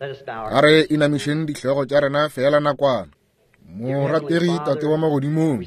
A re inamišeng dihlogo tša rena feela nakwana. Morategi Tate wa Magodimong,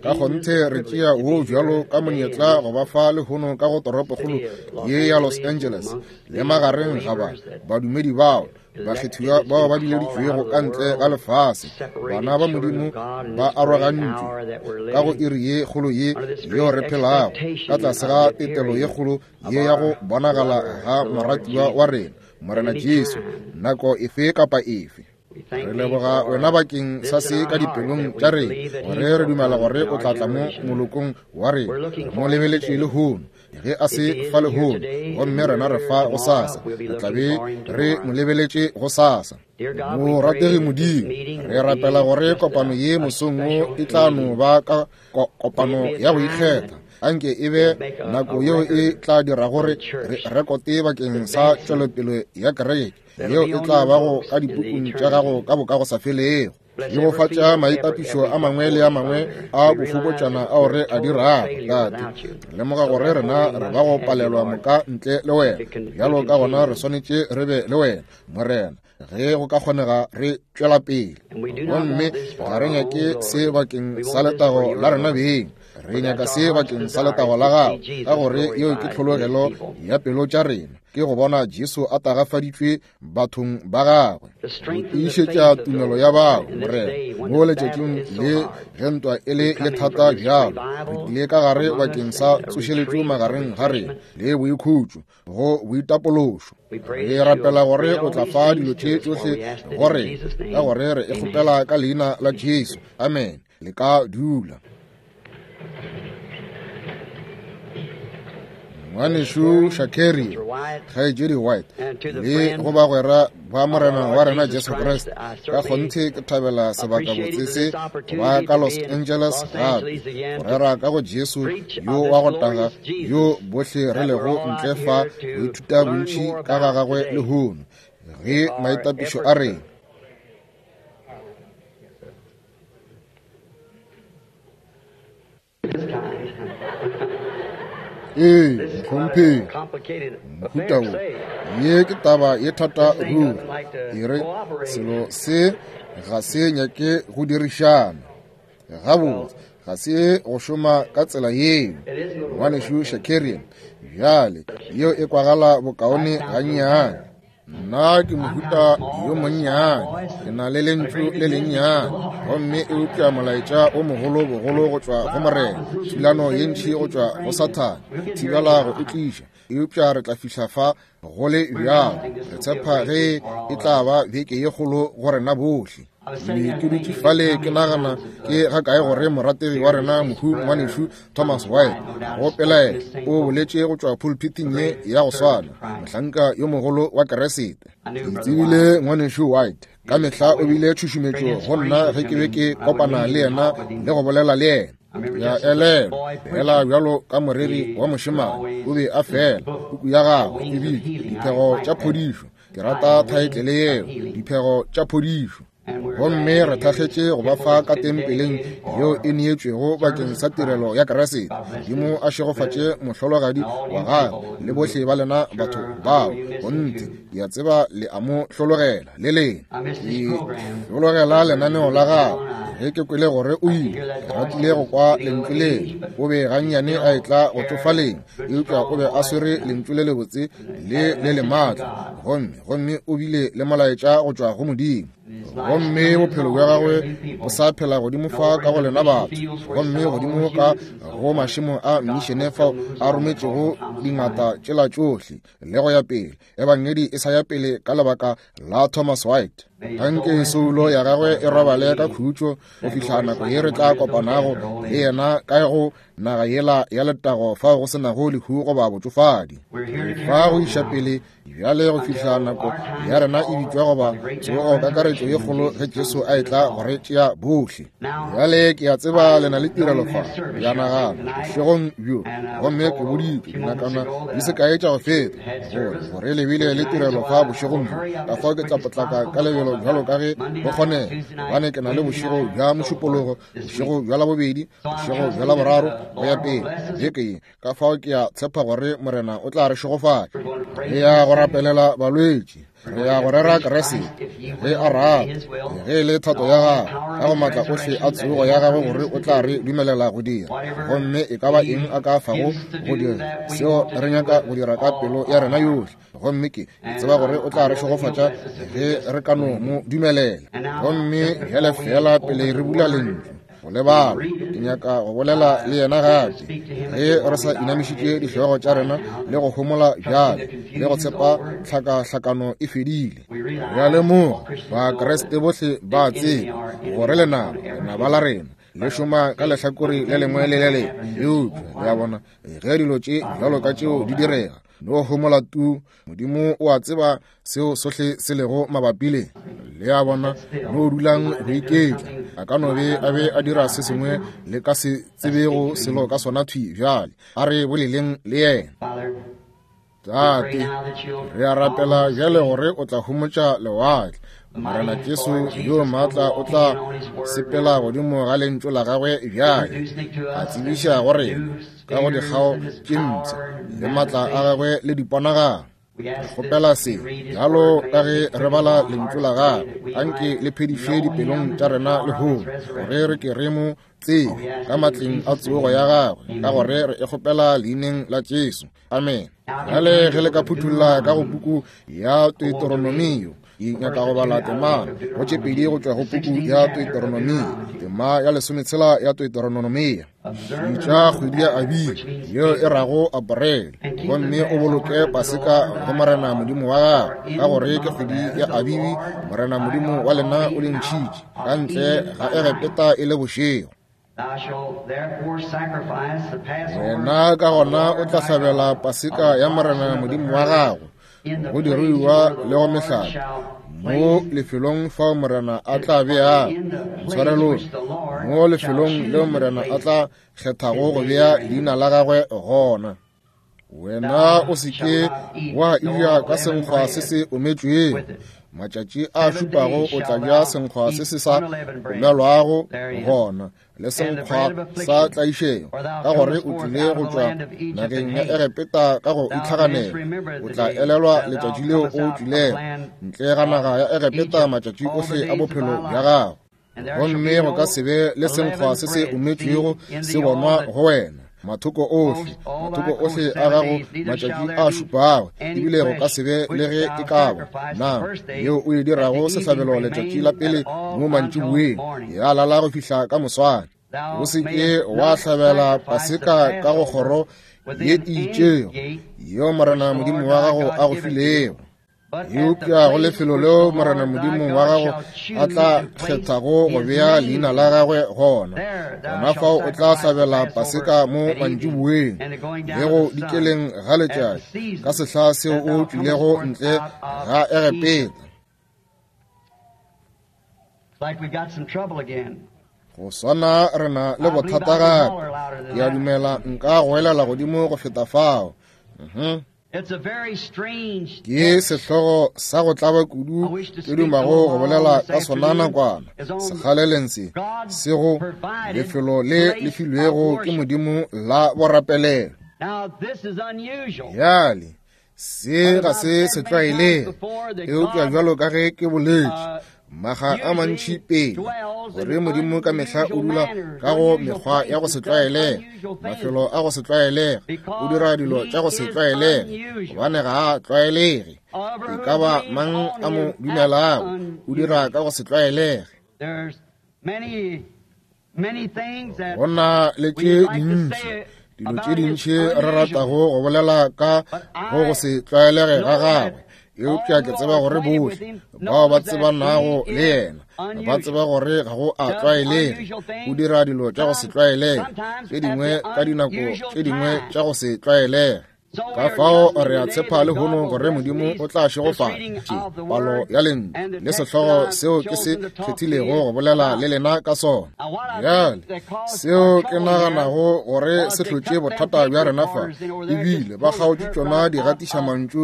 ka kgonthe re tšea wo bjalo ka monyetla go ba fa lehono ka go toropokgolo ye ya Los Angeles le magareng ga ba badumedi bao bakgethiwa bao ba bileditšwego ka ntle ga lefase, bana ba Modimo ba arogantšwe ka go iri ye kgolo ye yeo re phelago ka tlase ga tetelo ye kgolo ye ya go bonagala ga moratiwa wa rena Morena Jesu nako efe kapa efe. Re leboga wena bakeng sa se ka dipelong tša rena, gore re dumela gore o tla tla mo molokong wa rena. Re mo lebeletše lehono, ge a se fa lehono, gomme rena re fa gosasa, re tla be re mo lebeletše gosasa. Morategi Modimo, re rapela gore kopano ye mosong wo e tla no ba ka kopano ya go ikgetha. Anke e be nako yeo e tla dira gore re rekote bakeng sa tšwelopele ya kereke yeo e tla bago ka dipukung tša gago ka bokagosafelego. Šegofatša maitapišo a mangwe le a mangwe a bofokotšana ao re a dirago, Tate. Re lemoga gore rena re ba go palelwa moka ntle le wena. Bjalo ka gona re swanetše re be le wena, Morena, ge go ka kgonega re tšwela pele. Gomme ga re nyake se bakeng sa letago la rena beng, re nyaka se bakeng sa letago la gago, ka gore yeo ke tlhologelo ya pelo tša rena, ke go bona Jesu a tagafaditšwe bathong ba gagwe, go tiišetša tumelo ya bao, Morena, mo letšatšing le ge ntwa e le ye thata bjalo, re tlile ka gare bakeng sa tsošeletšo magareng ga rena le boikhutšo go boitapološo. Re rapela gore o tla fa dilo tše tšohle go rena, ka gore re e kgopela ka leina la Jesu. Amen. Le ka dula. Ngwanešu Shakeri, Kgaetšedi White, le go bagwera ba Morena wa rena Jesu Kriste, ka kgonthe ke thabela sebakabotse se go ba ka Los Angeles gape, go rera ka go Jesu yo wa go taga yo bohle re lego ntle fa go ithuta bontši ka ga gagwe lehono, ge maitapišo a rena. Ee, mohlomphegi, mohuta wo, ye ke taba ye thata ruri. E re, selo se ga se nyake go dirišana gabotse, ga se go šoma ka tsela yeo. Ngwanešu Shakarian, bjale, yeo e kwagala bokaone gannyane. Nna ke mohuta yo monnyane, ke na le lentšu le lennyane, gomme eupša molaetša o mogolo bogolo go tšwa go Morena, thulano ye ntši go tšwa go Sathane, go thibela go e tliša, eupša re tla fihla fa go le bjalo. Re tshepa ge e tla ba beke ye kgolo go rena bohle. Ke ke dutše fale ke nagana ke ga kae gore morategi wa rena mohu ngwanešu Thomas White go pelaela o boletše go tšwa pulpiting ye ya go swana, mohlanka yo mogolo wa Keresete. Ke tsebile ngwanešu White ka mehla o bile tšhušumetšo go nna ge ke be ke kopana le yena le go bolela le yena. Ya elelwa fela bjalo ka moreri wa mošemane o be a fela puku ya gagwe e bitšwa Diphego tša Phodišo. Ke rata thaetlele yeo, Diphego tša Phodišo. Gomme re thakgetše go ba fa ka tempeleng yeo e neetšwego bakeng sa tirelo ya Keresete. Modimo a šegofatše mohlologadi wa gagwe le bohle ba lena batho bao. Gonthe, ke a tseba le a mo hlologela, le lena. Ke hlologela lenaneo la gagwe. Ge ke kwele gore o ile, ke ratile go kwa lentšu leo. O be gannyane a etla go tšofaleng, eupša o be a swere lentšu le lebotse le le le maatla, gomme gomme o bile le molaetša go tšwa go Modimo. Gomme bophelo bja gagwe bo sa phela godimo fa ka go lena batho, gomme godimo ka go mašemo a mmišene fao a rometšego dingata tšela tšohle le go ya pele. Ebangedi e sa ya pele ka lebaka la Thomas White. Anke soulo ya gagwe e robale ka khutšo go fihla nako ye re tla kopanago le yena ka go naga yela ya letago fao go se nago lehu goba botšofadi. Fa go iša pele bjale go fihla nako ya rena e bitšwa goba tsogo kakaretšo ye kgolo ge Jesu a etla go re tšea bohle. Bjale ke a tseba le na le tirelo fa ya nagana bošegong bjo, gomme ke boditšwe dinakana di se kae tša go feta gore gore le bile le tirelo fa bošegong bjo, ka fao ke tla potlaka ka lebelo bjalo ka ge go kgonega, gobane ke na le bošego bja Mošupologo, bošego bja Labobedi, bošego bja Laboraro, go ya pele beke ye. Ka fao ke a tshepa gore Morena o tla re šegofatša. Re ya go rapelela balwetši, re ya go rera Kriste ge a rata, ge e le thato ya gagwe, ka go maatla ohle a tsogo ya gagwe gore o tla re dumelela go dira. Gomme e ka ba eng a ka fago go dira, seo re nyaka go dira ka pelo ya rena yohle. Gomme ke tseba gore o tla re šegofatša ge re ka no mo dumelela. Gomme bjale feela pele re bula lentšu go lebala, ke nyaka go bolela le yena gape, ge re sa inamišitše dihlogo tša rena le go homola bjale, le go tshepa tlhakahlakano e fedile. Re a lemoga Bakriste bohle ba tseba gore lenaba, lenaba la rena le šoma ka lehlakore le lengwe le le lengwe. Eupša le a bona, ge dilo tše bjalo ka tšeo di direga, no homola tu. Modimo o a tseba seo sohle se lego mabapi le. Le a bona, no dulang go iketla. A ka no be a be a dira se sengwe le ka se tsebego selo ka sona thwi bjale. A re boleleng le yena. Tate, re a rapela bjale gore o tla homotša lewatle. Morena Jesu yo maatla o tla sepela godimo ga lentšu la gagwe bjale, a tsebiša go rena ka go dikgao tše mpsha le maatla a gagwe le diponagalo. Re kgopela se bjalo ka ge re bala lentšu la gagwe, anke le phediše dipelong tša rena lehono, gore re ke re mo tsebe ka matleng a tsogo ya gagwe, ka gore re e kgopela leineng la Jesu. Amen. Bjale ge le ka phuthulla ka go puku ya Deuteronomio, ke nyaka go bala tema go tše pedi go tšwa go puku ya Deuteronomio, tema ya 16 ya Deuteronomia. Bitša kgwedi ya Abibi, yeo e rago Aporele, gomme o boloke Paseka go Morena Modimo wa gago, ka gore ke kgwedi ya Abibi, Morena Modimo wa lena o le ntšhitše ka ntle ga Egepeta e le bošego. Wena ka gona o tla hlabela Paseka ya Morena Modimo wa gago go diruiwa le go mehlape mo lefelong fao Morena a tla bea tshwarelong, mo lefelong leo Morena a tla kgethago go bea leina la gagwe gona. Wena o se ke wa eja ka senkgwa se se ometšwego. Matšatši a šupago o tla ja senkgwa se se sa omelwago gona, le senkgwa sa tlaišego, ka gore o tlile go tšwa nageng ya Egepeta ka go itlhaganela. O tla elelwa letšatši leo o tšwilego ntle ga naga ya Egepeta matšatši ohle a bophelo bja gago. Gomme go ka se be le senkgwa se se ometšwego se bonwa go wena mathoko ohle, mathoko ohle a gago matšatši a šupago, ebile go ka se be le ge e ka ba nama yeo o e dirago sehlabelo letšatši la pele mo mantšiboeng, ya lala go fihla ka moswane. O se ke wa hlabela Paseka ka go kgoro ye e itšego yeo Morena Modimo wa gago a go filego. Eupša go lefelo leo Morena Modimo wa gago a tla kgethago go bea leina la gagwe gona, gona fao o tla hlabela Paseka mo mantšiboeng le go dikeleng ga letšatši, ka sehla seo o tšwilego ntle ga Egepeta. Go swana re na le bothata gape. Ke a dumela nka goelela godimo go feta fao. Ke sehlogo sa go tlaba kudu ke dumago go bolela ka sona nakwana sekgaleleng se, se go lefelo le le filwego ke Modimo la borapelelo. Bjale, se ga se se tlwaelege, eupša bjalo ka ge ke boletše maga a mantši pele, gore Modimo ka mehla o dula ka go mekgwa ya go se tlwaelege, mafelo a go se tlwaelege, o dira dilo tša go se tlwaelege, gobane ga a tlwaelege. E ka ba mang a mo dumelago, o dira ka go se tlwaelege. Go na le tše dintši, dilo tše dintši re ratago go bolela ka go go se tlwaelege ga gagwe, eupša ke tseba gore bohle bao ba tsebanago le yena ba tseba gore ga go a tlwaelege. O dira dilo tša go se tlwaelege tše dingwe ka dinako tše dingwe tša go se tlwaelege. Ka fao re a tshepa lehono gore Modimo o tla šegofatša palo ya lentšu le sehlogo seo ke se kgethilego go bolela le lena ka sona. Bjale, seo ke naganago gore se hlotše bothata bja rena fa, ebile ba kgaotše tšona digatišamantšu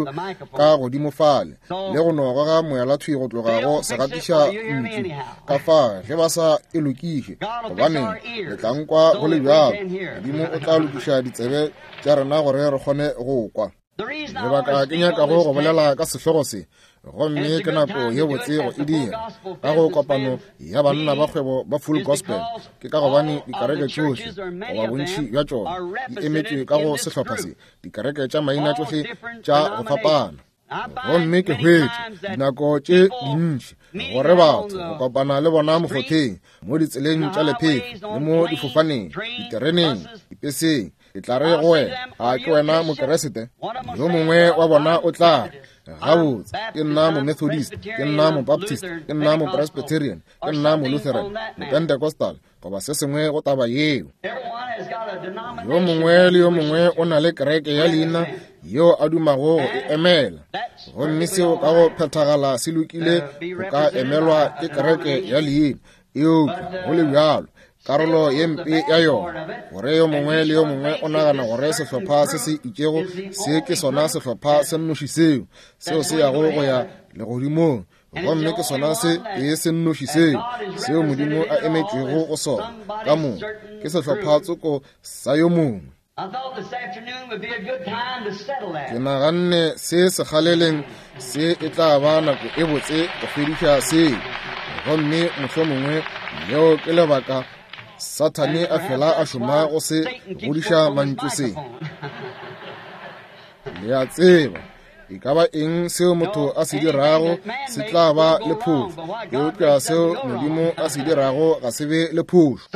ka godimo fale le go no goga moelathwi go tloga go segatiša ntšu ka fa ge ba sa e lokiše, gobane le tla nkwa go le bjalo. Modimo o tla lokiša ditsebe tša rena gore re kgone go kwa. Lebaka ke nyakago go bolela ka sehlogo se, gomme ke nako ye botse go e dira ka go kopano ya banna ba kgwebo ba Full Gospel, ke ka gobane dikereke tšohle goba bontši bja tšona di emetšwe ka go sehlopha se, dikereke tša maina tšohle tša go fapana. Gomme ke hwetše dinako tše dintši gore batho go kopana le bona mokgotheng, mo ditseleng tša lephefo le mo difofaneng, ditereneng, dipeseng. Ke tla re go wena, a ke wena Mokeresete? Yo mongwe wa bona o tla re, gabotse, ke nna Momethodist, ke nna Mobaptist, ke nna Mopresbyterian, ke nna Molutheran, Mopentecostal, goba se sengwe go taba yeo. Yo mongwe le yo mongwe o na le kereke ya leina yeo a dumago go e emela, gomme seo ka go phethagala se lokile go ka emelwa ke kereke ya leina, eupša go le bjalo karolo ye mpe ya yona gore yo mongwe le yo mongwe o nagana gore sehlopha se se itšego se ke sona sehlopha se nnoši seo seo se yago go ya legodimong, gomme ke sona se e se nnoši seo seo Modimo a emetšwego go sona ka moka ke sehlopha tsoko sa yo mongwe. Ke naganne se sekgaleleng se e tla ba nako e botse go fediša seo, gomme mohlomongwe leo ke lebaka Sathane a fela a šoma go se godiša mantšu se. Le a tseba, e ka ba eng seo motho a se dirago se tla ba le phošo, eupša seo Modimo a se dirago ga se be le phošo.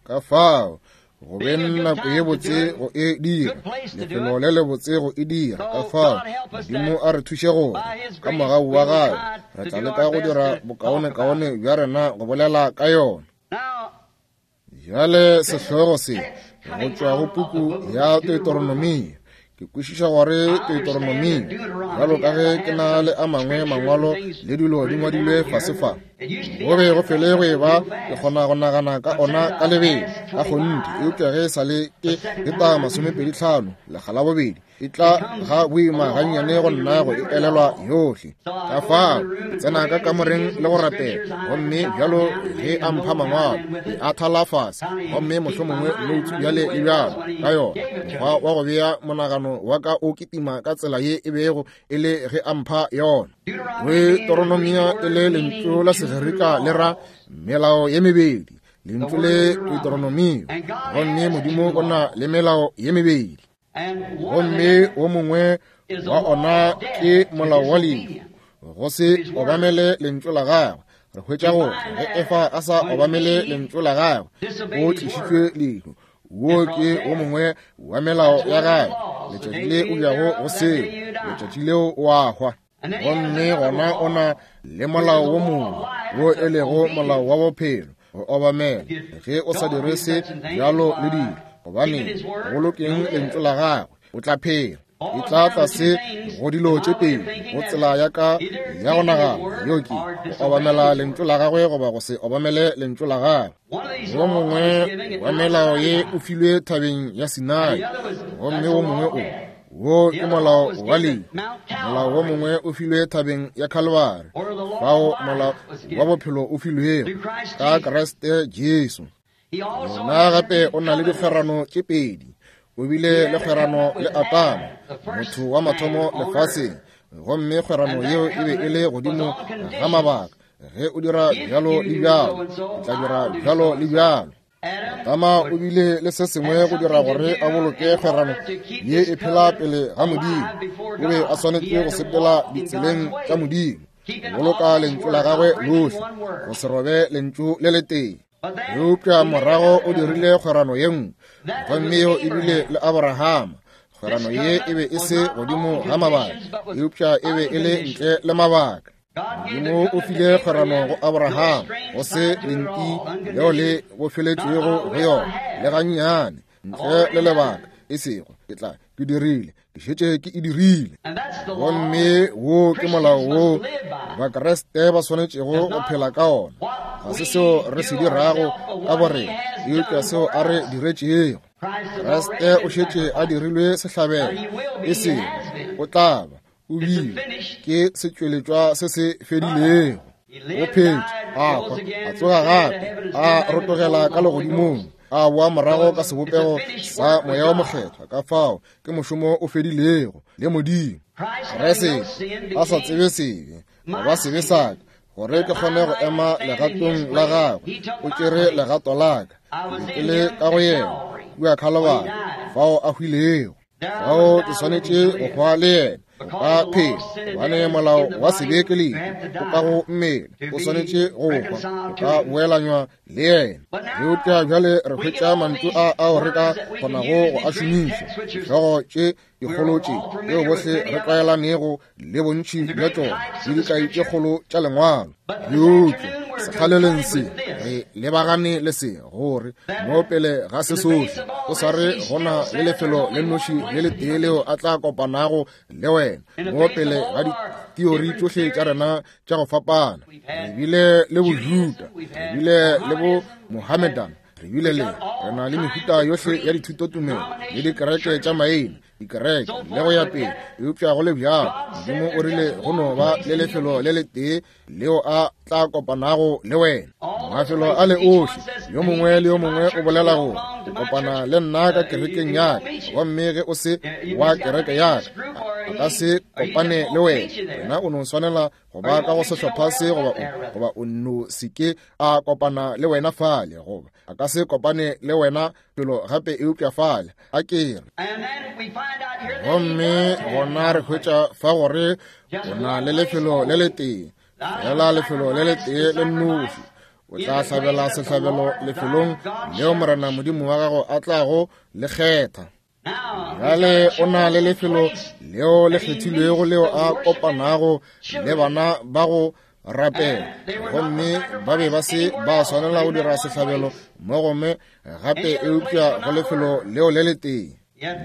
Ka fao go beng nako ye botse go e dira, lefelo le lebotse go e dira. Ka fao Modimo a re thuše gore ka mogau wa gagwe re tla leka go dira bokaonekaone bja rena go bolela ka yona. Bjale sehlogo se go tšwa go puku ya Deuteronomia. Ke kwešiša gore Deuteronomia, bjalo ka ge ke na le a mangwe mangwalo le dilo di ngwadilwe fase fa, go be go fele go e ba ke kgona go nagana ka ona ka lebelo ka kgonthe, eupša ge e sa le ke feta 25 lekga la bobedi, e tla ga boima gannyane go nna go e elelwa yohle. Ka fao ke tsena ka kamoreng le go rapela, gomme bjalo ge a mpha mangwalo, ke a thala fase, gomme mohlomongwe noutsu bjale le bjalo ka yona. Mokgwa wa go bea monagano wa ka o kitima ka tsela ye e bego e le ge a mpha yona. Deuteronomia e le lentšu la Segerika le ra melao ye mebedi, lentšu le Deuteronomio, gomme Modimo o na le melao ye mebedi. Gomme wo mongwe wa ona ke molao wa lehu, go se obamele lentšu la gagwe. Re hwetša gore ge Efa a sa obamele lentšu la gagwe, o tlišitšwe lehu. Wo ke wo mongwe wa melao ya gagwe. Letšatši le o jago go seo, letšatši leo o a hwa. Gomme gona o na le molao wo mongwe wo e lego molao wa bophelo, go obamela. Ge o sa dire se bjalo le dilo, gobane go bolokeng lentšu la gagwe, o tla phela. E tla tlase go dilo tše pedi go tsela ya ka ya go nagana, yeo ke go obamela lentšu la gagwe goba go se obamele lentšu la gagwe. Wo mongwe wa melao ye o filwe thabeng ya Sinai, gomme wo mongwe o wo ke molao wa lehu. Molao wo mongwe o filwe thabeng ya Calvary, fao molao wa bophelo o filwego ka Kriste Jesu. Yena gape o na le dikgwerano tše pedi. O bile le kgwerano le Adama, motho wa mathomo lefaseng, gomme kgwerano yeo e be e le godimo ga mabaka. Ge o dira bjalo le bjalo, ke tla dira bjalo le bjalo. Adama o bile le se sengwe go dira gore a boloke kgwerano ye e phela pele ga Modimo. O be a swanetše go sepela ditseleng tša Modimo, go boloka lentšu la gagwe lohle, go se robe lentšu le letee. Eupša morago o dirile kgwerano ye nngwe, gomme yeo e bile le Aborahama. Kgwerano ye e be e se godimo ga mabaka, eupša e be e le ntle le mabaka. Modimo o file kgwerano go Abraham, go se lenti leo le bofeletšwego go yona le gannyane, ntle le lebaka, e sego ke tla Ke dirile, ke šetše ke e dirile. Gomme wo ke molao wo Bakriste ba swanetšego go phela ka ona. Ga se seo re se dirago ka borena, eupša seo a re diretšego. Kriste o šetše a dirilwe sehlabelo, e sego o tla ba, o bile, ke setšweletšwa se se fedilego. O phetše, a hwa, a tsoga gape, a rotogela ka legodimong, a boa morago ka sebopego sa Moya wo Mokgethwa. Ka fao ke mošomo o fedilego le Modimo. Kriste a sa tsebe sebe, goba sebe sa ka, gore ke kgone go ema legatong la gagwe, o tšere legato la ka, ke be ke le ka go yena kua Khalobari, fao a hwilego. Fao ke swanetše go hwa le yena, go ka phela, gobane molao wa sebe ke lehu, o ka go mmele, o swanetše go hwa, go ka boelanywa le yena. Eupša bjale re hwetša mantšu a ao re ka kgonago go a šomiša, dihlogo tše dikgolo tše tšeo bohle re tlwaelanego le bontši bja tšona, le dikai tše kgolo tša Lengwalo. Eupša sekgaleleng se re lebagane le se, gore mo pele ga se sohle o sa re go na le lefelo le nnoši le letee leo a tla kopanago le wena, mo pele ga diteori tšohle tša rena tša go fapana. Re bile le Bojuda, re bile le bo Mohammedan, re bile le, re na le mehuta yohle ya dithutotumelo le dikereke tša maina, dikereke le go ya pele. Eupša go le bjalo Modimo o rile go no ba le lefelo le letee leo a tla kopanago le wena. Mafelo a le ohle, yo mongwe le yo mongwe o bolela gore o kopana le nna ka kerekeng ya ka, gomme ge o se wa kereke ya ka, a ka se kopane le wena. Wena o no swanela go ba ka go sehlopha se, goba o, goba o no se ke a kopana le wena fale, goba a ka se kopane le wena felo gape eupša fale. A ke re. Gomme gona re hwetša fa gore o na le lefelo le letee, fela lefelo le letee le nnoši. O tla hlabela sehlabelo lefelong leo Morena Modimo wa gago a tlago le kgetha. Bjale o na le lefelo leo le kgethilwego leo a kopanago le bana ba go rapela, gomme ba be ba se ba swanela go dira sehlabelo mo gomme gape eupša go lefelo leo le letee.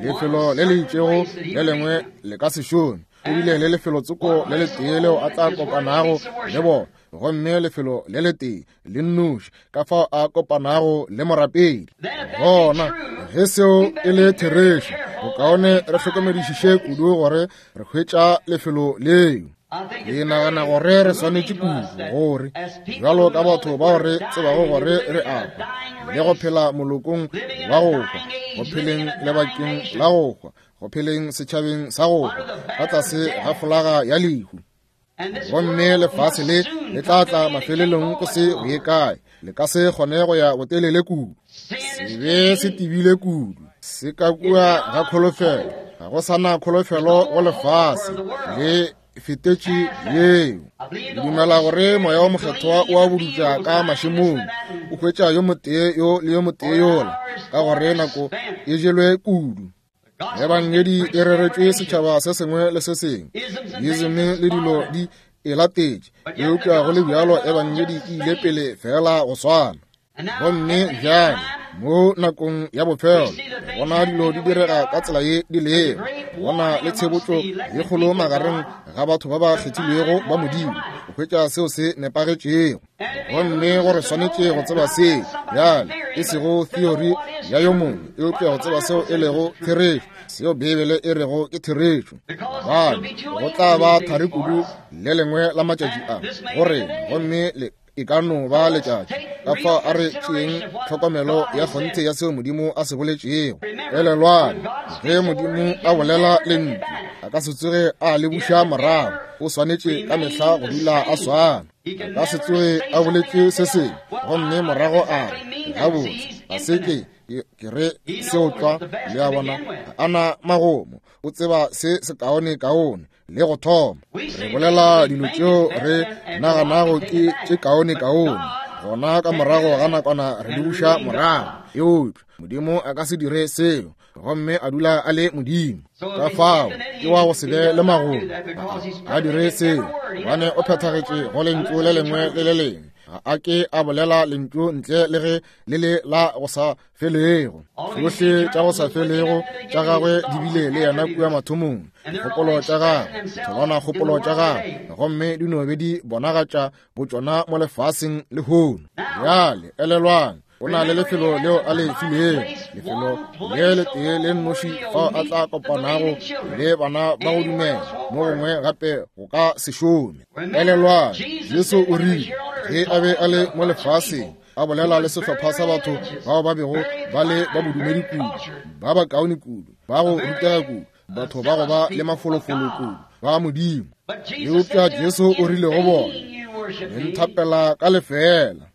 Lefelo le le itšego le lengwe le ka se šome. O bile le lefelo tsoko le letee leo a tla kopanago le bona, gomme lefelo le letee le nnoši ka fao a kopanago le morapedi. Gona ge seo e le therešo, bokaone re hlokomedišiše kudu gore re hwetša lefelo leo. Ke nagana gore re swanetše kudu gore bjalo ka batho bao re tsebago gore re a hwa le go phela molokong wa go hwa, go pheleng lebakeng la go hwa, go pheleng setšhabeng sa go hwa ka tlase ga folaga ya lehu. Gomme lefase le le tla tla mafelelong go se go ye kae, le ka se kgone go ya botelele kudu. Sebe se tebile kudu, se ka kua ga kholofelo, ga go sa na kholofelo go lefase le fetetše yeo. Ke dumela gore Moya wo Mokgethwa o a budutša ka mašemong, o hwetša yo motee yo le yo motee yola, ka gore nako e jelwe kudu. Ebangedi e reretšwe setšhaba se sengwe le se sengwe, diism le dilo di e latetše, eupša go le bjalo ebangedi e ile pele fela go swana. Gomme bjale mo nakong ya bofelo re bona dilo di direga ka tsela ye di lego, bona le tshebotšo ye kgolo magareng ga batho ba ba kgethilwego ba Modimo go hwetša seo se nepagetšego. Gomme gore swanetše go tseba se bjale, e sego theory ya yo mongwe, eupša go tseba seo e lego therešo, seo Beibele e rego ke therešo. Gobane go tla ba thari kudu le lengwe la matšatši a go rena, gomme le e ka no ba letšatši. Ka fao a re tšeeng tlhokomelo ya kgonthe ya seo Modimo a se boletšego. Elelwang, ge Modimo a bolela lentšu, a ka se tsoge a le buša morago. O swanetše ka mehla go dula a swana. A ka se tsoge a boletše se sengwe gomme morago a re, Gabotse, ga se ke ke re seo tlwa. Le a bona, ga a na magomo. O tseba se sekaonekaone le go thoma. Re bolela dilo tšeo re naganago ke tše kaonekaone, gona ka morago ga nakwana re di buša morago. Eupša Modimo a ka se dire seo, gomme a dula a le Modimo. Ka fao ke wa go se be le magomo. A dire seo gobane o phethagetše go lentšu le lengwe le le lengwe. Ga a ke a bolela lentšu ntle le ge le le la go sa felego. Tšohle tša go sa felego tša gagwe di bile le yena kua mathomong, dikgopolo tša gagwe, ditholwana kgopolo tša gagwe, gomme di no be di bonagatša botšona mo lefaseng lehono. Bjale elelwang, o na le lefelo leo a le filego, lefelo le letee le nnoši fao a tla kopanago le bana ba go dumela, mo gongwe gape go ka se šome. Elelwang, Jesu o rile ge a be a le mo lefaseng, a bolela le sehlopha sa batho bao ba bego ba le ba bodumedi kudu, ba bakaone kudu, ba go rutega kudu, batho ba go ba le mafolofolo kudu ba Modimo. Eupša Jesu o rile go bona, Le nthapela ka lefeela,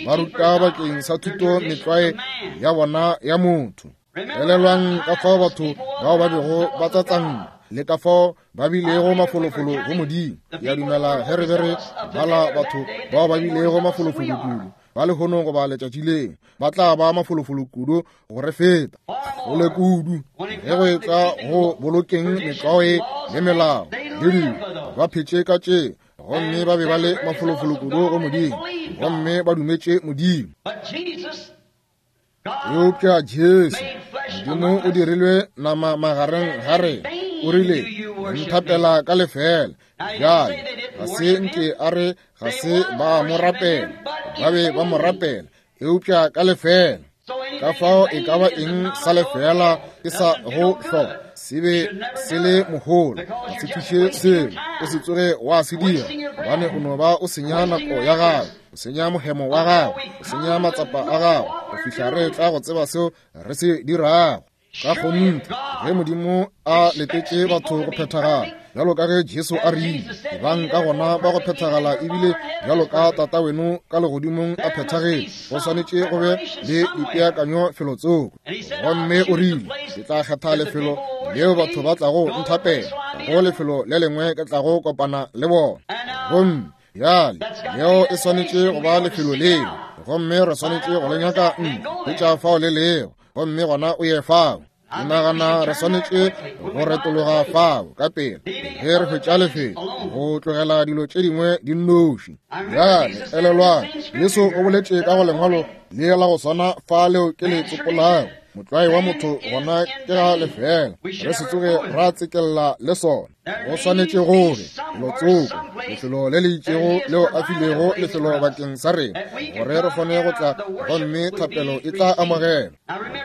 ba ruta bakeng sa thuto metlwae ya bona ya motho. Elelwang ka fao batho bao ba bego ba tsatsanna le ka fao ba bilego mafolofolo go Modimo. Ke a dumela ge re be re bala batho bao ba bilego mafolofolo kudu ba lehono goba letšatši leo, ba tla ba mafolofolo kudu go re feta kgole kudu ge go etla go bolokeng metlwae le melao le dilo. Ba phetše ka tše gomme ba be ba le mafolofolo kudu go Modimo gomme ba dumetše Modimo. Eupša Jesu, Modimo o dirilwe nama magareng ga rena, o rile, Nthapela ka lefeela. Bjale, ga se nke a re ga se ba mo rapela, ba be ba mo rapela, eupša ka lefeela. Ka fao e ka ba eng sa lefeela ke sa go hloka, se be se le mohola, ga se thuše selo, o se tsoge wa se dira, gobane o no ba o senya nako ya gago, o senya mohemo wa gago, o senya matsapa a gago, go fihla re tla go tseba seo re se dirago. Ka kgonthe, ge Modimo a letetše batho go phethagala, bjalo ka ge Jesu a rile, ebang ka gona ba go phethagala ebile bjalo ka Tata weno ka legodimong a phethagetše, go swanetše go be le dipeakanyo felotsoko. Gomme o rile, Ke tla kgetha lefelo leo batho ba tlago nthapela, go lefelo le lengwe ke tlago kopana le bona. Gomme Bjale, leo e swanetše go ba lefelo leo, gomme re swanetše go le nyaka ntle, hwetša fao le lego, gomme gona o ye fao. Ke nagana re swanetše go retologa fao ka pela ge re hwetša lefelo, go tlogela dilo tše dingwe di nnoši. Bjale, elelwang, Jesu o boletše ka go Lengwalo le la go swana fa leo ke le tsopolago, motlwae wa motho gona ke ga lefeela, re se tsoge ra tsekella le sona. Go swanetše go be felotsoko, lefelo le le itšego leo a filego lefelo bakeng sa rena, gore re kgone go tla gomme thapelo e tla amogelwa.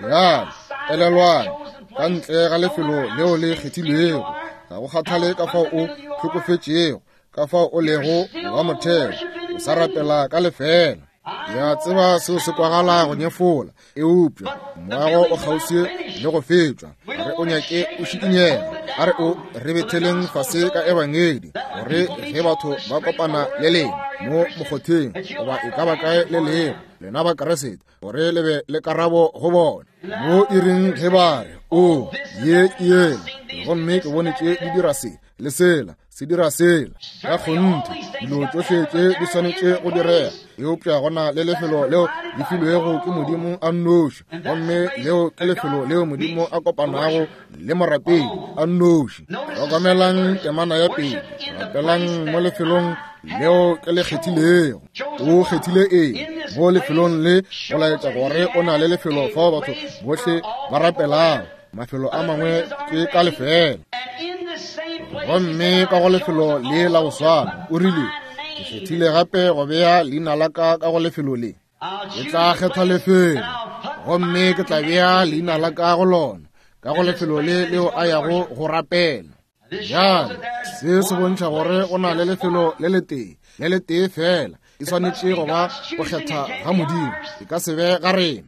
Bjale, elelwang, ka ntle ga lefelo leo le kgethilwego, ga go kgathale ka fao o hlokofetšego, ka fao o lego wa motheo, o sa rapela ka lefeela. Ke a tseba seo se kwagala go nyefola, eupša moago o kgauswi le go fetšwa. Re o nyake o šikinyega, a re o re betheleng fase ka ebangedi, gore ge batho ba kopana le lena mo mokgotheng goba e ka ba kae le lego, lena ba Keresete, gore le be le karabo go bona. Mo iring ge ba re, O, ye ke yela, gomme ke bone tše di dira se le sela, se dira sela. Ka kgonthe, dilo tšohle tše di swanetše go direga, eupša go na le lefelo leo le filwego ke Modimo a nnoši, gomme leo ke lefelo leo Modimo a kopanago le morapedi a nnoši. Hlokomelang temana ya pele, rapelang mo lefelong leo ke le kgethilego. O kgethile eng mo lefelong le? Go laetša gore o na le lefelo fao batho bohle ba rapelago. Mafelo a mangwe ke ka lefeela. Gomme ka go lefelo le la go swana, o rile, Ke kgethile gape go bea leina la ka ka go lefelo le. Ke tla kgetha lefelo, gomme ke tla bea leina la ka go lona, ka go lefelo le leo a yago go rapela. Bjale, se se bontšha gore go na le lefelo le letee, le letee fela. E swanetše go ba go kgetha ga Modimo, e ka se be ga rena.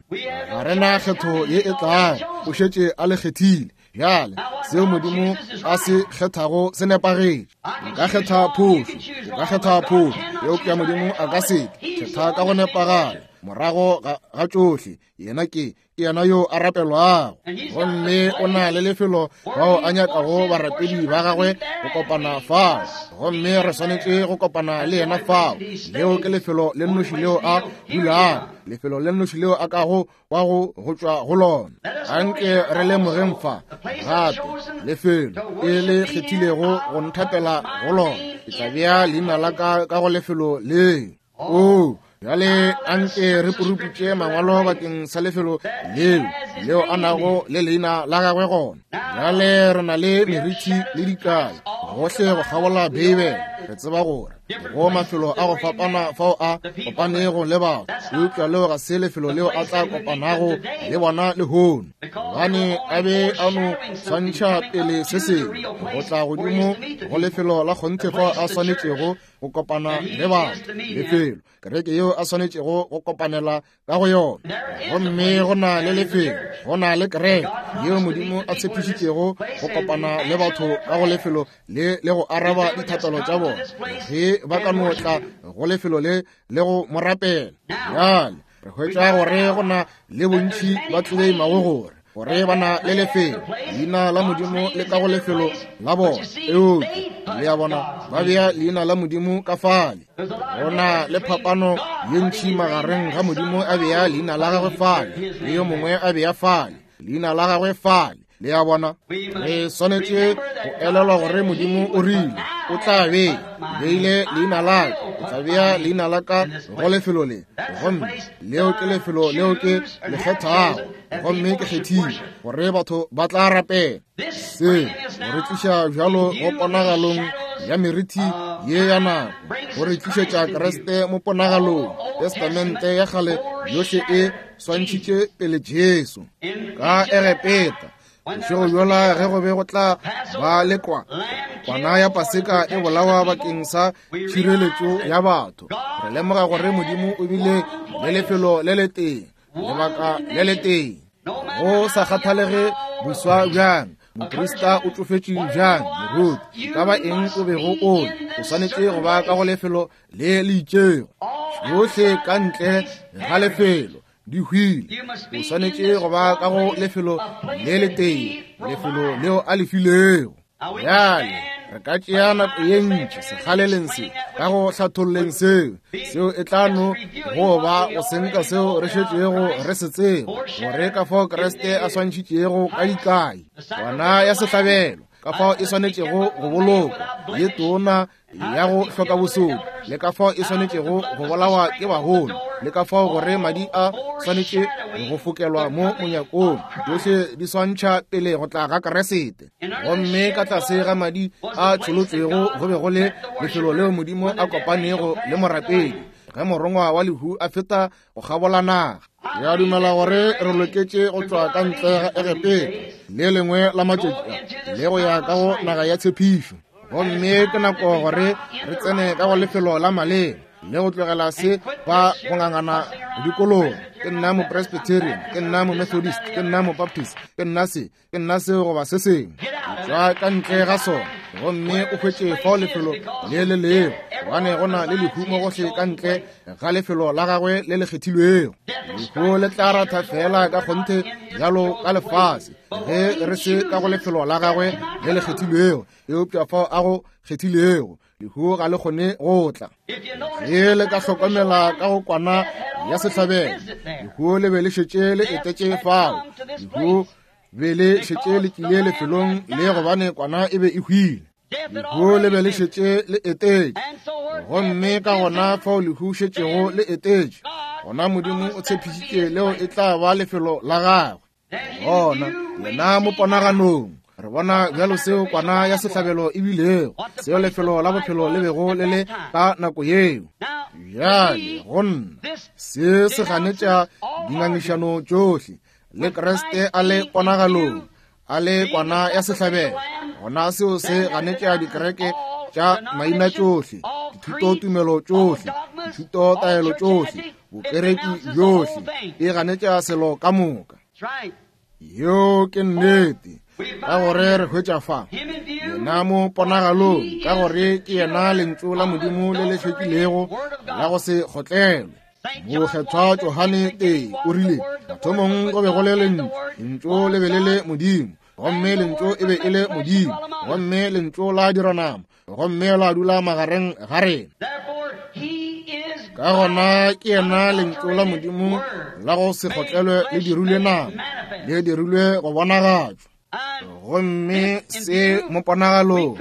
Ga re na kgetho ye e tlago, o šetše a le kgethile. Bjale, seo Modimo a se kgethago se nepagetše. Nka kgetha phošo, o ka kgetha phošo, eupša Modimo a ka se ke kgetha ka go nepagala. Morago ga tšohle, yena ke ke yena yo a rapelwago, gomme o na le lefelo bao a nyakago barapedi ba gagwe go kopana fao, gomme re swanetše go kopana le yena fao. Leo ke lefelo le nnoši leo a dulago, lefelo le nnoši leo a kago wa go go tšwa go lona. Anke re lemogeng fa gape lefelo e le kgethilego go nthapela go lona. Ke tla bea leina la ka ka go lefelo leo. Oo, Bjale anke re puruputše mangwalo bakeng sa lefelo leo leo a nago le leina la gagwe gona. Bjale re na le merithi le dikai gohle go kgabola Beibele. Re tseba gore go mafelo a go fapana fao a kopanego le batho, eupša leo ga se lefelo leo a tla kopanago le bona lehono, gobane a be a no swantšha pele se sengwe go tla godimo go lefelo la kgonthe fao a swanetšego go kopana le batho, lefelo kereke yeo a swanetšego go kopanela ka go yona. Gomme go na le lefelo, go na le kereke yeo Modimo a tshepišitšego go kopana le batho ka go lefelo le le go araba dithapelo tša bona ge ba ka no tla go lefelo le le go mo rapela. Bjale re hwetša gore go na le bontši ba tleleimago gore gore ba na le lefelo, leina la Modimo le ka go lefelo la bona, eupša le a bona ba bea leina la Modimo ka fale. Go na le phapano ye ntši magareng ga Modimo a bea leina la gagwe fale le yo mongwe a bea fale leina la gagwe fale. Le a bona, re swanetše go elelwa gore Modimo o rile o tla be beile leina la ka, o tla bea leina la ka go lefelo le, gomme leo ke lefelo leo ke le kgethago, gomme ke kgethile gore batho ba tla rapela. Se go re tliša bjalo go ponagalong ya merithi ye ya nako, go re tlišetša Kriste mo ponagalong. Testamente ya kgale yohle e swantšhitše pele Jesu ka Egepeta. Bošego bjola ge go be go tla ba le kwa kwana ya Paseka e bolawa bakeng sa tšhireletšo ya batho, re lemoga gore Modimo o bile le lefelo le letee, lebaka le letee. Go sa kgathalege boswa bjang, moprista o tšofetše bjang, moruti, ka ba eng o bego o le, o swanetše go ba ka go lefelo le le itšego. Tšohle ka ntle ga lefelo di hwile. O swanetše go ba ka go lefelo le letee, lefelo leo a le filego. Bjale re ka tšea nako ye ntši sekgaleleng se ka go hlatholleng seo, seo e tla no go ba go senka seo re šetšego re se tseba, gore ka fao Kriste a swantšhitšego ka dikai kwana ya sehlabelo, ka fao e swanetšego go bolokwa ye tona ya go hloka bosodi, le ka fao e swanetšego go bolawa ke bagolo, le ka fao gore madi a swanetše go fokelwa mo monyakong. Tšohle di swantšha pele go tla ga Kriste. Gomme ka tlase ga madi a tšholotšwego go be go le lefelo leo Modimo a kopanego le morapedi ge morongwa wa lehu a feta go kgabola naga. Ke a dumela gore re loketše go tšwa ka ntle ga Egepeta le lengwe la matšatši a le go ya ka go naga ya tshepišo. Gomme ke nako gore re tsene ka go lefelo la maleba le go tlogela se ba go ngangana dikolong. Ke nna Mopresbyterian, ke nna Momethodist, ke nna Mobaptist, ke nna se, ke nna seo goba se sengwe. Tšwa ka ntle ga sona gomme o hwetše fao lefelo le le lego, gobane go na le lehu mo gohle ka ntle ga lefelo la gagwe le le kgethilwego. Lehu le tla ratha fela ka kgonthe bjalo ka lefase ge re se ka go lefelo la gagwe le le kgethilwego, eupša fao a go kgethilego lehu ga le kgone go tla. Ge le ka hlokomela ka go kwana ya sehlabelo, lehu le be le šetše le etetše fao. Lehu be le šetše le tlile lefelong le, gobane kwana e be e hwile. Lehu le be le šetše le etetše, gomme ka gona fao lehu šetšego le etetše, gona Modimo o tshepišitše leo e tla ba lefelo la gagwe. Gona yena mo ponaganong re bona bjalo seo kwana ya sehlabelo e bilego, seo lefelo la bophelo le bego le le ka nako yeo. Bjale go nna se se ganetša dingangišano tšohle le Kriste a le ponagalong, a le kwana ya sehlabelo. Gona seo se ganetša dikereke tša maina tšohle, dithutotumelo tšohle, dithutotaelo tšohle, bokereki bjohle, e ganetša selo ka moka. Yeo ke nnete, ka gore re hwetša fa yena mo ponagalong, ka gore ke yena lentšu la Modimo le le hlwekilego la go se kgotlelwe. Mokgethwa Johane tee o rile, mathomong go be go le lentšu, lentšu le be le le Modimo, gomme lentšu e be e le Modimo, gomme lentšu la dira nama, gomme la dula magareng ga rena. Ka gona ke yena lentšu la Modimo la go se kgotlelwe le dirilwe nama, le dirilwe go bonagatšwa. Gomme se mo ponagalong.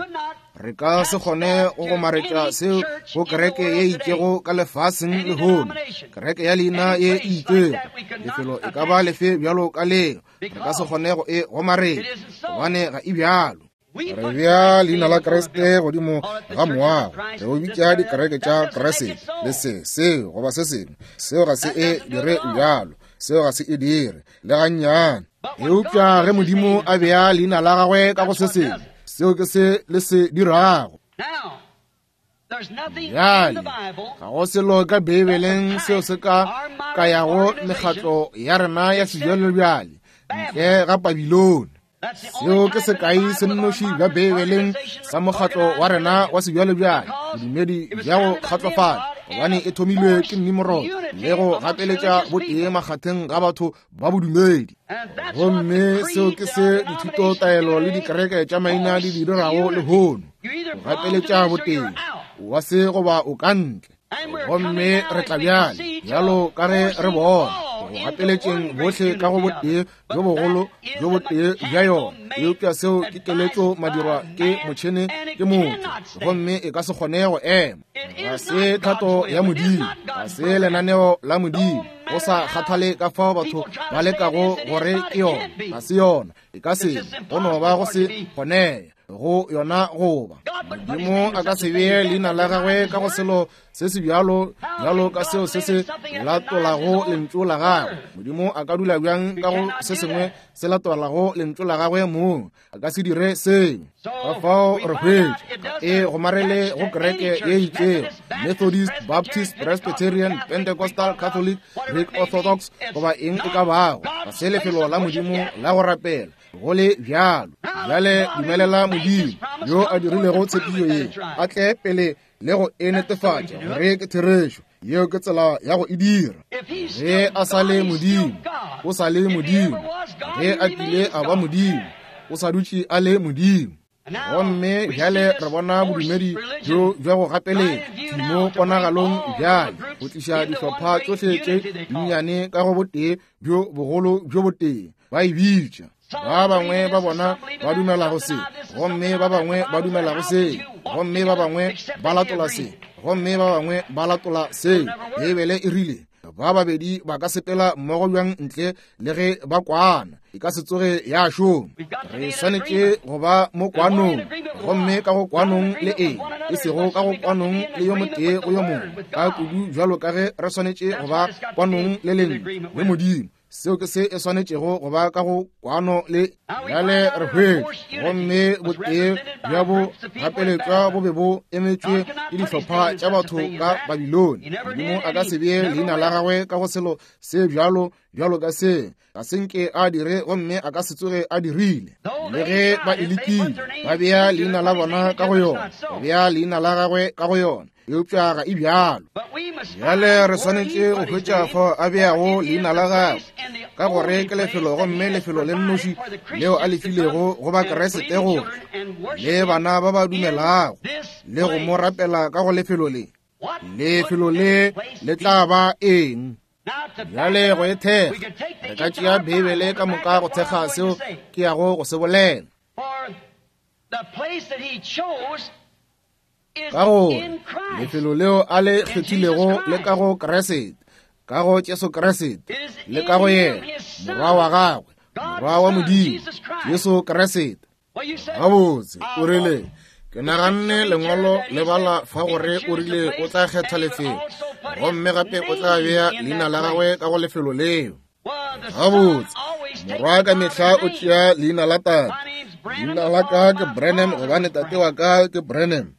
Re ka se kgone go gomaretša seo go kereke ye itšego ka lefaseng lehono, kereke ya leina ye e itšego, lefelo e ka ba lefe bjalo ka leo. Re ka se kgone go e gomaretša, gobane ga e bjalo. Re bea leina la Kriste godimo ga moago, re o bitša dikereke tša Kriste, le se, seo, goba se sengwe. Seo ga se e dire bjalo. Seo ga se e dire le gannyane. Eupša ge Modimo a bea leina la gagwe ka go se sengwe, seo ke se le se dirago. Bjale, ga go selo ka Beibeleng seo se ka kayago mekgatlo ya rena ya sejwalejwale ntle ga Babilone. Seo ke sekai se nnoši bja Beibeleng sa mokgatlo wa rena wa sejwalejwale, bodumedi bja go kgatlofala, gobane e thomilwe ke Nimrod le go gapeletša botee makgatheng ga batho ba bodumedi. Gomme seo ke se dithutotaelo le dikereke tša maina di di dirago lehono, go gapeletša botee wa se goba o ka ntle. Gomme re tla bjale, bjalo ka ge re bona, go gapeletšeng bohle ka go botee bjo bogolo bjo botee bja yona. Eupša seo ke keletšo madirwa ke motšhene ke motho, gomme e ka se kgone go ema. Ga se thato ya Modimo, ga se lenaneo la Modimo. Go sa kgathale ka fao batho ba lekago gore ke yona, ga se yona, e ka se, go no ba go se kgonege go yona goba. Modimo a ka se bee leina la gagwe ka go selo se se bjalo bjalo ka seo se se latolago lentšu la gagwe. Modimo a ka dula bjang ka go se sengwe se latolago lentšu la gagwe mong? A ka se dire seo. Ka fao re hwetša e gomarele go kereke ye itšego, Methodist, Baptist, Presbyterian, Pentecostal, Catholic, Greek Orthodox, goba eng e ka bago. Ga se lefelo la Modimo la go rapela. Go le bjalo, bjale dumelela Modimo yo a dirilego tshepišo ye a tle pele le go e netefatša gore ke therešo. Yeo ke tsela ya go e dira. Ge a sa le Modimo, o sa le Modimo. Ge a kile a ba Modimo, o sa dutše a le Modimo. Gomme bjale re bona bodumedi bjo bja go gapeletša mo ponagalong bjale go tliša dihlopha tšohle tše dinnyane ka go botee bjo bogolo bjo botee, ba e bitša. Ba bangwe ba bona ba dumela go se, gomme ba bangwe ba dumela go se, gomme ba bangwe ba latola se, gomme ba bangwe ba latola se. Beibele e rile ba babedi ba ka sepela mmogo bjang ntle le ge ba kwana? E ka se tsoge ya šoma. Re swanetše go ba mo kwanong, gomme ka go kwanong le eng, e sego ka go kwanong le yo motee go yo mongwe, ka kudu bjalo ka ge re swanetše go ba kwanong le lentšu le Modimo. Seo ke se e swanetšego go ba ka go kwano le. Bjale re hwetša, gomme botee bja bo gapeletšwa bo be bo emetšwe ke dihlopha tša batho ka Babilone. Modimo a ka se bee leina la gagwe ka go selo se bjalo bjalo ka se. Ga se nke a dire, gomme a ka se tsoge a dirile. Le ge ba e lekile, ba bea leina la bona ka go yona, ba bea leina la gagwe ka go yona, eupša ga e bjalo. Bjale re swanetše go hwetša fao a beago leina la gagwe, ka gore ke lefelo, gomme lefelo le nnoši leo a le filego go Bakriste gore le bana ba ba dumelago le go mo rapela ka go lefelo le. Lefelo le le tla ba eng? Bjale go e thekga, re ka tšea Beibele ka moka go thekga seo ke yago go se bolela. Ka gore lefelo leo a le kgethilego le ka go Kriste, ka go Jesu Kriste, le ka go yena, Morwa wa gagwe, Morwa wa Modimo, Jesu Kriste. Gabotse, o rile, ke naganne lengwalo le bala fa gore o rile o tla kgetha lefelo, gomme gape o tla bea leina la gagwe ka go lefelo leo. Gabotse, morwa ka mehla o tšea leina la tate. Leina la ka ke Branham gobane tate wa ka ke Branham.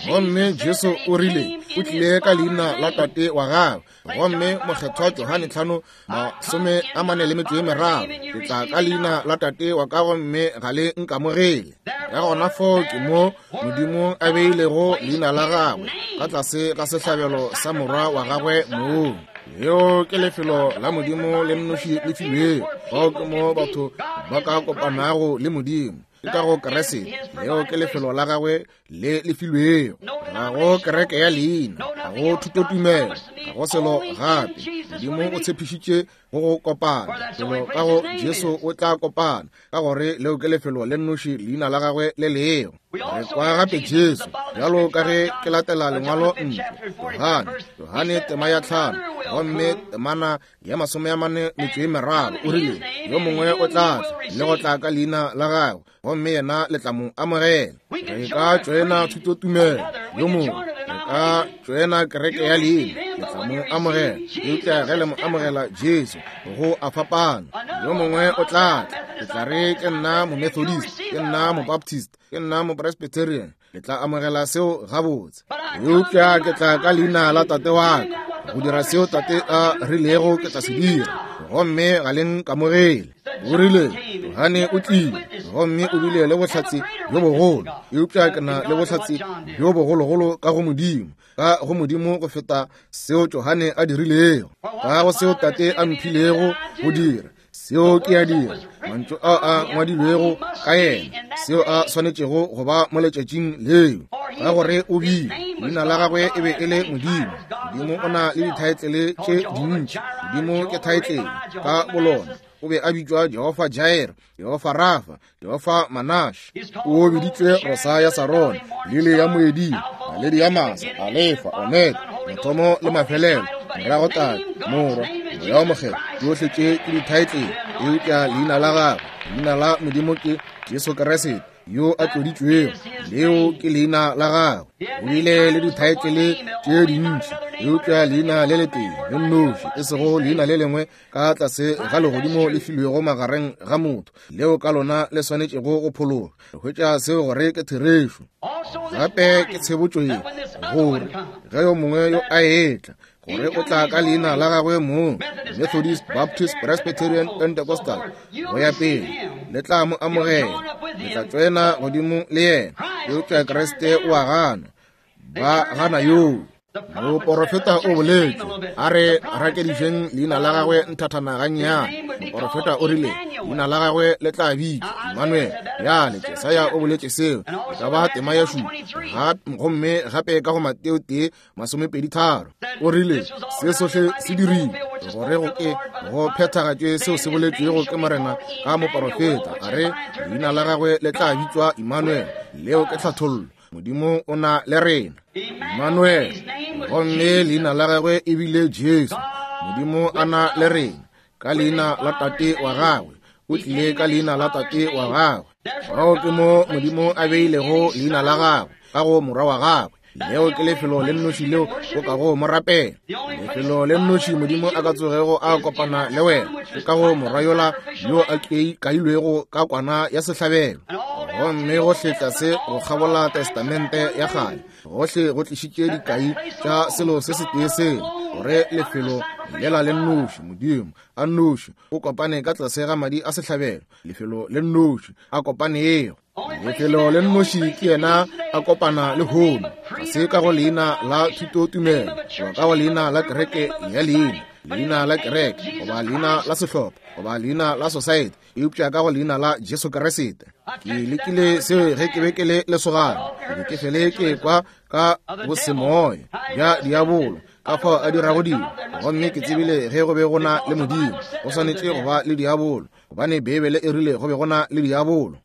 Gomme Jesu o rile o tlile ka leina la tate wa gagwe. Gomme mokgethwa Johane 5:43, ke tla ka leina la tate wa ka gomme ga le nkamogele. Ka gona foo ke mo Modimo a beilego leina la gagwe ka tlase ga sehlabelo sa morwa wa gagwe mong. Leo ke lefelo la Modimo le nnoši le filwego. Fao ke mo batho ba ka kopanago le Modimo. Ke ka go Kriste. Leo ke lefelo la gagwe le le filwego. Ga go kereke ya leina, ga go thutotumelo, ga go selo gape. Modimo o tshepišitše go go kopana. Felo ka go Jesu o tla kopana, ka gore leo ke lefelo le nnoši leina la gagwe le lego. Re kwa gape Jesu, bjalo ka ge ke latela lengwalo ntle, Johane, Johane tema ya 5, gomme temana ya 43, o rile, yo mongwe o tla tla le go tla ka leina la gagwe, gomme yena le tla mo amogela. Re ka tšoena thutotumelo, yo mongwe, re ka tšoena kereke ya leina, le tla mo amogela. Eupša ge le mo amogela Jesu, go a fapana. Yo mongwe o tla tla, ke tla re ke nna Momethodist, ke nna Mobaptist, ke nna Mopresbyterian, le tla amogela seo gabotse. Eupša ke tla ka leina la Tate wa ka, go dira seo Tate a rilego ke tla se dira, gomme ga le nkamogele. O rile, Johane o tlile, gomme o bile le bohlatse bjo bogolo, eupša ke na le bohlatse bjo bogologolo ka go Modimo, ka go Modimo go feta seo Johane a dirilego, ka go seo Tate a mphilego go dira, seo ke a dira, mantšu ao a ngwadilwego ka yena, seo a swanetšego go ba mo letšatšing leo, ka gore o bile, leina la gagwe e be e le Modimo. Modimo o na le dithaetlele tše dintši. Modimo ke thaetlele ka bolona. O be a bitšwa Jehofa Jair, Jehofa Rafa, Jehofa Manash. O biditšwe Rosa ya Sarone, Lili ya Moeding, Naledi ya Masa, Alefa, Omega, mathomo le mafelelo, morago Tate, Morwa, Moya wo Mokgethwa. Tšohle tše ke dithaetlele, eupša leina la gagwe, leina la Modimo ke Jesu Kriste yo a tloditšwego. Leo ke leina la gagwe. O bile le dithaetlele tše dintši, eupša leina le letee le nnoši, e sego leina le lengwe ka tlase ga legodimo le filwego magareng ga motho, leo ka lona le swanetšego go phologa. Re hwetša seo gore ke therešo. Gape ke tshebotšo ye, gore ge yo mongwe yo a etla, gore o tla ka leina la gagwe mong, Methodist, Baptist, Presbyterian, Pentecostal, go ya pele, le tla mo amogela, le tla tšoena godimo le yena. Eupša Kriste o a gana, ba gana yoo. Moporofeta o boletše, a re rakedišeng leina la gagwe nthathana gannyane. Moporofeta o rile leina la gagwe le tla bitšwa Emmanuel. Bjale Jesaya o boletše seo, e ka ba tema ya 7, gomme gape ka go Mateo 1:23 o rile se sohle se dirile gore go ke go phethagatšwe seo se boletšwego ke Morena ka moporofeta, a re leina la gagwe le tla bitšwa Emmanuel. Leo ke tlhathollo. Modimo o na le rena, Emmanuel, gomme leina la gagwe e bile Jesu. Modimo a na le rena ka leina la Tate wa gagwe. O tlile ka leina la Tate wa gagwe. Fao ke mo Modimo a beilego leina la gagwe, ka go Morwa wa gagwe. Leo ke lefelo le nnoši leo o kago mo rapela. Lefelo le nnoši Modimo a ka tsogego a kopana le wena ke ka go Morwa yola yo a kailwego ka kwana ya sehlabelo. Gomme gohle tlase go kgabola Testamente ya Kgale, gohle go tlišitše dikai tša selo se setee sela, gore lefelo lela le nnoši Modimo a nnoši o kopane ka tlase ga madi a sehlabelo, lefelo le nnoši a kopanego. Lefelo le nnoši ke yena a kopana le hono, ga se ka go leina la thutotumelo, goba ka go leina la kereke ya leina, leina la kereke, goba leina la sehlopha, goba leina la society, eupša ka go leina la Jesu Kriste. Ke lekile seo ge ke be ke le lesogana, ke be ke fele ke kwa ka bosemoya bja diabolo, ka fao a dirago dilo, gomme ke tsebile ge go be go na le Modimo, go swanetše go ba le diabolo, gobane Beibele e rile go be go na le diabolo.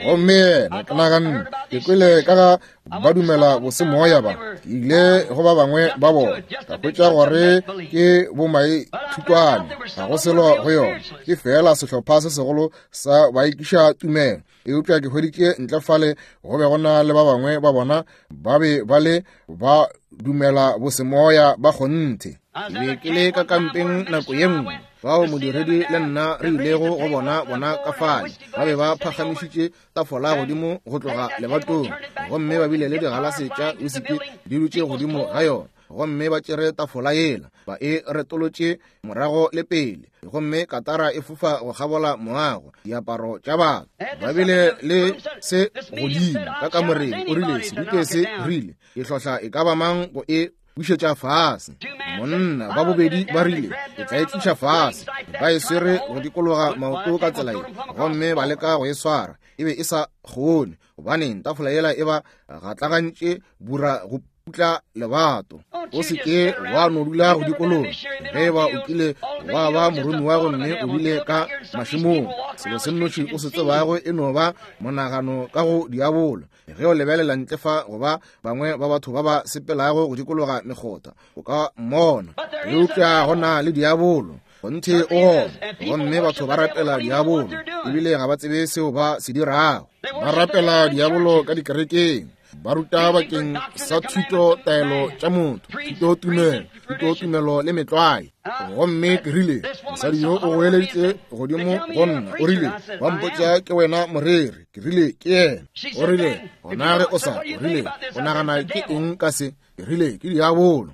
Gomme yena, ke naganne, ke kwele ka ga ba dumela bosemoya ba, ke ile go ba bangwe ba bona, ka hwetša gore ke bomaithutwane, ga go selo go yona, ke feela sehlopha se segolo sa baikiša tumelo. Eupša ke hweditše ntle fale go be go na le ba bangwe ba bona ba be ba le ba dumela bosemoya ba kgonthe. Ke be ke le ka kampeng nako ye nngwe, fao modiredi le nna re ilego go bona bona ka fale, ba be ba phagamišitše tafola godimo go tloga lebatong, gomme ba bile le digalase tša wisiki di dutše godimo ga yona, gomme ba tšere tafola yela ba e retolotše morago le pele, gomme katara e fofa go kgabola moago, diaparo tša batho. Ba bile le se godimo ka kamoreng, o rile, Serutwe se rile, ke hlohla e ka ba mang go e bušetša fase. Monna ba bobedi ba rile, ke tla e tliša fase. Ba e swere go dikologa maoto ka tsela ye, gomme ba leka go e swara, e be e sa kgone, gobane tafola yela e ba gatlagantše bura go Putla lebato. O se ke wa no dula go dikologa. Ge eba o kile wa ba moromiwa gomme o bile ka mašemong, selo se nnoši o se tsebago e no ba monagano ka go diabolo. Ge o lebelela ntle fa go ba bangwe ba batho ba ba sepelago go dikologa mekgotha, o ka mmona. Eupša go na le diabolo. Kgonthe o gona. Gomme batho ba rapela diabolo, ebile ga ba tsebe seo ba se dirago. Ba rapela diabolo ka dikerekeng. Ba ruta bakeng sa thuto taelo tša motho, thuto tumelo, thuto tumelo le metlwae. Gomme ke rile, mosadi yo o goeleditše godimo go nna, o rile, ba mpotša ke wena moreri. Ke rile, ke yena. O rile, gona ge o sa, o rile, o nagana ke eng ka se? Ke rile, ke diabolo.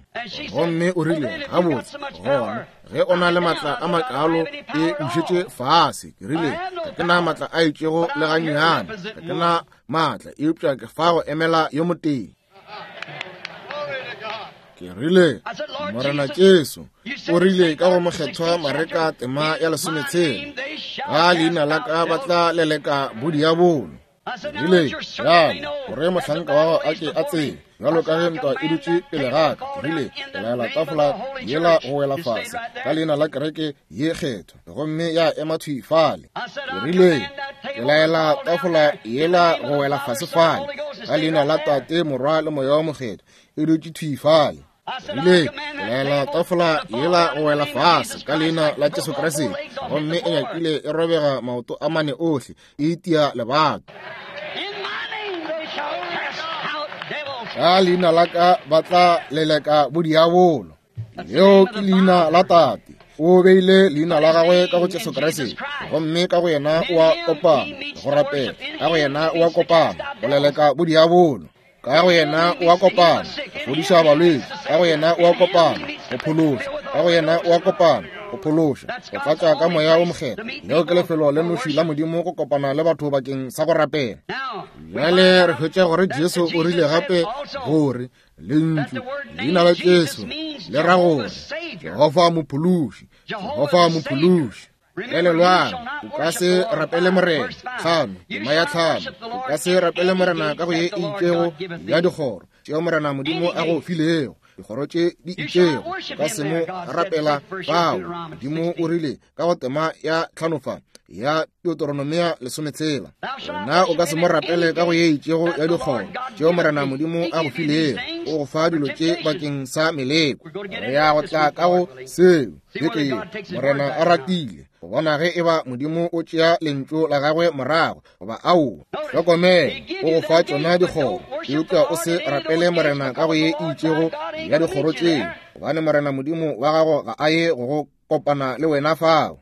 Gomme o rile, gabotse, gona ge o na le matla a makalo, e bušetše fase. Ke rile, ga ke na matla a itšego le gannyane, ga ke na maatla, eupša ke fa go emela yo motee. Ke rile, Morena Jesu o rile ka go Mokgethwa Mareka tema ya 16, ka leina la ka ba tla leleka bodiabolo. Ke rile, bjale gore mohlanka wa gago a ke a tsebe, bjalo ka ge ntwa e dutše pele ga ka. Ke rile, ke laela tafola yela go wela fase ka leina la kereke ye kgethwa, gomme ya ema thwi fale. Ke rile, ke laela tafola yela go wela fase fale ka leina la Tate, Morwa le Moya wa Mokgethwa, e dutše thwi fale. Ke rile, ke laela tafola yela go wela fase ka leina la Jesu Kriste, gomme e nyakile e robega maoto a mane ohle, e itia lebato. Ka leina la ka ba tla leleka bodiabolo. Leo ke leina la Tate. O beile leina la gagwe ka go Jesu Kriste, gomme ka go yena o a kopana go rapela, ka go yena o a kopana go leleka bodiabolo, ka go yena o a kopana go fodiša balwetši, ka go yena o a kopana go phološa, ka go yena o a kopana go phološa, go tlatša ka Moya wo Mokgethwa. Leo ke lefelo le noši la Modimo go kopana le batho bakeng sa go rapela. Bjale re hwetša gore Jesu o rile gape gore Lentšu leina la Jesu le ra gore Jehofa Mophološi, Jehofa Mophološi. Elelwang, o ka se rapele Morena tlhano, tema ya tlhano, o ka se rapele Morena ka go ye e itšego ya dikgoro tšeo Morena Modimo a go filego, dikgoro tše di itšego, o ka se mo rapela fao. Modimo o rile ka go tema ya tlhano fa ya Deuteronomia 16, wena o ka se mo rapele ka go ye itšego ya dikgoro tšeo Morena Modimo a go filego, o go fa dilo tše bakeng sa meleko. Re ya go tla ka go seo beke ye, Morena a ratile, go bona ge eba Modimo o tšea lentšu la gagwe morago goba aowa. Hlokomela, o go fa tšona dikgoro, eupša o se rapele Morena ka go ye itšego ya dikgoro tšeo, gobane Morena Modimo wa gago ga a ye go go kopana le wena fao.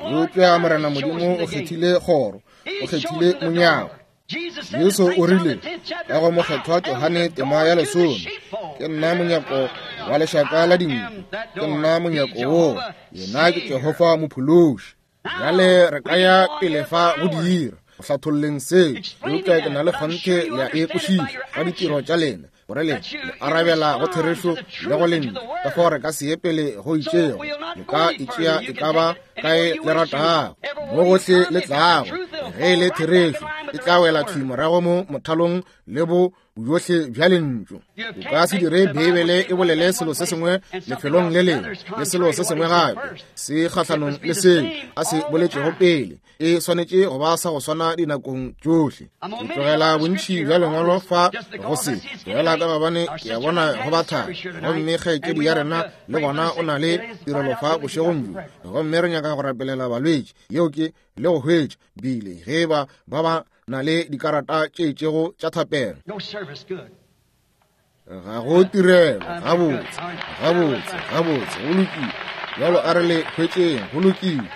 Eupša Morena Modimo o kgethile kgoro, o kgethile monyako. Jesu o rile ka go Mokgethwa Johane tema ya 10, ke nna monyako wa lešaka la dinku, ke nna monyako woo, yena ke Jehofa Mophološi. Bjale re ka ya pele fa go dira go hlatholleng seo, eupša ke na le kgonthe le a e kwešiša ka ditiro tša lena, gore le le arabela go therešo le go lentšu. Ka fao re ka se ye pele go itšego, le ka itšea e ka ba kae le ratago, mo gohle le tlago, ge e le therešo e tla wela thwi morago mo mothalong le bo bojohle bja lentšu. O ka se dire Beibele e bolele selo se sengwe lefelong le lengwe le selo se sengwe gape se kgahlanong le seo a se boletšego pele. E swanetše go ba sa go swana dinakong tšohle. Ke tlogela bontši bja lengwalo fa go se tlogela ka gobane ke a bona go ba thata, gomme kgaetšedi ya rena le gona o na le tirelo fa bošegong bjo, gomme re nyaka go rapelela balwetši. Yeo ke le go hwetša bile ge ba ba ba na le dikarata tše itšego tša thapelo. Ga go tirelo. Gabotse, gabotse, gabotse, go lokile. Bjalo a re le hwetšeng. Go lokile,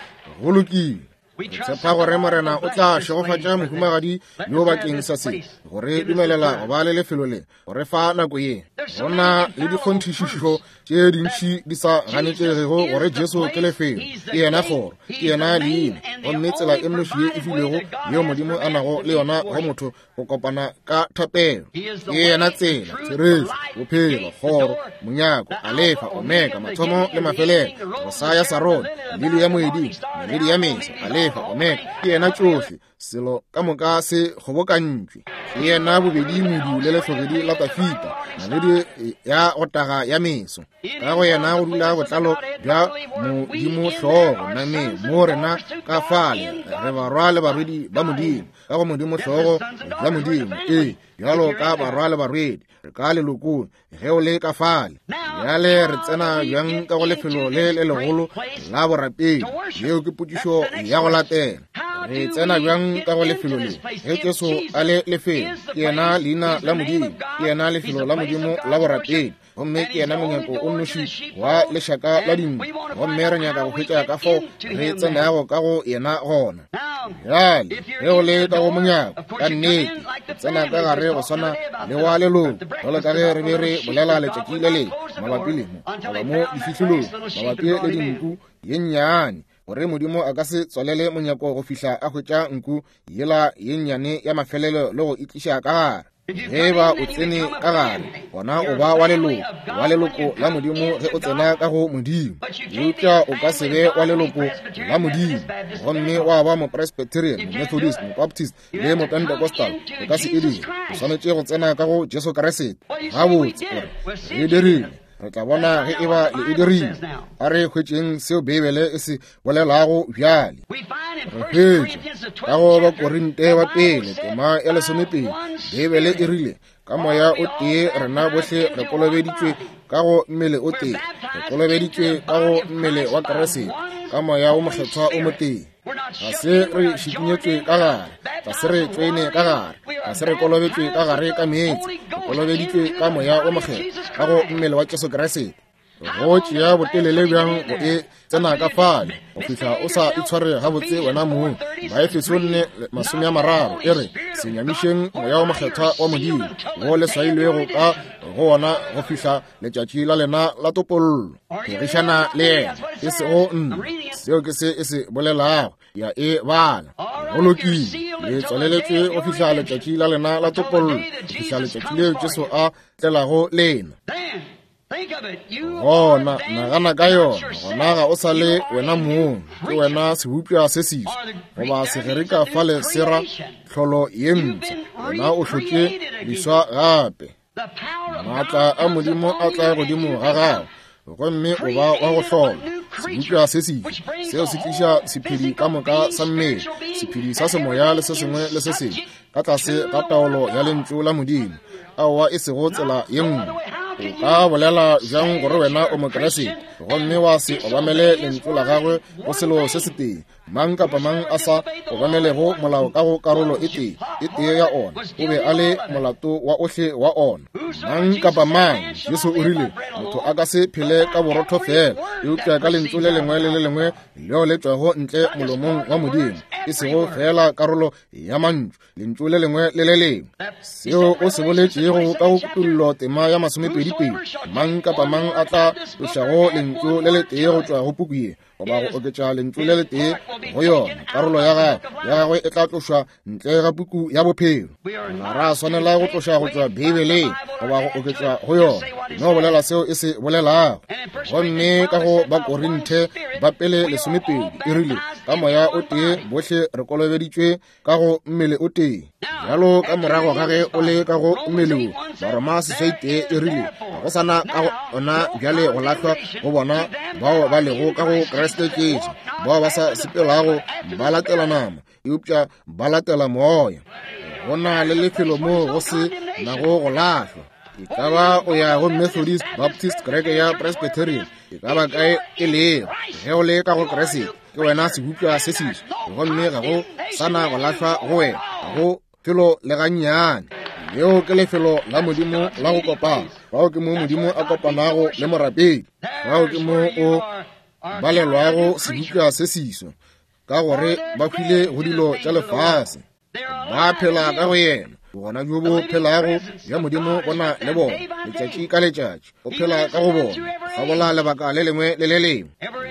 go lokile. Re tshepa gore Morena o tla šegofatša mohumagadi yo bakeng sa se, gore dumelela go ba le lefelo le, go re fa nako ye. Go na le dikgonthišišo tše dintši di sa ganetšegego gore Jesu ke lefelo, ke yena kgoro, ke yena leina, gomme tsela e nnoši ye e filwego yeo Modimo a nago le yona go motho go kopana ka thapelo. Ke yena tsela, therešo, bophelo, kgoro, monyako, Alefa, Omega, mathomo le mafelelo, rosa ya Sarone, lili ya moeding, naledi ya mesa, Alefa, Omega, ke yena tšohle. Selo ka moka se kgobokantšwe. Ke yena bobedi modu le lehlogedi la Tafita, naledi ya go taga ya meso. Ka go yena go dula botlalo bja Modimo hlogo nameng, mo rena ka fale re barwa le barwedi ba Modimo, ka go Modimo hlogo bja Modimo. Ee, bjalo ka barwa le barwedi, re ka lelokong ge o le ka fale. Bjale re tsena bjang ka go lefelo le le legolo la borapedi? Yeo ke potšišo ya go latela. Re tsena bjang ka go lefelo le ge Jesu a le lefelo? Ke yena leina la Modimo, ke yena lefelo la Modimo la borapedi, gomme ke yena monyako o nnoši wa lešaka la dinku. Gomme re nyaka go hwetša ka fao re tsenago ka go yena gona. Bjale ge o le ka go monyako, ka nnete o tsena ka gare go swana le wa leloko, jalo ka ge re be re bolela letšatši le lengwe mabapi le mo, goba mo difihlolong, mabapi le dinku ye nnyane, gore Modimo a ka se tswalele monyako go fihla a hwetša nku yela ye nnyane ya mafelelo le go e tliša ka gare. Ge e ba o tsene ka gare, gona o ba wa leloko, wa leloko la Modimo ge o tsena ka go Modimo. Eupša o ka se be wa leloko la Modimo gomme wa ba Mopresbyterian, Momethodist, Mobaptist le Mopentecostal. O ka se e dire. O swanetše go tsena ka go Jesu Kriste. Gabotse, o re, re e dirile. Re tla bona ge e ba le e dirile. A re hwetšeng seo Beibele e se bolelago bjale. Re hwetša ka go Bakorinte ba pele tema ya 12, Beibele e rile, ka moya o tee rena bohle re kolobeditšwe ka go mmele o tee, re kolobeditšwe ka go mmele wa Kriste, ka moya o mokgethwa o motee. Ga se re šikinyetšwe ka gare, ga se re tšoene ka gare, ga se re kolobetšwe ka gare ka meetse, re kolobeditšwe ka moya o mokgethwa ka go mmele wa Jesu Kriste. Go tšea botelele bjang go e tsena ka fale go fihla o sa itshware gabotse wena mong? Baefeso 4:30 e re, se nyamišeng moya o mokgethwa wa Modimo, wo le swailwego ka go wona go fihla letšatši la lena la topollo. Phegišana le yena, e sego nna. Seo ke se e se bolelago. Ya e bala. Go lokile, le tswaleletšwe go fihla letšatši la lena la topollo, go fihla letšatši leo Jesu a tlelago lena. Gona nagana ka yona, gona ga o sa le wena mong, ke wena sebopša se seswa, goba Segerika fale se ra tlholo ye mpsha. Wena o hlotše leswa gape. Maatla a Modimo a tla godimo ga gago, gomme o ba wa go hlola sebopša se seswa. Seo se tliša sephedi ka moka sa mmele, sephedi sa semoya le se sengwe le se sengwe ka tlase ga taolo ya lentšu la Modimo. Aowa, e sego tsela ye nngwe. O ka bolela bjang gore wena o Mokriste gomme wa se obamele lentšu la gagwe go selo se setee? Mang kapa mang a sa obamelego molao ka go karolo e tee, e tee ya ona, o be a le molato wa ohle wa ona. Mang kapa mang, Jesu o rile, motho a ka se phele ka borotho fela, eupša ka lentšu le lengwe le le lengwe leo le tšwago ntle molomong wa Modimo, e sego feela karolo ya mantšu, lentšu le lengwe le le lengwe. Seo o se boletšego ka go Kutollo tema ya 22, mang kapa mang a tla tlošago lentšu le letee go tšwa go puku ye, goba go oketša lentšu le letee go yona, karolo ya gagwe ya gagwe e tla tlošwa ntle ga puku ya bophelo. Ga ra swanela go tloša go tšwa Beibeleng goba go oketša go yona, no bolela seo e se bolelago. Gomme ka go Bakorinthe ba pele 12 e rile, ka moya o tee bohle re kolobeditšwe ka go mmele o tee. Bjalo ka morago ga ge o le ka go mmele wo, Baroma 8 e rile, ga go sana ka go ona bjale go lahlwa go bona bao ba lego ka go Kriste Jesu, bao ba sa sepelago ba latela nama, eupša ba latela moya. Go na le lefelo moo go se nago go lahlwa. E ka ba o ya go Methodist, Baptist, kereke ya Presbyterian, e ka ba kae e lego, ge o le ka go Kriste, ke wena sebopša se seswa, gomme ga go sana go lahlwa go wena, ga go felo le gannyane. Leo ke lefelo la Modimo la go kopana. Fao ke mo Modimo a kopanago le morapedi. Fao ke mo o balelwago sebopša se seswa, ka gore ba hwile go dilo tša lefase, ba phela ka go yena. Bogona bjo bo phelago bja Modimo bo na le bona letšatši ka letšatši. O phela ka go bona gabola lebaka le lengwe le le lengwe,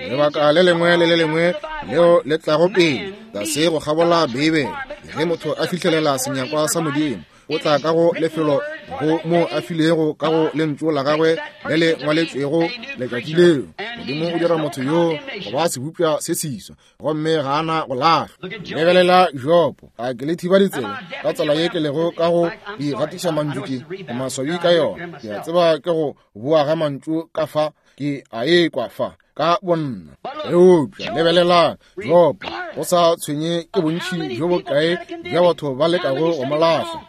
lebaka le lengwe le le lengwe leo le tlago pele tlase go kgabola Beibele. Ge motho a fihlelela senyakwa sa Modimo, O tla ka go lefelo go mo a filego ka go lentšu la gagwe le le ngwaletšwego letšatši leo. Modimo o dira motho yoo go ba sebopša se seswa, gomme ga a na go lahlwa. Lebelela Jopo, a ke le thiba ditsela ka tsela ye ke lego ka go di gatiša mantšu ke maswabi ka yona. Ke a tseba ke go boa ga mantšu ka fa, ke a ekwa fa ka bonna. Eupša lebelelang Jopo, go sa tshwenye ke bontši bjo bokae bja batho ba lekago go mo lahla,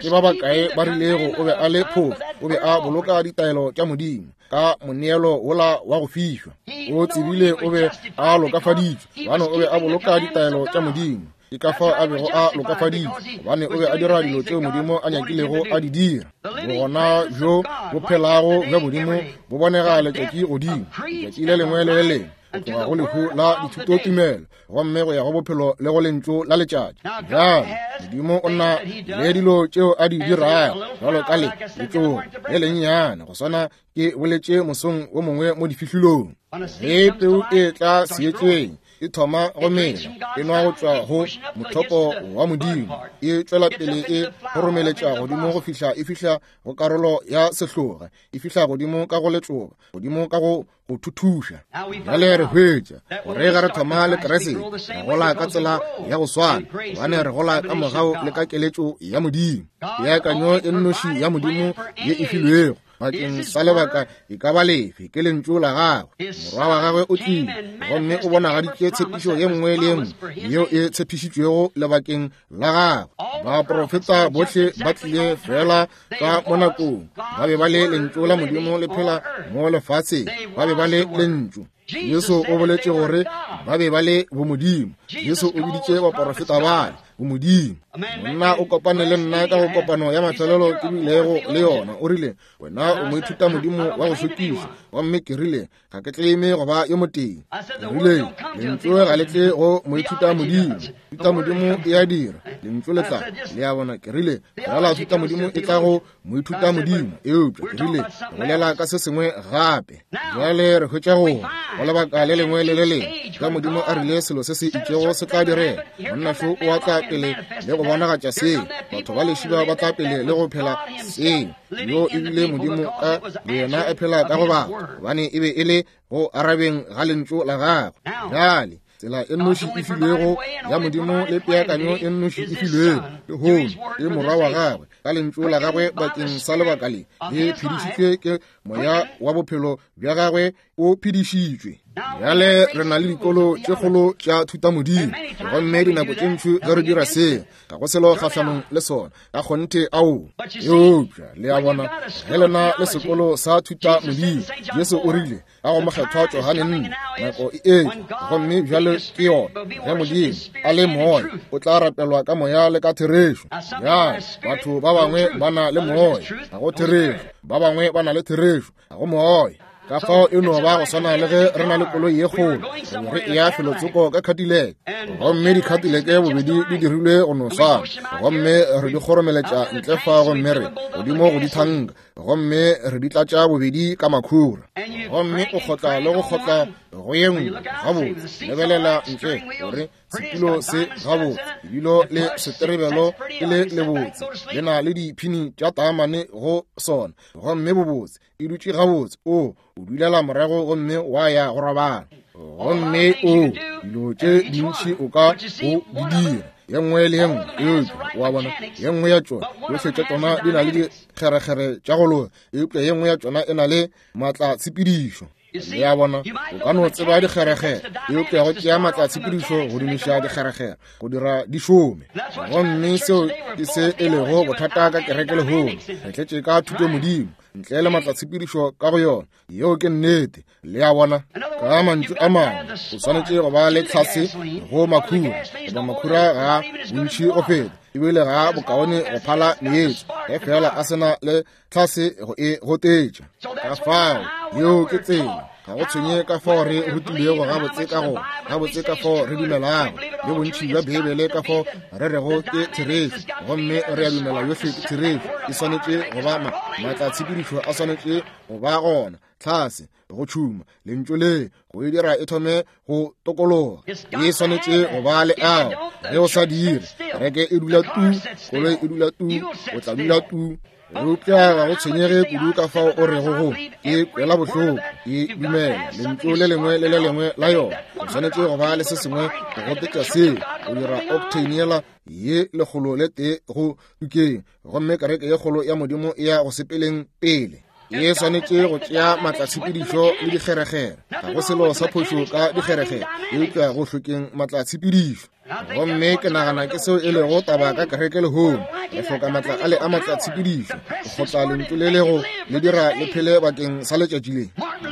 ke ba bakae ba rilego o be a le phofu, o be a boloka ditaelo tša Modimo ka moneelo wola wa go fišwa. O tsebile o be a lokafaditšwe, gobane o be a boloka ditaelo tša Modimo. Ke ka fao a bego a lokafaditšwe, gobane o be a dira dilo tšeo Modimo a nyakilego a di dira. Bogona bjo bo phelago bja Modimo bo bonega letšatši godimo, letšatši le lengwe le le lengwe, go tloga go lehu la dithutotumelo gomme go ya go bophelo le go lentšu la letšatši. Bjale Modimo o na le dilo tšeo a di dirago, bjalo ka le letšogo le lennyane, go swana ke boletše mosong wo mongwe mo difihlolong. Ge peu e tla seetšeng, e thoma go mela, e nwa go tšwa go mothopo wa Modimo, e tšwela pele e kgoromeletša godimo go fihla e fihla go karolo ya sehloga, e fihla godimo ka go letšoba, godimo ka go go thuthuša. Bjale re hwetša gore ge re thoma le Kriste, re gola ka tsela ya go swana, gobane re gola ka mogau le ka keletšo ya Modimo. Peakanyo e nnoši ya Modimo ye e filwego bakeng sa lebaka e ka ba lefe ke lentšu la gagwe. Morwa wa gagwe o tlile gomme o bonagaditše tshepišo ye nngwe le ye nngwe yeo e tshepišitšwego lebakeng la gagwe. Baprofeta bohle ba tlile fela ka mo nakong, ba be ba le lentšu la Modimo le phela mo lefatsheng, ba be ba le lentšu. Jesu o boletše gore ba be ba le bomodimo. Jesu o biditše baporofeta bale bomodimo. Monna o kopane le nna ka go kopano ya mafelelo ke bilego le yona, o rile, wena o moithuta modimo wa go šokiša. Gomme ke rile, ga ke tleme go ba yo motee. Ke rile, lentšu ga le tle go moithuta modimo, thuta modimo e a dira, lentšu le tla. Le a bona? Ke rile, fela thuta modimo e tla go moithuta modimo, eupša ke rile bolela ka se sengwe gape. Bjale re hwetša gore go lebaka le lengwe le le lengwe ge Modimo a rile selo se se itšego se tla direga, monna šo o a tla pele le go bonagatša seo, batho ba lešiba ba tla pele le go phela seo. Yo e bile Modimo ka boyena a phela ka go batho, gobane e be e le go arabeng ga lentšu la gagwe. Bjale tsela e nnoši e filwego ya Modimo le peakanyo e nnoši e filwego lehono ke Morwa wa gagwe ka lentšu la gagwe bakeng sa lebaka le le phedišitšwe ke moya wa bophelo bja gagwe o phedišitšwe. Bjale re na le dikolo tše kgolo tša thutamodimo, gomme dinako tše ntši ge re dira seo, ga go selo kgahlanong le sona ka kgonthe, ao. Eupša le a bona, ge le na le sekolo sa thutamodimo, Jesu o rile ka go Mokgethwa Johane 4, nako e etla, gomme bjale ke yona, ge Modimo a le moya, o tla rapelwa ka moya le ka therešo. Bjale batho ba bangwe ba na le moya, ga go therešo, ba bangwe ba na le therešo, ga go moya. Ka fao e no ba go swana le ge re na le koloi ye kgolo, re be re eya felotsoko ka Cadillac, gomme di-Cadillac bobedi di dirilwe go no swana, gomme re di kgoromeletša ntle fa, gomme re godimo go dithanka, gomme re di tlatša bobedi ka makhura, gomme o kgotla le go kgotla go ye nngwe. Gabotse, lebelela ntle gore setulo se gabotse, ebilo le seterebelo ke le lebotse, le na le diphini tša taamane go sona, gomme bobotse, e dutše gabotse. O o dulela morago gomme wa ya go robala, gomme o dilo tše dintši o ka o di dira, ye nngwe le ye nngwe, eupša wa bona ye nngwe ya tšona, tšohle tša tšona di na le dikgerekgere tša go loga, eupša ye nngwe ya tšona e na le maatlatshepedišo. Le a bona, o ka no tseba dikgerekgere, eupša go tšea maatlatshepedišo go dumiša dikgerekgere go dira di šome. Gomme seo ke se e lego bothata ka kereke lehono, re tletše ka thutomodimo ntle le maatlatshepedišo ka go yona. Yeo ke nnete. Le a bona? Ka mantšu a mangwe, o swanetše go ba le tlhase go makhura, goba makhura ga bontši go feta, ebile ga bokaone go phala meetse, ge fela a se na le tlhase go e gotetša. Ka fao, yeo ke tsela. Ga go tshwenye ka fao re rutilwego gabotse ka go gabotse ka fao re dumelago le bontši bja Beibele ka fao re rego ke therešo, gomme re a dumela yohle ke therešo, e swanetše go ba ma, maatlatshepedišo a swanetše go ba gona, tlhase, go tšhuma lentšu le go e dira e thome go tokologa. E swanetše go ba le ao. Ge o sa dire, kereke e dula tu, koloi e dula tu, o tla dula tu. Eupša ga go tshwenyege kudu ka fao o rego go e kwela bohloko, e dumela lentšu le lengwe le le lengwe la yona. O swanetše go ba le se sengwe go gotetša seo, go dira octane yela ye 101 go tukeng, gomme kereke ye kgolo ya Modimo e ya go sepeleng pele. E swanetše go tšea maatlatshepedišo le dikgerekgere. Ga go selo sa phošo ka dikgerekgere, eupša go hlokeng maatlatshepedišo. Gomme ke nagana ke seo e lego taba ka kereke lehono. Re hloka maatla a le a maatlatshepedišo go kgotla lentšu le le go le dira le phele bakeng sa letšatši le.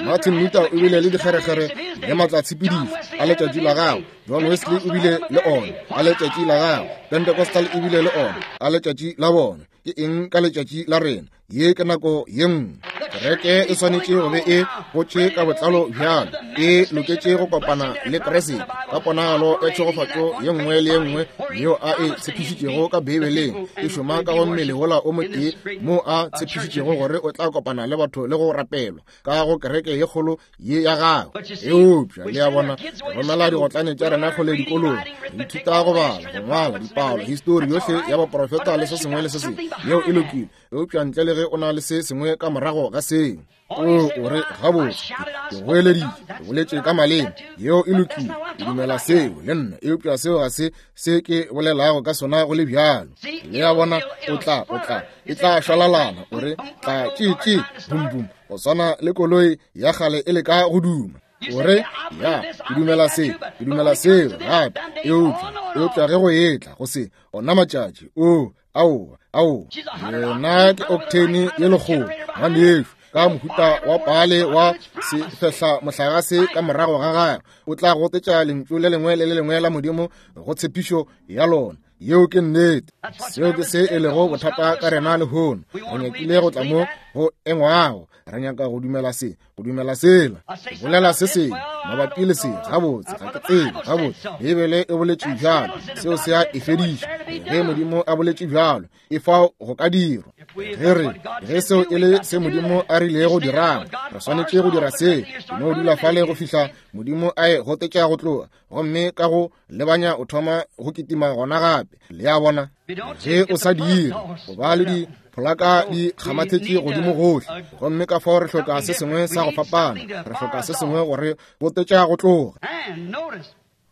Martin Luther o bile le dikgerekgere le maatlatshepedišo a letšatši la gagwe. John Wesley o bile le ona a letšatši la gagwe. Pentecostal e bile le ona a letšatši la bona. Ke eng ka letšatši la rena? Ye ke nako ye nngwe. Kereke e swanetše go be e gotše ka botlalo bjalo, e loketše go kopana le Kriste ka ponagalo ya tšhegofatšo ye nngwe le ye nngwe yeo a e tshepišitšego ka Beibeleng, e šoma ka go mmele wola o motee moo a tshepišitšego gore o tla kopana le batho le go rapelwa ka go kereke ye kgolo ye ya gagwe. Eupša le a bona, re romela digotlane tša rena kgole dikolong, re ithuta go bala, go ngwala, dipalo, histori yohle ya baprofeta le se sengwe le se sengwe. Yeo e lokile, eupša ntle le ge o na le se sengwe ka morago ga seo. O, o re, gabotse, ke goeleditše, ke boletše ka maleme. Yeo e lokile, ke dumela seo le nna, eupša seo ga se se ke bolelago ka sona go le bjalo. Le a bona, o tla, o tla, e tla šwalalana, o re, tla tše tše, bum bum, go swana le koloi ya kgale e leka go duma. O re, ya, ke dumela se, ke dumela seo gape, eupša, eupša ge go etla go se, ona matšatši, o, aowa, aowa, yena ke octane ye lekgolo, ngwanešu, ka mohuta wa pale wa sefehla mohlagase ka morago ga gagwe, o tla gotetša lentšu le lengwe le le lengwe la Modimo go tshepišo ya lona. Yeo ke nnete. Seo ke se e lego bothata ka rena lehono. Re nyakile go tla mo go engwago. Re nyaka go dumela se, go dumela sela, go bolela se sengwe mabapi le se. Gabotse, ga ke tsebe. Gabotse, Beibele e boletše bjalo. Seo se a e fediša. Ge Modimo a boletše bjalo, e fao go ka dirwa. Ge re, ge seo e le se Modimo a rilego dirang, re swanetše go dira seo. Ke no dula fale go fihla Modimo a e gotetša go tloga, gomme ka go lebanya o thoma go kitima gona gape. Le a bona, ge o sa dire, go ba le dipholaka di kgamathetše godimo gohle, gomme ka fao re hloka se sengwe sa go fapana, re hloka se sengwe gore gotetša go tloga.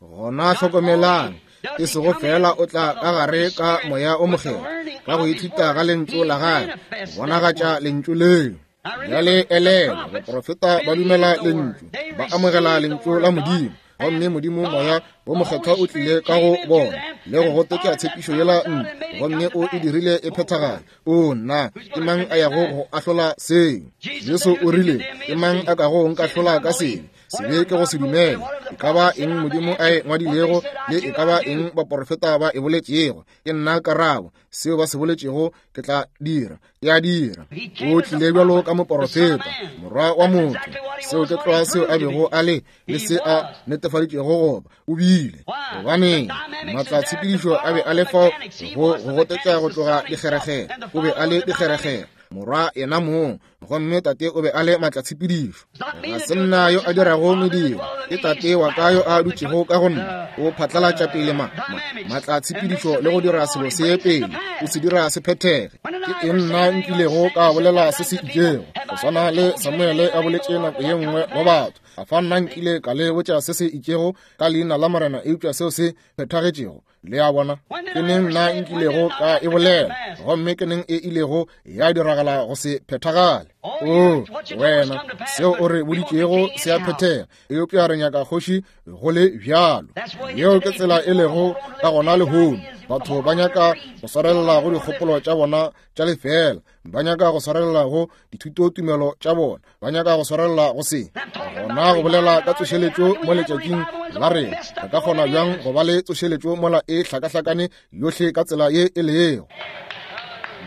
Gona hlokomelang, e sego fela o tla ka gare ka Moya o Mokgethwa, ka go ithuta ga lentšu la gagwe, go bonagatša lentšu leo. Bjale elelwa, baprofeta ba dumela lentšu, ba amogela lentšu la Modimo, gomme Modimo Moya wo Mokgethwa o tlile ka go bona le go gotetša tshepišo yela ntle, gomme o e dirile e phethagale. O nna, ke mang a yago go ahlola seo? Jesu o rile, ke mang a kago nkahlola ka sebe? Sebe ke go se dumele. E ka ba eng Modimo a e ngwadilego le e ka ba eng baprofeta ba e boletšego, ke nna karabo. Seo ba se boletšego ke tla dira, ke a dira. O tlile bjalo ka moporofeta, morwa wa motho. Seo ke tlwa seo a bego a le, le se a netefaditšego goba o bile. Gobaneng, maatlatshepedišo a be a le fao go go gotetša go tloga dikgerekgere. O be a le dikgerekgere, morwa yena mong, gomme tate o be a le maatlatshepedišo. Ga se nna yo a dirago mediro, ke tate wa ka yo a dutšego ka go nna. O phatlalatša pele ma, ma, maatlatshepedišo le go dira selo se pele, o se dira se phethege. Ke eng nna nkilego ka bolela se se itšego, go swana le Samuele a boletše nako ye nngwe go batho, a fa nna nkile ka le botša se se itšego ka leina la Morena eupša seo se phethagetšego? Le a bona? Ke neng nna nkilego ka e bolela, gomme ke neng e ilego ya diragala go se phethagale? O, wena, seo o re boditšego se a phethega, eupša re nyaka kgoši go le bjalo. Yeo ke tsela e lego ka gona lehono. Batho ba nyaka go swarelela go dikgopolo tša bona tša lefeela, ba nyaka go swarelela go dithutotumelo tša bona, ba nyaka go swarelela go se. Gona go bolela ka tsošeletšo mo letšatšing la rena, re ka kgona bjang go ba le tsošeletšo mola e hlakahlakane yohle ka tsela ye e lego?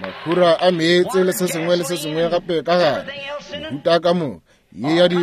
Makhura a meetse le se sengwe le se sengwe gape ka gare, mehuta ka moka. ye ya di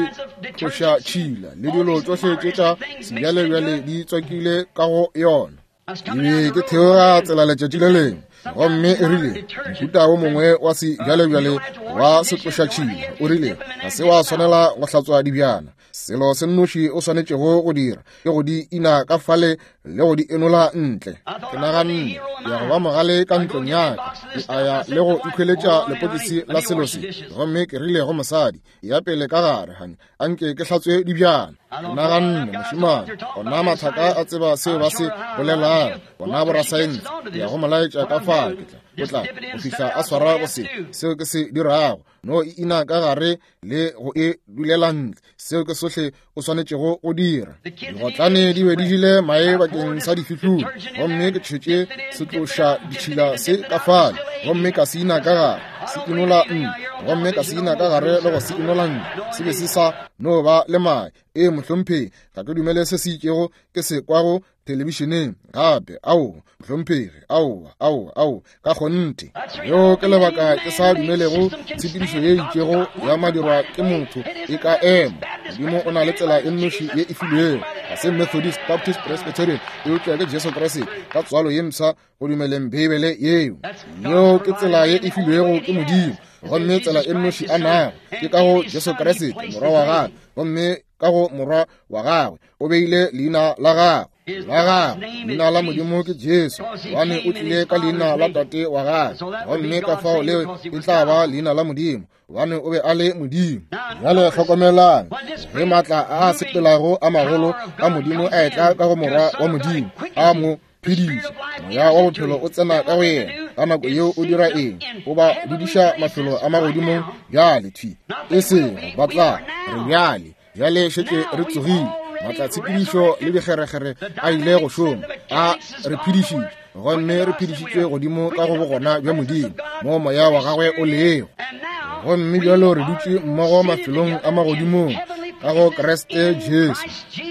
tloša tšhila le dilo tšohle tše tša sebjalebjale di tswakile ka go yona. Ke be ke theoga tsela letšatši le lengwe, gomme e rile, mohuta wo mongwe wa sebjalebjale wa setlošatšhila, o rile, ga se wa swanela go hlatswa dibjana. Selo se nnoši o swanetšego go dira ke go di ina ka fale le go di enola ntle. Ke naganne, ke ya go ba mogale ka ntlong ya ka, ke a ya le go ikhweletša lepokisi la selo se. Gomme ke rile go mosadi, ya pele ka gare, hani, a nke ke hlatswe dibjana. Ke naganne, mošemane, ona mathaka a tseba seo ba se bolelago, bona borasaense, ke ya go mo laetša ka fa, ke tla, o tla, go fihla a swara go se, seo ke se dirago, no e ina ka gare le go e dulela ntle, seo ke sohle o swanetšego go dira. Digotlane di be di jele mae bakeng sa difihlolo, gomme ke tšhetše setloša ditšhila se ka fale, gomme ka se ina ka gare, se inola ntle, gomme ka se ina ka gare le go se inola ntle, se be se sa no ba le mae. Ee, mohlomphegi, ga ke dumele se se itšego ke se kwago thelebišeneng gape. Aowa, mohlomphegi, aowa, aowa, aowa, ka kgonthe. Leo ke lebaka ke sa dumelego tshepedišo ye itšego ya madirwa ke motho e ka ema. Modimo o na le tsela e nnoši ye e filwego, ga se Methodist, Baptist, Presbyterian, eupša ke Jesu Kriste ka tswalo ye mpsha go dumeleng Beibele yeo. Yeo ke tsela ye e filwego ke Modimo, gomme tsela e nnoši a nago ke ka go Jesu Kriste, Morwa wa gagwe, gomme ka go Morwa wa gagwe o beile leina la gagwe la gagwe. Leina la Modimo ke Jesu, gobane o tlile ka leina la Tate wa gagwe, gomme ka fao leo e tla ba leina la Modimo, gobane o be a le Modimo. Bjale hlokomelang, ge maatla a a sepelago a magolo a Modimo a etla ka go Morwa wa Modimo, a mo phediša, moya wa bophelo o tsena ka go yena. Ka nako yeo o dira eng? O ba dudiša mafelo a magodimong bjale, thwi e sego ba tla re bjale. Bjale šetše re tsogile, maatlatshepedišo le dikgerekgere a ile go šoma, a re phedišitše, gomme re phedišitšwe godimo ka go bogona bja Modimo, moo moya wa gagwe o lego. Gomme bjalo re dutše mmogo mafelong a magodimong ka go Kriste Jesu,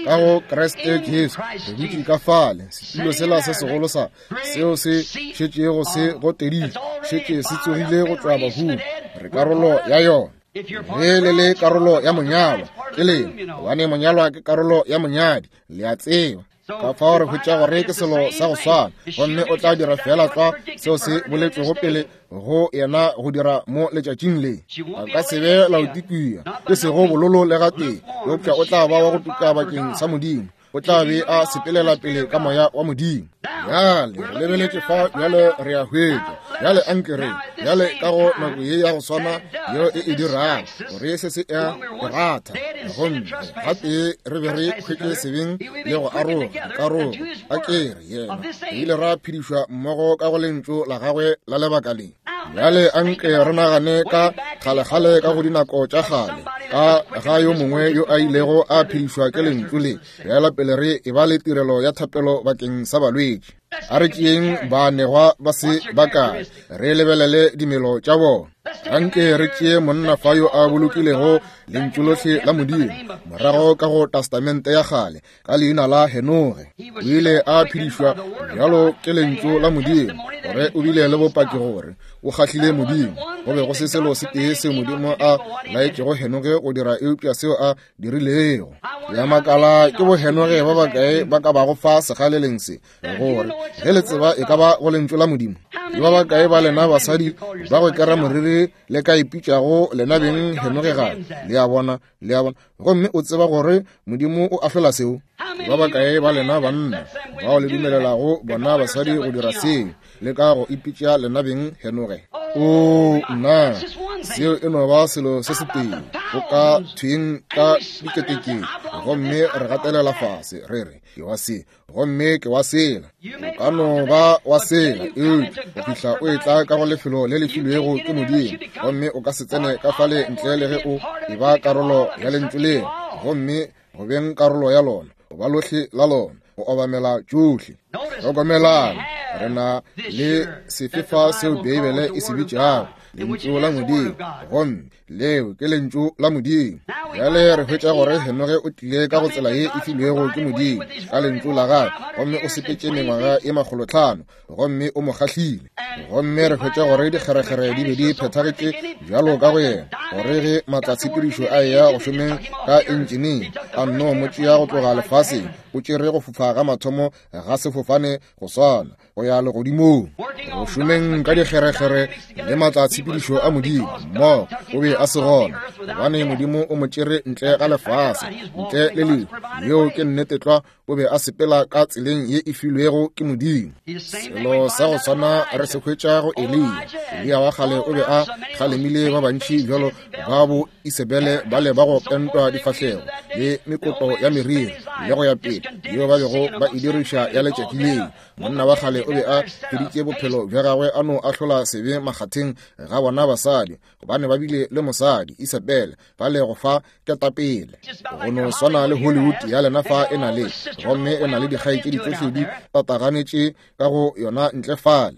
ka go Kriste Jesu re dutše ka fale, setulo sela se segolo sa seo se šetšego se goteditše, šetše se tsogile go tšwa bahung, re karolo ya yona. Ge le le karolo ya monyalwa, ke lena, gobane monyalwa ke karolo ya monyadi, le a tseba. Ka fao re hwetša gore ke selo sa go swana, gomme o tla dira feela tlwa seo se boletšwego pele go yena go dira mo letšatšing le. A ka se be Laodikia, e sego bololo le gatee, eupša o tla ba wa go tuka bakeng sa Modimo. O tla be a sepelela pele ka moya wa Modimo. Bjale re lebeletše fa, bjale re a hwetša. Bjale anke re, bjale ka go nako ye ya go swana yeo e e dirago gore se se a e ratha, gomme gatee re be re hwetše sebeng le go aroga dikarogo, a ke re yena re ile ra phedišwa mmogo ka go lentšu la gagwe la lebaka le. Bjale anke re nagane ka kgalekgale ka go dinako tša kgale, ka ga yo mongwe yo a ilego a phedišwa ke lentšu le. Bjala pele re e ba le tirelo ya thapelo bakeng sa balwetši, a re tšeeng baanegwa ba se bakae, re lebelele dimelo tša bona. Anke re tšee monna fa yo a bolokilego lentšu lohle la Modimo morago ka go Testamente ya kgale ka leina la Henoge. O ile a phedišwa bjalo ke lentšu la Modimo, gore o bile le bopaki gore o kgahlile Modimo. Go be go se selo se tee seo Modimo a laetšego Henoge go dira eupša seo a dirilego. Ya makala ke bo Henoge ba bakae ba ka bago fa segaleleng se, gore ge le tseba e ka ba go lentšu la Modimo. Ke ba bakae ba lena basadi ba go kera moriri le ka ipitšago lena beng Henoge gape? Le a bona, le a bona. Gomme o tseba gore Modimo o ahlola seo. Ba bakae ba lena banna bao le dumelelago bona basadi go dira seo, le ka go ipitša lena beng Henoge? O nna, seo e no ba selo se setee. Go ka thweng ka diketekete, gomme re gatelela fase re re ke wa se gomme ke wa sela. O ka no ba wa sela, eupša go fihla o etla ka go lefelo le le filwego ke Modimo, gomme o ka se tsene ka fale ntle le ge o e ba karolo ya lentšu leo, gomme go beng karolo ya lona, o ba lohle la lona, go obamela tšohle. Hlokomelang, re na le sefe fa seo Beibele e se bitšago lentšu la Modimo, gomme Leo ke lentšu la Modimo. Bjale re hwetša gore Henoge o tlile ka go tsela ye e filwego ke Modimo ka lentšu la gagwe, gomme o sepetše mengwaga ye 500, gomme o mo kgahlile. Gomme re hwetša gore dikgerekgere di be di phethagetše bjalo ka go yena, gore ge maatlatshepedišo a eya go šomeng ka entšeneng, a nno mo tšea go tloga lefaseng, o tšere go fofa ga mathomo ga sefofane go swana go ya legodimong, go šomeng ka dikgerekgere le maatla a tshepedišo a Modimo mmogo. O be a se gona, gobane Modimo o mo tšere ntle ga lefase, ntle le lehu. Yeo ke nnete tlwa. O be a sepela ka tseleng ye e filwego ke Modimo. Selo sa go swana re se hwetša go Eliya. Eliya wa kgale o be a kgalemile ba bantši bjalo ba bo Isebele bale ba go pentwa difahlego le mekoto ya meriri le go ya pele, yeo ba bego ba e diriša ya letšatši leo. Monna wa kgale o be a feditše bophelo bja gagwe a no ahlola sebe makgatheng ga bona basadi, gobane ba bile le mosadi Isebele ba le go fa ketapele. Go no swana le Hollywood ya lena fa e na le, gomme e na le dikgaetšedi tšohle di tataganetše ka go yona ntle fale.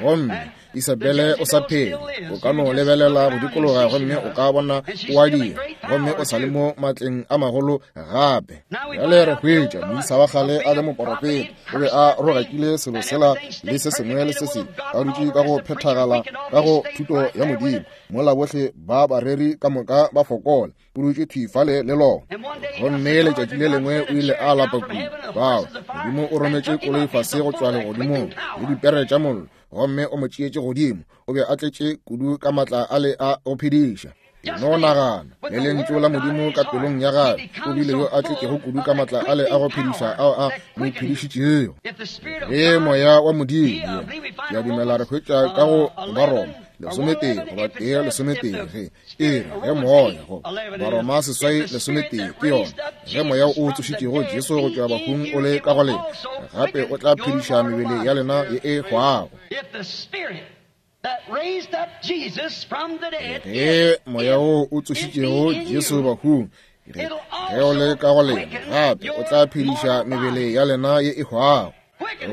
Gomme Isabele o sa phela, o ka no lebelela go dikologa gomme o ka bona o a dira, gomme o sa le mo matleng a magolo gape. Bjale re hwetša moisa wa kgale a le moporofeta, o be a rogakile selo sela le se sengwe le se sengwe, a dutše ka go phethagala ka go thuto ya Modimo, mola bohle ba bareri ka moka ba fokola. O dutše thwi fale le lona. Gomme letšatši le lengwe o ile a lapa kudu, fao Modimo o rometše koloi fase go tšwa legodimong le dipere tša mollo, gomme o mo tšeetše godimo. O be a tletše kudu ka maatla a le a go phediša. E no nagana, le lentšu la Modimo ka pelong ya gagwe, o bile yo a tletšego kudu ka maatla a le a go phediša ao a mo phedišitšego. Ge moya wa Modimo, ke a dumela re hwetša ka go Baroma 11 goba 1:11, ge e re ge moya go Baroma 8:11 ke yona, ge moya o tsošitšego Jesu go tšwa bahung o le ka go lena, gape o tla phediša mebele ya lena ye e hwago. Ge moya wo o tsošitšego Jesu bahung ge o le ka go lena, gape o tla phediša mebele ya lena ye e hwago.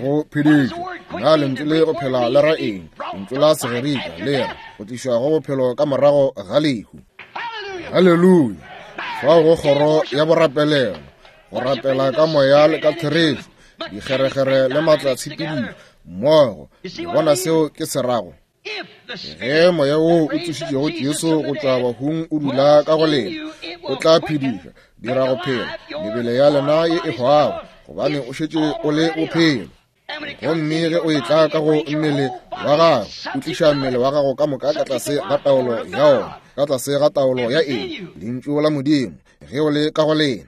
Go phedišwa, na lentšu le go phela le ra eng? Lentšu la Segerika le re go tlišwa go bophelo ka morago ga lehu. Haleluya! Fao go kgoro ya borapelelo, go rapela ka moya le ka therešo, dikgerekgere le maatla tshepedišo mmogo. Le bona seo ke se rago? Ge moya woo o tsošitšego Jesu go tšwa bahung o dula ka go lena, o tla phediša, dira go phela mebele ya lena ye e hwago, gobane o šetše o le bophelo. Gomme ge o etla ka go mmele wa gago, o tliša mmele wa gago ka moka ka tlase ga taolo ya ona, ka tlase ga taolo ya eng? Lentšu la Modimo. Ge o le ka go lena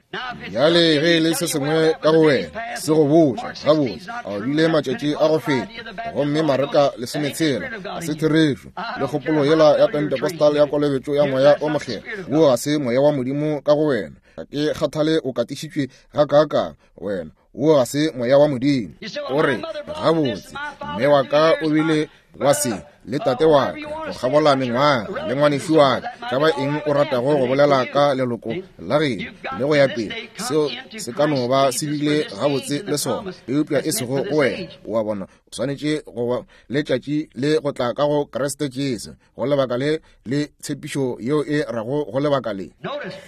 bjale, ge e le se sengwe ka go wena se go botša gabotse, a o bile matšatši a go feta, gomme Mareka 16 ga se therešo, le kgopolo yela ya Pentecostal ya kolobetšo ya moya o mokgethwa, wo ga se moya wa Modimo ka go wena. Ga ke kgathale o katišitšwe gakaakang, wena wo ga se moya wa Modimo. O re, gabotse, mme wa ka o bile wa se, le tate wa ka, go kgabola mengwaga, le ngwanešu wa ka, ka ba eng o ratago go bolela ka leloko la geno le go ya pele, seo se ka no ba se bile gabotse le sona, eupša e sego go wena. O a bona, o swanetše go ba letšatši le go tla ka go Kriste Jesu, go lebaka le le tshepišo yeo e rago go lebaka le.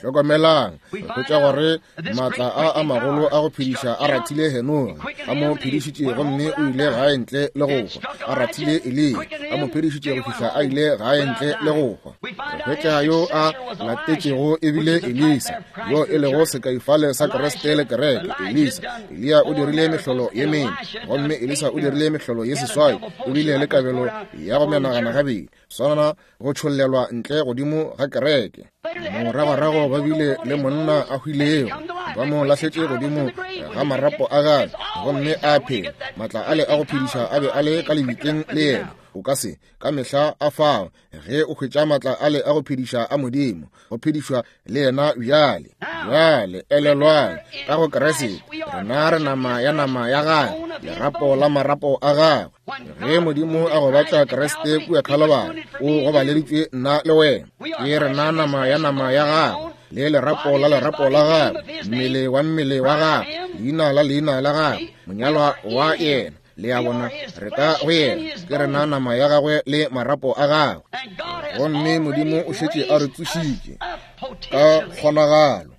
Hlokomelang, re hwetša gore maatla a a magolo a go phediša a rathile Henoge, a mo phedišitše gomme o ile gae ntle le go hwa. A rathile Eliya, a mo phedišitše go fihla a ile gae ntle le go hwa. Re hwetša yo a latetšego e bile Elisa, yo e lego sekaifale sa Kriste le kereke. Elisa, Eliya o dirile mehlolo ye mene, gomme Elisa o dirile mehlolo ye 8. O bile le kabelo ya go menagana gabedi, swana go tšhollelwa ntle godimo ga kereke. Moragorago ba bile le monna a hwilego, ba mo lahletše godimo ga marapo a gagwe, gomme a phela. Matla ale a go phediša a be a le ka lebitleng le yena. O ka se ka mehla a fao ge o hwetša matla ale a go phediša a Modimo, go phedišwa le yena bjale. Bjale elelwang, ka go Kriste rena re nama ya nama ya gagwe, lerapo la marapo a gagwe. Ge Modimo a gobatša Kriste kua Khalobari, o gobaleditšwe nna le wena. Ke rena nama ya nama ya gagwe, le lerapo la lerapo la gagwe, mmele wa mmele wa gagwe, leina la leina la gagwe, monyalwa wa yena. Le a bona, re ka go yena, ke rena nama ya gagwe le marapo a gagwe. Gomme Modimo o šetše a re tsošitše ka kgonagalo.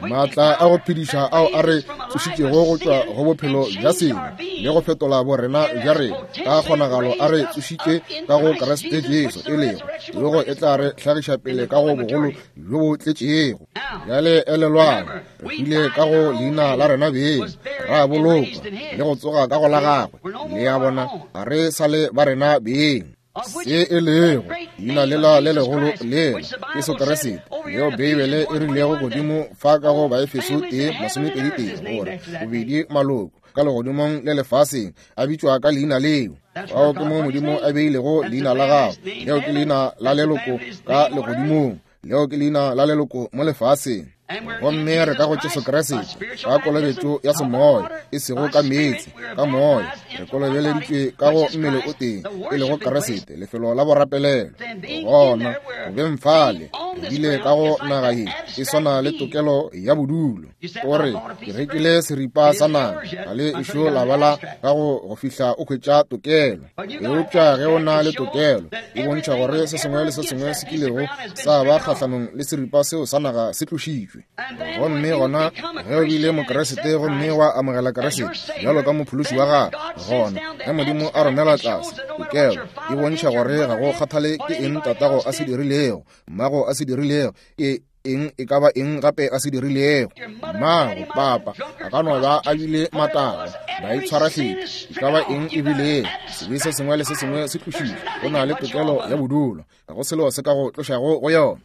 Maatla a go phediša ao a re tsošitšego go tšwa go bophelo bja sebe le go fetola borena bja rena ka kgonagalo a re tsošitše ka go Kriste Jesu, e lego tsogo e tla re hlagiša pele ka go bogolo bjo bo tletšego. Bjale elelwang, re hwile ka go leina la rena beng, ra bolokwa le go tsoga ka go la gagwe. Le a bona, ga re sa le ba rena beng. Se e lego leina lela le legolo lela Jesu Kriste, leo Beibele e rilego godimo fa ka go Baefeso 1:21, gore bobedi maloko ka legodimong le lefaseng a bitšwa ka leina leo. Fao ke mo Modimo a beilego leina la gagwe. Leo ke leina la leloko ka legodimong, leo ke leina la leloko mo lefaseng. Gomme re ka go Jesu Kriste ka kolobetšo ya semoya, e sego ka meetse, ka moya re kolobeleditšwe ka go mmele o tee, e lego Kriste, lefelo la borapelelo. Gona go beng fale re bile ka go naga ye e swana le tokelo ya bodulo. O re, Ke rekile seripa sa naga, ga le ešo la bala ka go go fihla o hwetša tokelo. Eupša ge o na le tokelo, e bontšha gore se sengwe le se sengwe se kilego sa ba kgahlanong le seripa seo sa naga se tlošitšwe. Gomme gona ge o bile Mokeresete gomme wa amogela Keresete bjalo ka mophološi wa gago, gona ge Modimo a romela tlase tokelo, e bontšha gore ga go kgathale ke eng tatago a se dirilego, mmago a se dirilego, ke eng e ka ba eng gape a se dirilego. Mmago, papa, a ka no ba a bile matagwa, ba itshwarahlephi, e ka ba eng e bilego, sebe se sengwe le se sengwe se tlošitšwe. O na le tokelo ya bodulo, ga go selo se ka go tlošago go yona.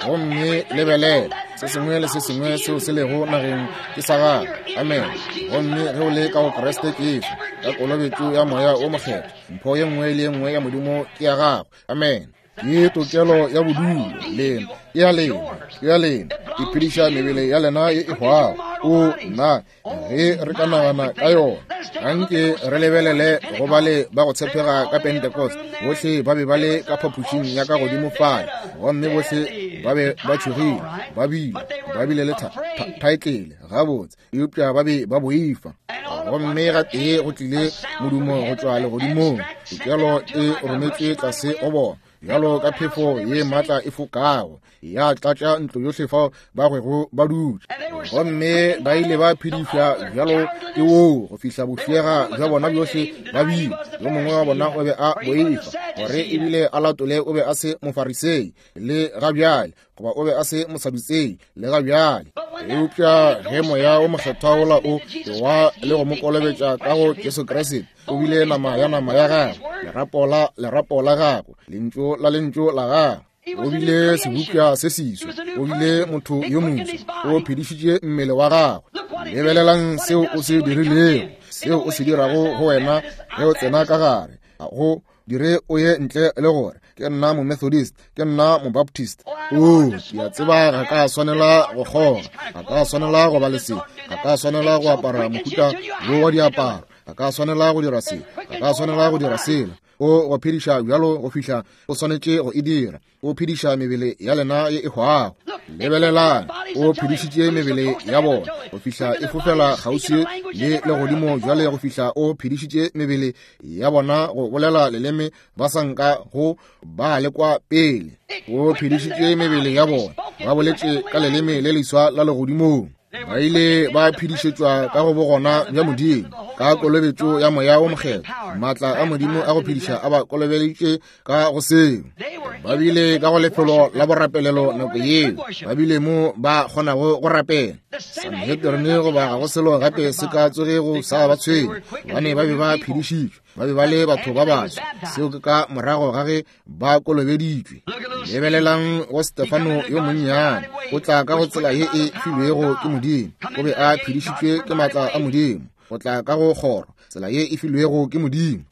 Gomme lebelela, se sengwe le se sengwe seo se lego nageng ke sa gago. Amen. Gomme ge o le ka go Kriste Jesu, ka kolobetšo ya Moya wo Mokgethwa, mpho ye nngwe le ye nngwe ya Modimo ke ya gago. Amen. Ke tokelo ya bodulo lena, ke ya lena, ke ya lena. E phediša mebele ya lena ye e hwago. O nna, ge re ka nagana ka yona, anke re lebelele go bale ba go tshepega ka Pentecost. Bohle ba be ba le ka phapošing ya ka godimo fale, gomme bohle ba be ba tšhogile, ba bile, ba bile le thaetlele gabotse, eupša ba be ba boifa. Gomme gatee go tlile modumo go tšwa legodimong, tokelo e rometšwe tlase go bona, bjalo ka phefo ye maatla e fokago, ya tlatša ntlo yohle fao ba gwego ba dutše. Gomme ba ile ba phedišwa bjalo ke woo go fihla bofšega bja bona bjohle ba bile. Yo mongwe wa bona o be a boifa gore ebile a latole o be a se Mofarisei le ga bjale, goba o be a se Mosadutsei le ga bjale. Eupša ge Moya wo Mokgethwa wola o ewa le go mo kolobetša ka go Jesu Kriste, o bile nama ya nama ya gagwe, lerapo la lerapo la gagwe, lentšu la lentšu la gagwe. O bile sebopša se seswa, o bile motho yo moswa, o phedišitše mmele wa gagwe. Lebelelang seo o se dirilego, seo o se dirago go wena ge o tsena ka gare. Ga go dire o ye ntle le gore ke nna Momethodist, ke nna Mobaptist. O, ke a tseba ga ka swanela go kgoga, ga ka swanela go ba le se, ga ka swanela go apara mohuta wo wa diaparo, ga ka swanela go dira se, ga ka swanela go dira sela. O go phediša bjalo go fihla o swanetše go e dira. O phediša mebele ya lena ye e hwago. Lebelelang, o phedišitše mebele ya bona go fihla e fofela kgauswi le legodimo bjale, go fihla o phedišitše mebele ya bona go bolela leleme ba sa nka go ba lekwa pele. O phedišitše mebele ya bona ba boletše ka leleme le leswa la legodimong. Ba ile ba phedišetšwa ka go bogona bja Modimo ka kolobetšo ya Moya wo Mokgethwa. Maatla a Modimo a go phediša a ba kolobeleditše ka go seo. Ba bile ka go lefelo la borapelelo nako yeo, ba bile mo ba kgonago go rapela. Sanhedrin goba ga go selo gape se ka tsogego sa ba tshwenya, gobane ba be ba phedišitšwe, ba be ba le batho ba baswa. Seo ke ka morago ga ge ba kolobeditšwe. Lebelelang go Stefano yo monnyane, o tla ka go tsela ye e filwego ke Modimo. O be a phedišitšwe ke maatla a Modimo, o tla ka go kgoro, tsela ye e filwego ke Modimo.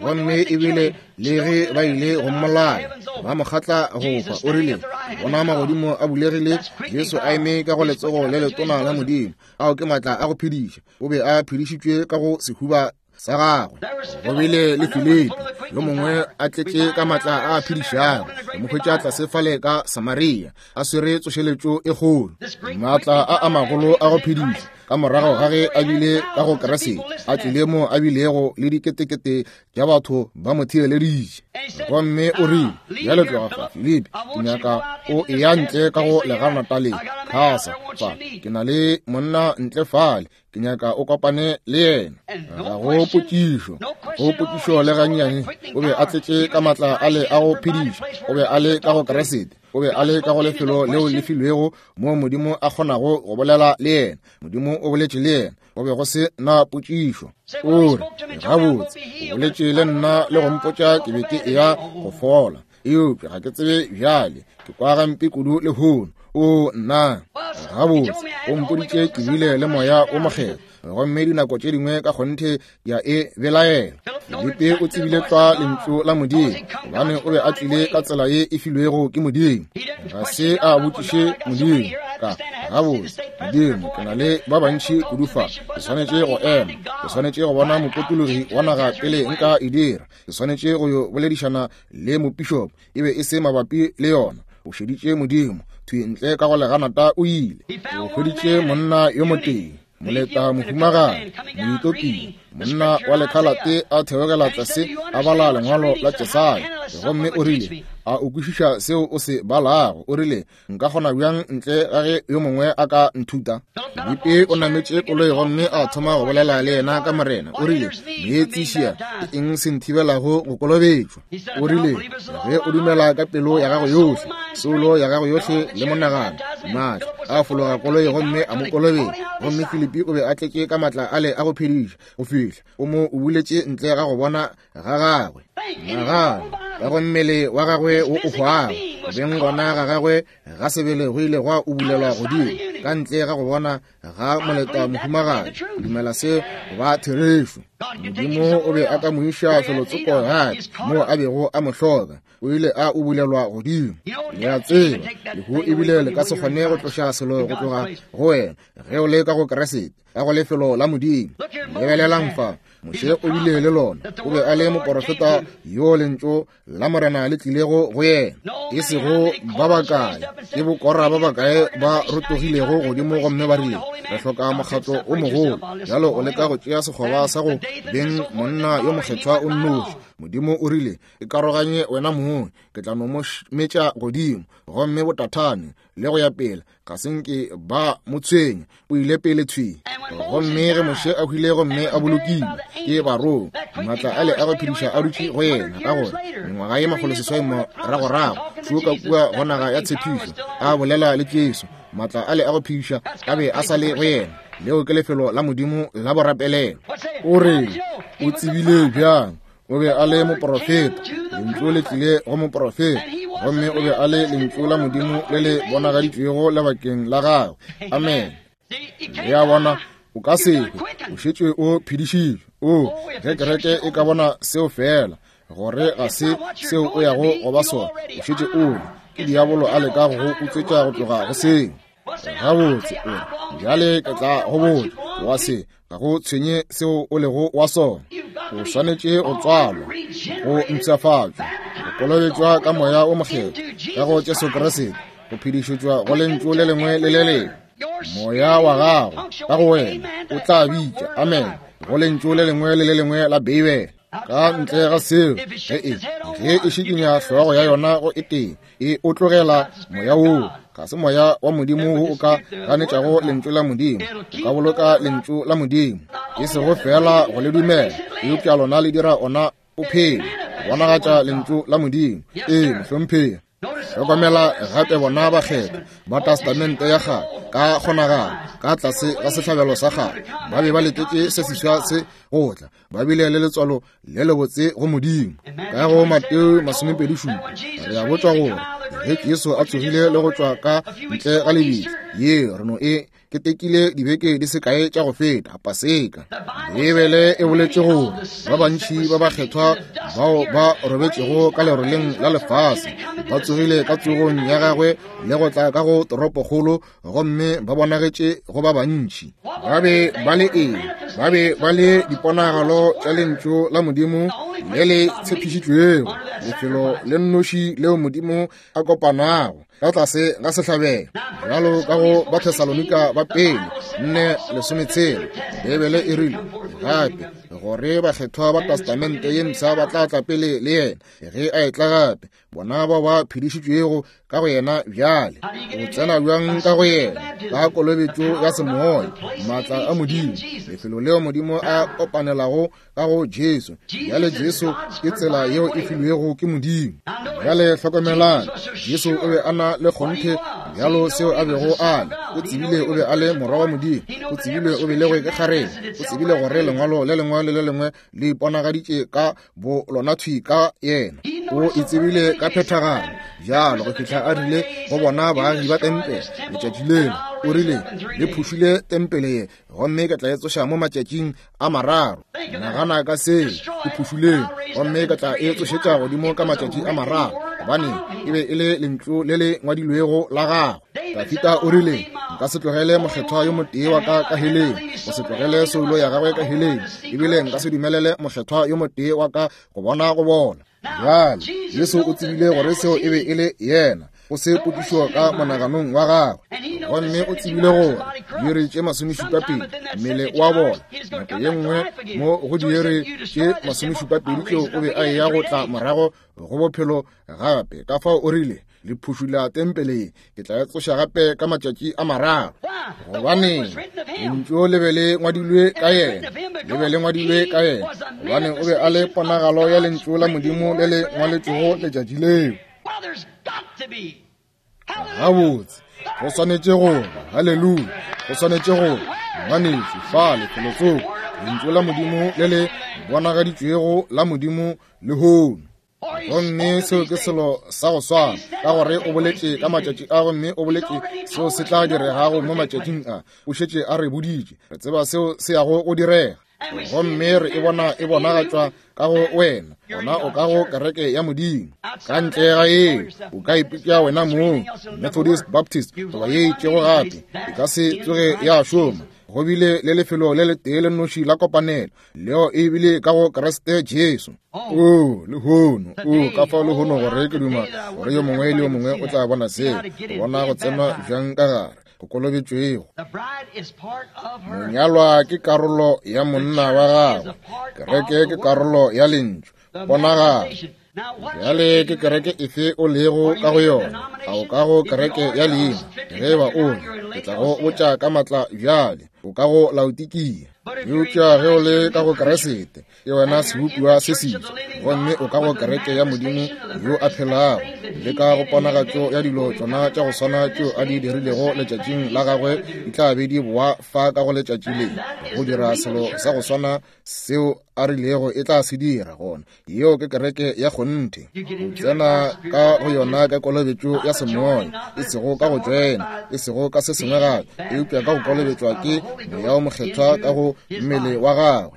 Gomme ebile le ge ba ile go mmolaya, ba mo kgatla go hwa, o rile, Bona magodimo a bulegile, Jesu a eme ka go letsogo le letona la Modimo. Ao ke maatla a go phediša. O be a phedišitšwe ka go sehuba sa gagwe. Go bile le Filipi yo mongwe a tletše ka maatla a phedišago, re mo hwetša tlase fale ka Samaria a swere tsošeletšo e kgolo. Maatla a a magolo a go phediša. Ka morago ga ge a bile ka go Kriste, a tlile mo a bilego le diketekete tša batho ba mo theeleditše. Gomme o rile, Bjale tloga fa, Filipi, ke nyaka o eya ntle ka go leganata le Kasa fa. Ke na le monna ntle fale, ke nyaka o kopane le yena. Ga go potšišo, go potšišo le gannyane. O be a tletše ka matla a le a go phediša. O be a le ka go Kriste. O be a le ka go lefelo leo le filwego moo Modimo a kgonago go bolela le yena. Modimo o boletše le yena. Go be go se na potšišo. O re, gabotse, o boletše le nna le go mpotša ke be ke eya go fola, eupša ga ke tsebe bjale, ke kwa gampe kudu lehono. O nna, gabotse, o mpoditše ke bile le Moya wo Mokgethwa, gomme dinako tše dingwe ka kgonthe ya e belaela. Filipi o tsebile tlwa lentšu la Modimo, gobane o be a tlile ka tsela ye e filwego ke Modimo. Ga se a botšiše Modimo ka gabotse, Modimo, ke na le ba bantši kudu fa, ke swanetše go ema, ke swanetše go bona mopotologi wa naga pele nka e dira, ke swanetše go yo boledišana le mopišopo. E be e se mabapi le yona. O šeditše Modimo thwi ntle ka go leganata o ile. O hweditše monna yo motee, moleta mohumagadi, Moetopia, monna wa lekhalate a theogela tlase a bala lengwalo la Jesaya. Gomme o rile, A o kwešiša seo o se balago? O rile, Nka kgona bjang ntle ga ge yo mongwe a ka nthuta? Filipi o nametše koloi gomme a thoma go bolela le yena ka Morena. O rile, Meetsišia, ke eng se nthibelago go kolobetšwa? O rile, Ge o dumela ka pelo ya gago yohle, soulo ya gago yohle le monagano. Maatla a fologa koloi gomme a mo kolobetša. Gomme Filipi o be a tletše ka matla ale a go phediša go fihla o mo ubuletše ntle ga go bona ga gagwe. Nagana ka go mmele wa gagwe wo o hwago, beng gona ga gagwe ga sebele go ile gwa ubulelwa godimo ka ntle ga go bona ga moleta mohumagadi. Dumela se ba therešo. Modimo o be a ka mo iša felotsoko gape moo a bego a mo hloka. O ile a ubulelwa godimo. Le a tseba, lehu ebile le ka se kgone go tloša selo go tloga go wena ge o le ka go Kriste, ka go lefelo la Modimo. Lebelelang fa, Moshe o bile le lona. O be a le moporofeta yo lentšu la Morena le tlilego go yena. E sego ba bakae, ke bokora ba bakae ba rotogilego godimo gomme ba rile, re hloka mokgatlo o mogolo. Bjalo o leka go tšea sekgoba sa go beng monna yo mokgethwa o nnoši. Modimo o rile, Ikaroganye wena mong, ke tla no mo metša godimo. Gomme botathane le go ya pele ga se nke ba mo tshwenya, o ile pele thwi. Gomme ge Moshe a hwile gomme a bolokilwe ke barong, maatla ale a go phediša a dutše go yena, ka gore mengwaga ye 600 moragorago šo ka kua go naga ya tshepišo a bolela le Jesu, maatla ale a go phediša a be a sa le go yena. Leo ke lefelo la Modimo la borapelelo. O re, o tsebile bjang? O be a le moprofeta. Lentšu le tlile go moprofeta, gomme o be a le lentšu la Modimo le le bonagaditšwego lebakeng la gagwe. Amen. Le a bona, o ka se hwe, o šetše o phedišitšwe. O, ge kereke e ka bona seo feela, gore ga se seo o yago go ba sona, o šetše o le. Ke diabolo a leka go go utswetša go tloga go seo. Gabotse, o re, bjale ke tla go botša, wa se, ga go tshwenye seo o lego wa sona. O swanetše go tswalwa, go mpshafatšwa, go kolobetšwa ka Moya wo Mokgethwa, ka go Jesu Kriste, go phedišetšwa go Lentšu le lengwe le le lengwe. Moya wa gago ka go wena o tla bitša amen go Lentšu le lengwe le le lengwe la Beibele. Ka ntle ga seo, ge e ge e šikinya hlogo ya yona go e tee, e o tlogela moya woo. Ga se moya wa Modimo wo o ka ganetšago Lentšu la Modimo. O ka boloka Lentšu la Modimo, e sego feela go le dumela, eupša lona le dira ona o phele, go bonagatša Lentšu la Modimo. Ee, mohlomphegi. Hlokomela gape bona bakgethwa ba Testamente ya Kgale ka kgonagalo ka tlase ga sehlabelo sa kgale ba be ba letetše se seswa se go tla, ba bile le letswalo le lebotse go Modimo. Ka go Mateo 27 re a botšwa gore ge Jesu a tsogile le go tšwa ka ntle ga lebitla, ye re no e ketekile dibeke di se kae tša go feta, Paseka. Beibele e boletše gore ba bantši ba bakgethwa bao ba robetšego ka leroleng la lefase ba tsogile ka tsogong ya gagwe le go tla ka go toropokgolo gomme ba bonagetše go ba bantši. Ba be ba le eng? Ba be ba le diponagalo tša Lentšu la Modimo le le tshepišitšwego, lefelo le nnoši leo Modimo a kopanago. ka tlase ga sehlabelo. Bjalo ka go Bathesalonika ba pele 4:16, Beibele e rile gape gore bakgethwa ba Testamente ye Mpsha ba tla tla pele le yena ge a etla gape, bona bao ba phedišitšwego ka go yena bjale. O tsena bjang ka go yena? Ka kolobetšo ya semoya, maatla a Modimo, lefelo leo Modimo a kopanelago ka go Jesu. Bjale Jesu ke tsela yeo e filwego ke Modimo. Bjale hlokomelang, Jesu o be a na le kgonthe bjalo seo a bego a le. O tsebile o be a le morwa wa Modimo. O tsebile o belegwe ke kgarebe. O tsebile gore lengwalo le lengwe le le lengwe le iponagaditše ka bo lona thwi ka yena. O e tsebile ka phethagalo bjalo go fihla a rile go bona baagi ba tempele letšatši leo, o rile, Le phušile tempele ye, gomme ke tla e tsoša mo matšatšing a mararo. Nagana ka seo, e phušuleng, gomme ke tla e tsošetša godimo ka matšatši a mararo, gobane e be e le lentšu le le ngwadilwego la gagwe. Dafita o rile, Nka se tlogele mokgethwa yo motee wa ka ka heleng, go se tlogele soulo ya gagwe ka heleng, ebile nka se dumelele mokgethwa yo motee wa ka go bona go bona. Bjale, Jesu o tsebile gore seo e be e le yena, go se potšišo ka monaganong wa gagwe. Gomme o tsebile gore diiri tše masomešupapedi mmele wa bona, nako ye nngwe mo go diiri tše masomešupapedi tšeo o be a eya go tla morago go bophelo gape. Ka fao o rile, Le phušula tempele ye, ke tla e tsoša gape ka matšatši a mararo. Gobane lentšu le be le ngwadilwe ka yena, le be le ngwadilwe ka yena, gobane o be a le ponagalo ya lentšu la Modimo le le ngwaletšwego letšatši leo. Gabotse, go swanetše go, haleluya, go swanetše go, ngwanešu, fale felotsoko, lentšu la Modimo le le bonagaditšwego la Modimo lehono. Gomme seo ke selo sa go swana, ka gore o boletše ka matšatši a, gomme o boletše seo se tla diregago mo matšatšing a. O šetše a re boditše, re tseba seo se yago go direga, gomme re e bona e bonagatšwa ka go wena. Gona o ka go kereke ya Modimo. Ka ntle ga yeo, o ka ipitša wena mong Methodist, Baptist, goba ye itšego gape, e ka se tsoge ya šoma. Go bile le lefelo le letee le nnoši la kopanelo, leo e bile ka go Kriste Jesu. O lehono, o ka fao lehono gore ke duma gore yo mongwe le yo mongwe o tla bona seo, go bona go tsenwa bjang ka gare go kolobetšwego. Monyalwa ke karolo ya monna wa gagwe, kereke ke karolo ya lentšu, ponagalo. Bjale ke kereke efe o lego ka go yona? A o ka go kereke ya leina? Ge e ba o le, ke tla go botša ka matla bjale, o ka go Laodikia. Eupša ge o le ka go Keresete, ke wena sebopiwa se seswa, gomme o ka go kereke ya Modimo yo a phelago, le ka go ponagatšo ya dilo tšona tša go swana tšeo a di dirilego letšatšing la gagwe di tla be di boa fa ka go letšatši le, go dira selo sa go swana seo a rilego e tla se dira. Gona yeo ke kereke ya kgonthe. O tsena ka go yona ka kolobetšo ya semoya, e sego ka go tšwena, e sego ka se sengwe gape, eupša ka go kolobetšwa ke Moya wo Mokgethwa ka go mmele wa gagwe.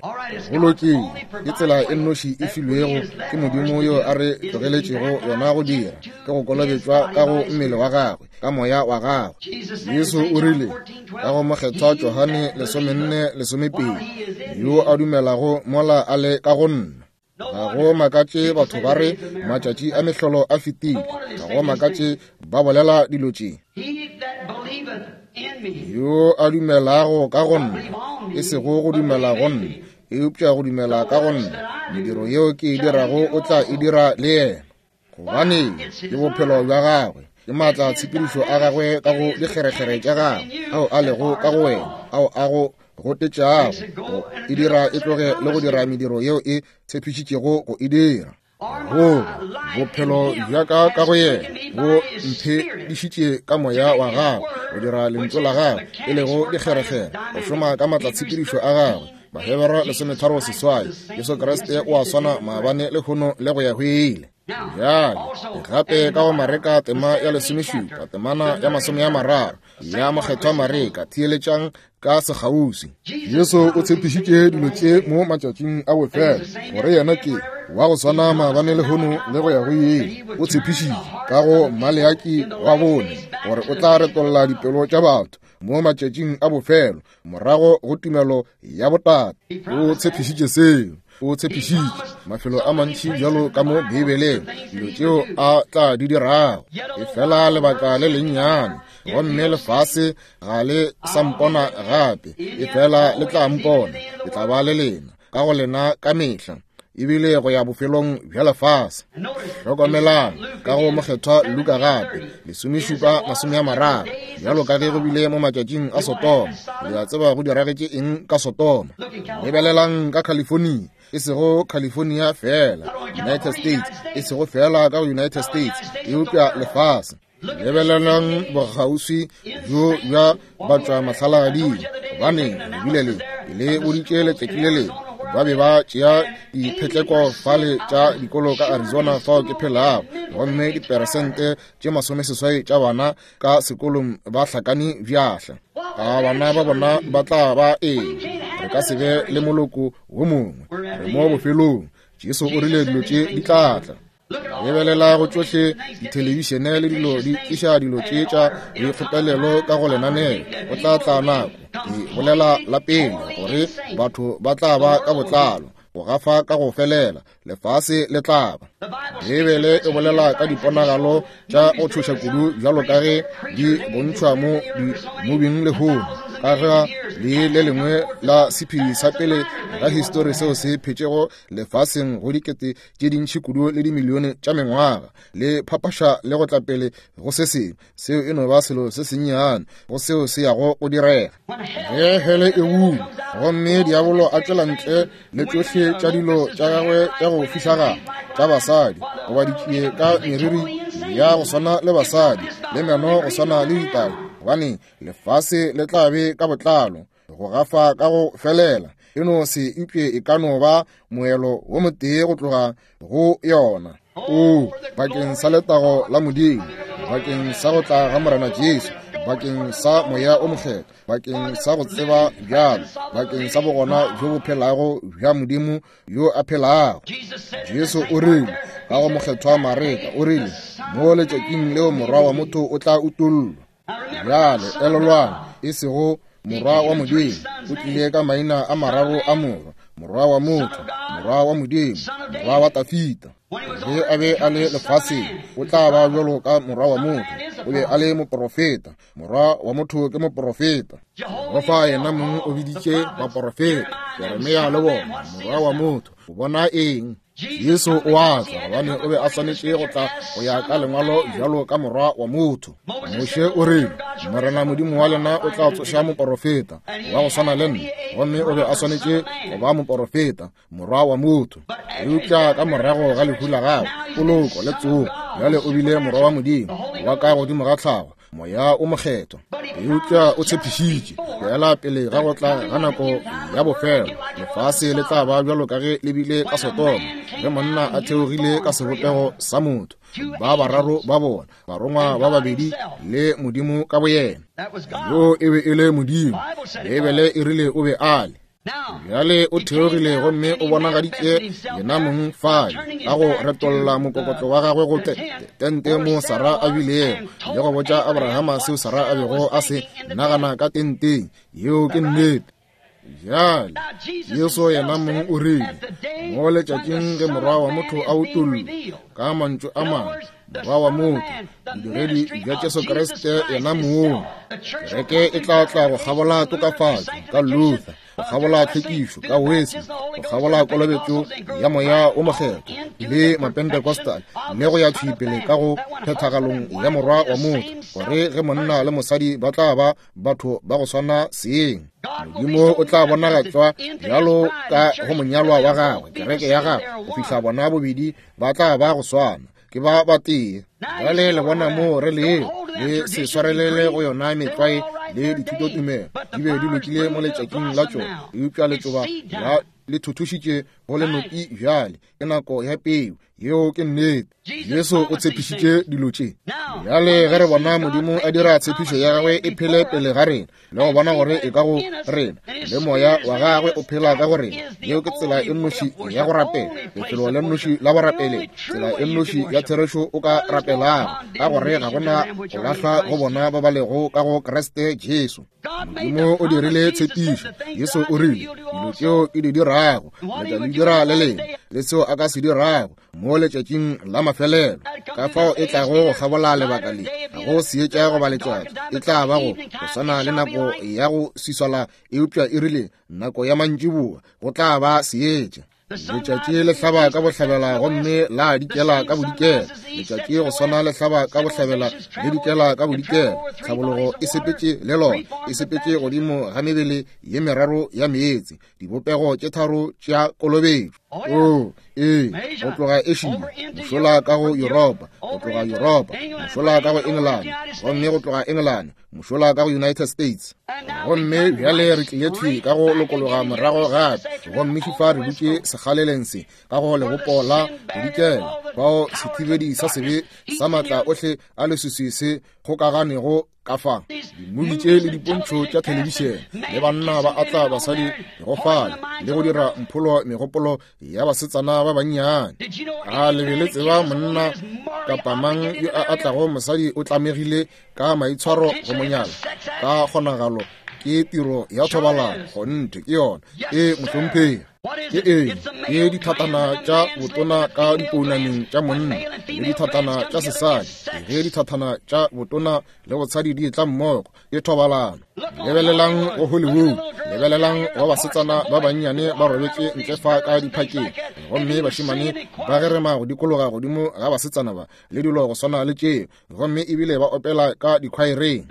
Go lokile. Ke tsela e nnoši e filwego ke Modimo yo a re tlogeletšego yona go dira, ke go kolobetšwa ka go mmele wa gagwe, ka Moya wa gagwe. Jesu o rile ka go Mokgethwa Johane 14:12, Yo a dumelago mola a le ka go nna. Ga go makatše batho ba re matšatši a mehlolo a fetile. Ga go makatše ba bolela dilo tše. Yo a dumelago ka go nna, e sego go dumela go nna, eupša go dumela ka go nna, mediro yeo ke e dirago o tla e dira le yena. Gobane ke bophelo bja gagwe, ke maatla a tshepedišo a gagwe ka go dikgerekgere tša gagwe, ao a lego ka go wena, ao a go gotetšago go e dira e tloge le go dira mediro yeo e tshepišitšego go e dira. Goba bophelo bja ka ka go yena bo mphedišitše ka moya wa gagwe go dira lentšu la gagwe, e lego dikgerekgere, go šoma ka maatlatshepedišo a gagwe. Bahebera 13:8, Jesu Kriste o a swana maabane, lehono le go ya go ile. Bjale, gape ka go Mareka tema ya 17, temana ya 30 ya Mokgethwa Mareka, theeletšang ka sekgauswi. Jesu o tshepišitše dilo tše mo matšatšing a bofelo, gore yena ke wa go swana maabane, lehono le go ya go ile. O tshepišitše ka go Maleaki wa bone gore o tla retolla dipelo tša batho mo matšatšing a bofelo morago go tumelo ya botate. O tshepišitše seo. O tshepišitše mafelo a mantši bjalo ka mo Beibeleng dilo tšeo a tla di dirago. Efela lebaka le lennyane, gomme lefase ga le sa mpona gape, efela le tla mpona. Ke tla ba le lena, ka go lena ka mehla, ebile go ya bofelong bja lefase. Hlokomelang ka go Mokgethwa Luka gape, 17:30, bjalo ka ge go bile mo matšatšing a Sodoma. Le a tseba go diragetše eng ka Sodoma. Lebelelang ka California, e sego California fela, United States, e sego fela ka go United States, eupša lefase. Lebelelang bokgauswi bjo bja batšwamahlalagading, gobaneng le bile le le boditše letšatši le lengwe ba be ba tšea diphetleko fale tša dikolo ka Arizona fao ke phelago, gomme diperesente tše 80 tša bana ka sekolong ba hlakane bjahla. A bana ba bona ba tla ba eng? Re ka se be le moloko wo mongwe. Re mo bofelong. Jesu o rile dilo tše di tla tla. Lebelela go tšohle dithelebišene le dilo di tliša dilo tše tša boikgopelelo ka go lenaneo. Go tla tla nako, ke bolela la pele, gore batho ba tla ba ka botlalo go gafa ka go felela, lefase le tla ba. Beibele e bolela ka diponagalo tša go tšhoša kudu bjalo ka ge di bontšhwa mo dimobing lehono, ka ga le le lengwe la sephiri sa pele ga histori seo se phetšego lefaseng go dikete tše dintši kudu le dimilione tša mengwaga, le phapaša le go tla pele go se sengwe. Seo e no ba selo se sennyane go seo se yago go direga. Ge hele e bula gomme diabolo a tšwela ntle le tšohle tša dilo tša gagwe tša go fišagala tša basadi, goba ditšie ka meriri ya go swana le basadi le meno go swana le ditau, gobane lefase le tla be ka botlalo go gafa ka go felela. E no se upše e ka no ba moelo wo motee go tloga go yona. O, bakeng sa letago la Modimo, bakeng sa go tla ga Morena Jesu, bakeng sa Moya o Mokgethwa, bakeng sa go tseba bjalo, bakeng sa bogona bjo bo phelago bja Modimo yo a phelago. Jesu o rile ka go Mokgethwa Mareka, o rile, mo letšatšing leo Morwa wa motho o tla utollwa. Bjale elelwang, e sego Morwa wa Modimo, o tlile ka maina a mararo a morwa, Morwa wa motho, Morwa wa Modimo, Morwa wa Tafita. Ge a be a le lefaseng, o tla ba bjalo ka Morwa wa motho. O be a le moprofeta. Morwa wa motho ke moprofeta. Jehofa yena mong o biditše baprofeta, Jeremia le bona, Morwa wa motho. O bona eng? Jesu o a tla gobane o be a swanetše go tla go ya ka lengwalo bjalo ka morwa wa motho. Moshe o rile, Morena Modimo wa lena o tla tsoša moporofeta wa go swana le nna, gomme o be a swanetše go ba moporofeta, morwa wa motho. Eupša ka morago ga lehu la gagwe, poloko le tsogo, bjale o bile morwa wa Modimo wa ka godimo ga tlhago, Moya o Mokgethwa. Eupša o tshepišitše, feela pele ga go tla ga nako ya bofelo, lefase le tla ba bjalo ka ge le bile ka Sodoma, ge monna a theogile ka sebopego sa motho, ba bararo ba bona, barongwa ba babedi le Modimo ka boyena. Yoo e be e le Modimo. Beibele e rile o be a le. Bjale o theogile gomme o bonagaditše yena mong fale ka go retolla mokokotlo wa gagwe go tente mo Sara a bilego, le go botša Abrahama seo Sara a bego a se nagana ka tenteng. Yeo ke nnete. Bjale Jesu yena mong o rile, mo letšatšing ge Morwa wa motho a utollwa, ka mantšu a mangwe, Morwa wa motho, bodiredi bja Jesu Kriste yena mong. Kereke e tla tla go kgabola tokafatšo ka Luther, go kgabola tlhwekišo ka Wesley, go kgabola kolobetšo ya Moya wo Mokgethwa le Mapentecostal, le go ya thwi pele ka go phethagalong ya Morwa wa motho, gore ge monna le mosadi ba tla ba batho ba go swana seeng, Modimo o tla bonagatšwa bjalo ka go monyalwa wa gagwe, kereke ya gagwe, go fihla bona bobedi ba tla ba go swana. Ke ba batee. Bjale le bona moo re lego. Le se swarelele go yona metlwae le dithutotumelo, di be di lokile mo letšatšing la tšona, eupša letšoba la le thuthušitše go lenoki bjale. Ke nako ya peu. Yeo ke nnete. Jesu o tshepišitše dilo tše. Bjale ge re bona Modimo a dira tshepišo ya gagwe e phele pele ga rena, le go bona gore e ka go rena, le Moya wa gagwe o phela ka go rena, yeo ke tsela e nnoši ya go rapela, lefelo le nnoši la borapele, tsela e nnoši ya therešo o ka rapelago, ka gore ga gona go lahlwa go bona ba ba lego ka go Kriste Jesu. Modimo o dirile tshepišo. Jesu o rile, Dilo tšeo ke di dirago, le tla di dira le lena, le seo a ka se dirago mo letšatšing la mafelelo. Ka fao e tlago go kgabola lebaka le, go seetša goba letšatši, e tla ba go go swana le nako ya go swiswala, eupša e rile nako ya mantšiboa go tla ba seetša. Letšatši le hlaba ka bohlabela gomme la dikela ka bodikela. Letšatši go swana le hlaba ka bohlabela le dikela ka bodikela. Tlhabologo e sepetše le lona, e sepetše godimo ga mebele ye meraro ya meetse, dibopego tše tharo tša kolobetšo. O, ee, go tloga Asia, mošola ka go Yuropa, go tloga Yuropa, mošola ka go Engelane, gomme go tloga Engelane, mošola ka go United States. Gomme bjale re tlile thwi ka go lokologa morago gape, gomme fifa re dutše sekgaleleng se ka go lebopo la bodikela, fao sethibedi sa sebe sa maatla ohle a leswiswi se kgokaganego ka fa. Dimubi tše le dipontšho tša thelebišene, le banna ba atla basadi go fale le go dira mpholo megopolo ya basetsana ba bannyane. A le be le tseba monna kapa mang yo a atlago mosadi o tlamegile ka maitshwaro go monyala ka kgonagalo ke tiro ya thobalano kgonthe ke yona e mohlomphegi ke eng ke dithatana tša botona ka dipounameng tša monna le dithatana tša sesadi ge dithatana tša botona le botshadi di etla mmogo ke thobalano lebelelang go Hollywood lebelelang go basetsana ba bannyane ba robetše ntle fa ka diphakeng gomme bašemane ba gerema go dikologa godimo ga basetsana ba le dilo go swana le tšeo gomme ebile ba opela ka dikhwaereng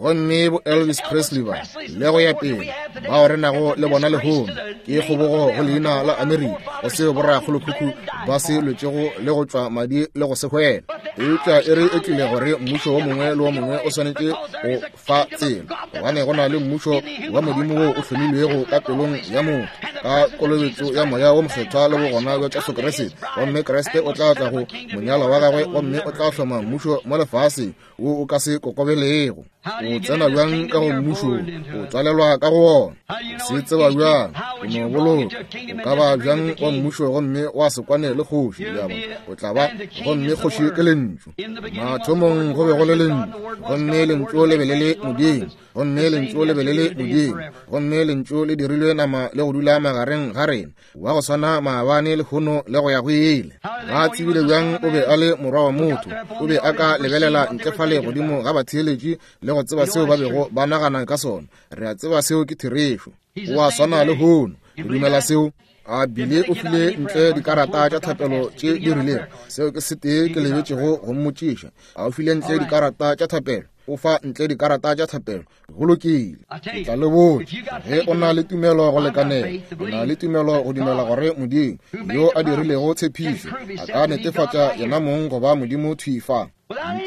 gomme bo Elvis Presley ba le go ya pele bao re nago le bona lehono ke kgobogo go leina la Amerika go seo borakgolokhukhu ba se lwetšego le go tšwa madi le go se hwela eupša e re e tlile gore mmušo wo mongwe le wo mongwe o swanetše go fa tsela gobane go na le mmušo wa Modimo wo o hlomilwego ka pelong ya motho ka kolobetšo ya moya wo mokgethwa le bogona bja Jesu Kriste gomme Kriste o tla tla go monyalwa wa gagwe gomme o tla hloma mmušo mo lefaseng wo o ka se kokobelego. O tsena bjang ka go mmušo? O tswalelwa ka go wona. O se tseba bjang? O no boloka. O ka ba bjang wa mmušo gomme wa se kwane le kgoši? Le a bona? O tla ba, gomme kgoši ke Lentšu. Mathomong go be go le Lentšu, gomme Lentšu le be le le Modimo, gomme Lentšu le be le le Modimo, gomme Lentšu le dirilwe nama le go dula magareng ga rena, wa go swana maabane, lehono, le go ya go ile. Ba tsebile bjang o be a le morwa wa motho? O be a ka lebelela ntle fale godimo ga batheeletši le go tseba seo ba bego ba nagana ka sona. Re a tseba seo ke therešo. O a swana lehono. Re dumela seo. A bile o file ntle dikarata tša thapelo tše di rilego. Seo ke setee ke lebetšego go mmotšiša. A o file ntle dikarata tša thapelo? O fa ntle dikarata tša thapelo. Go lokile. Ke tla le botša, ge o na le tumelo go lekanela, o na le tumelo go dumela gore Modimo, yo a dirilego tshepišo, a ka netefatša yena mong go ba Modimo thwi fa.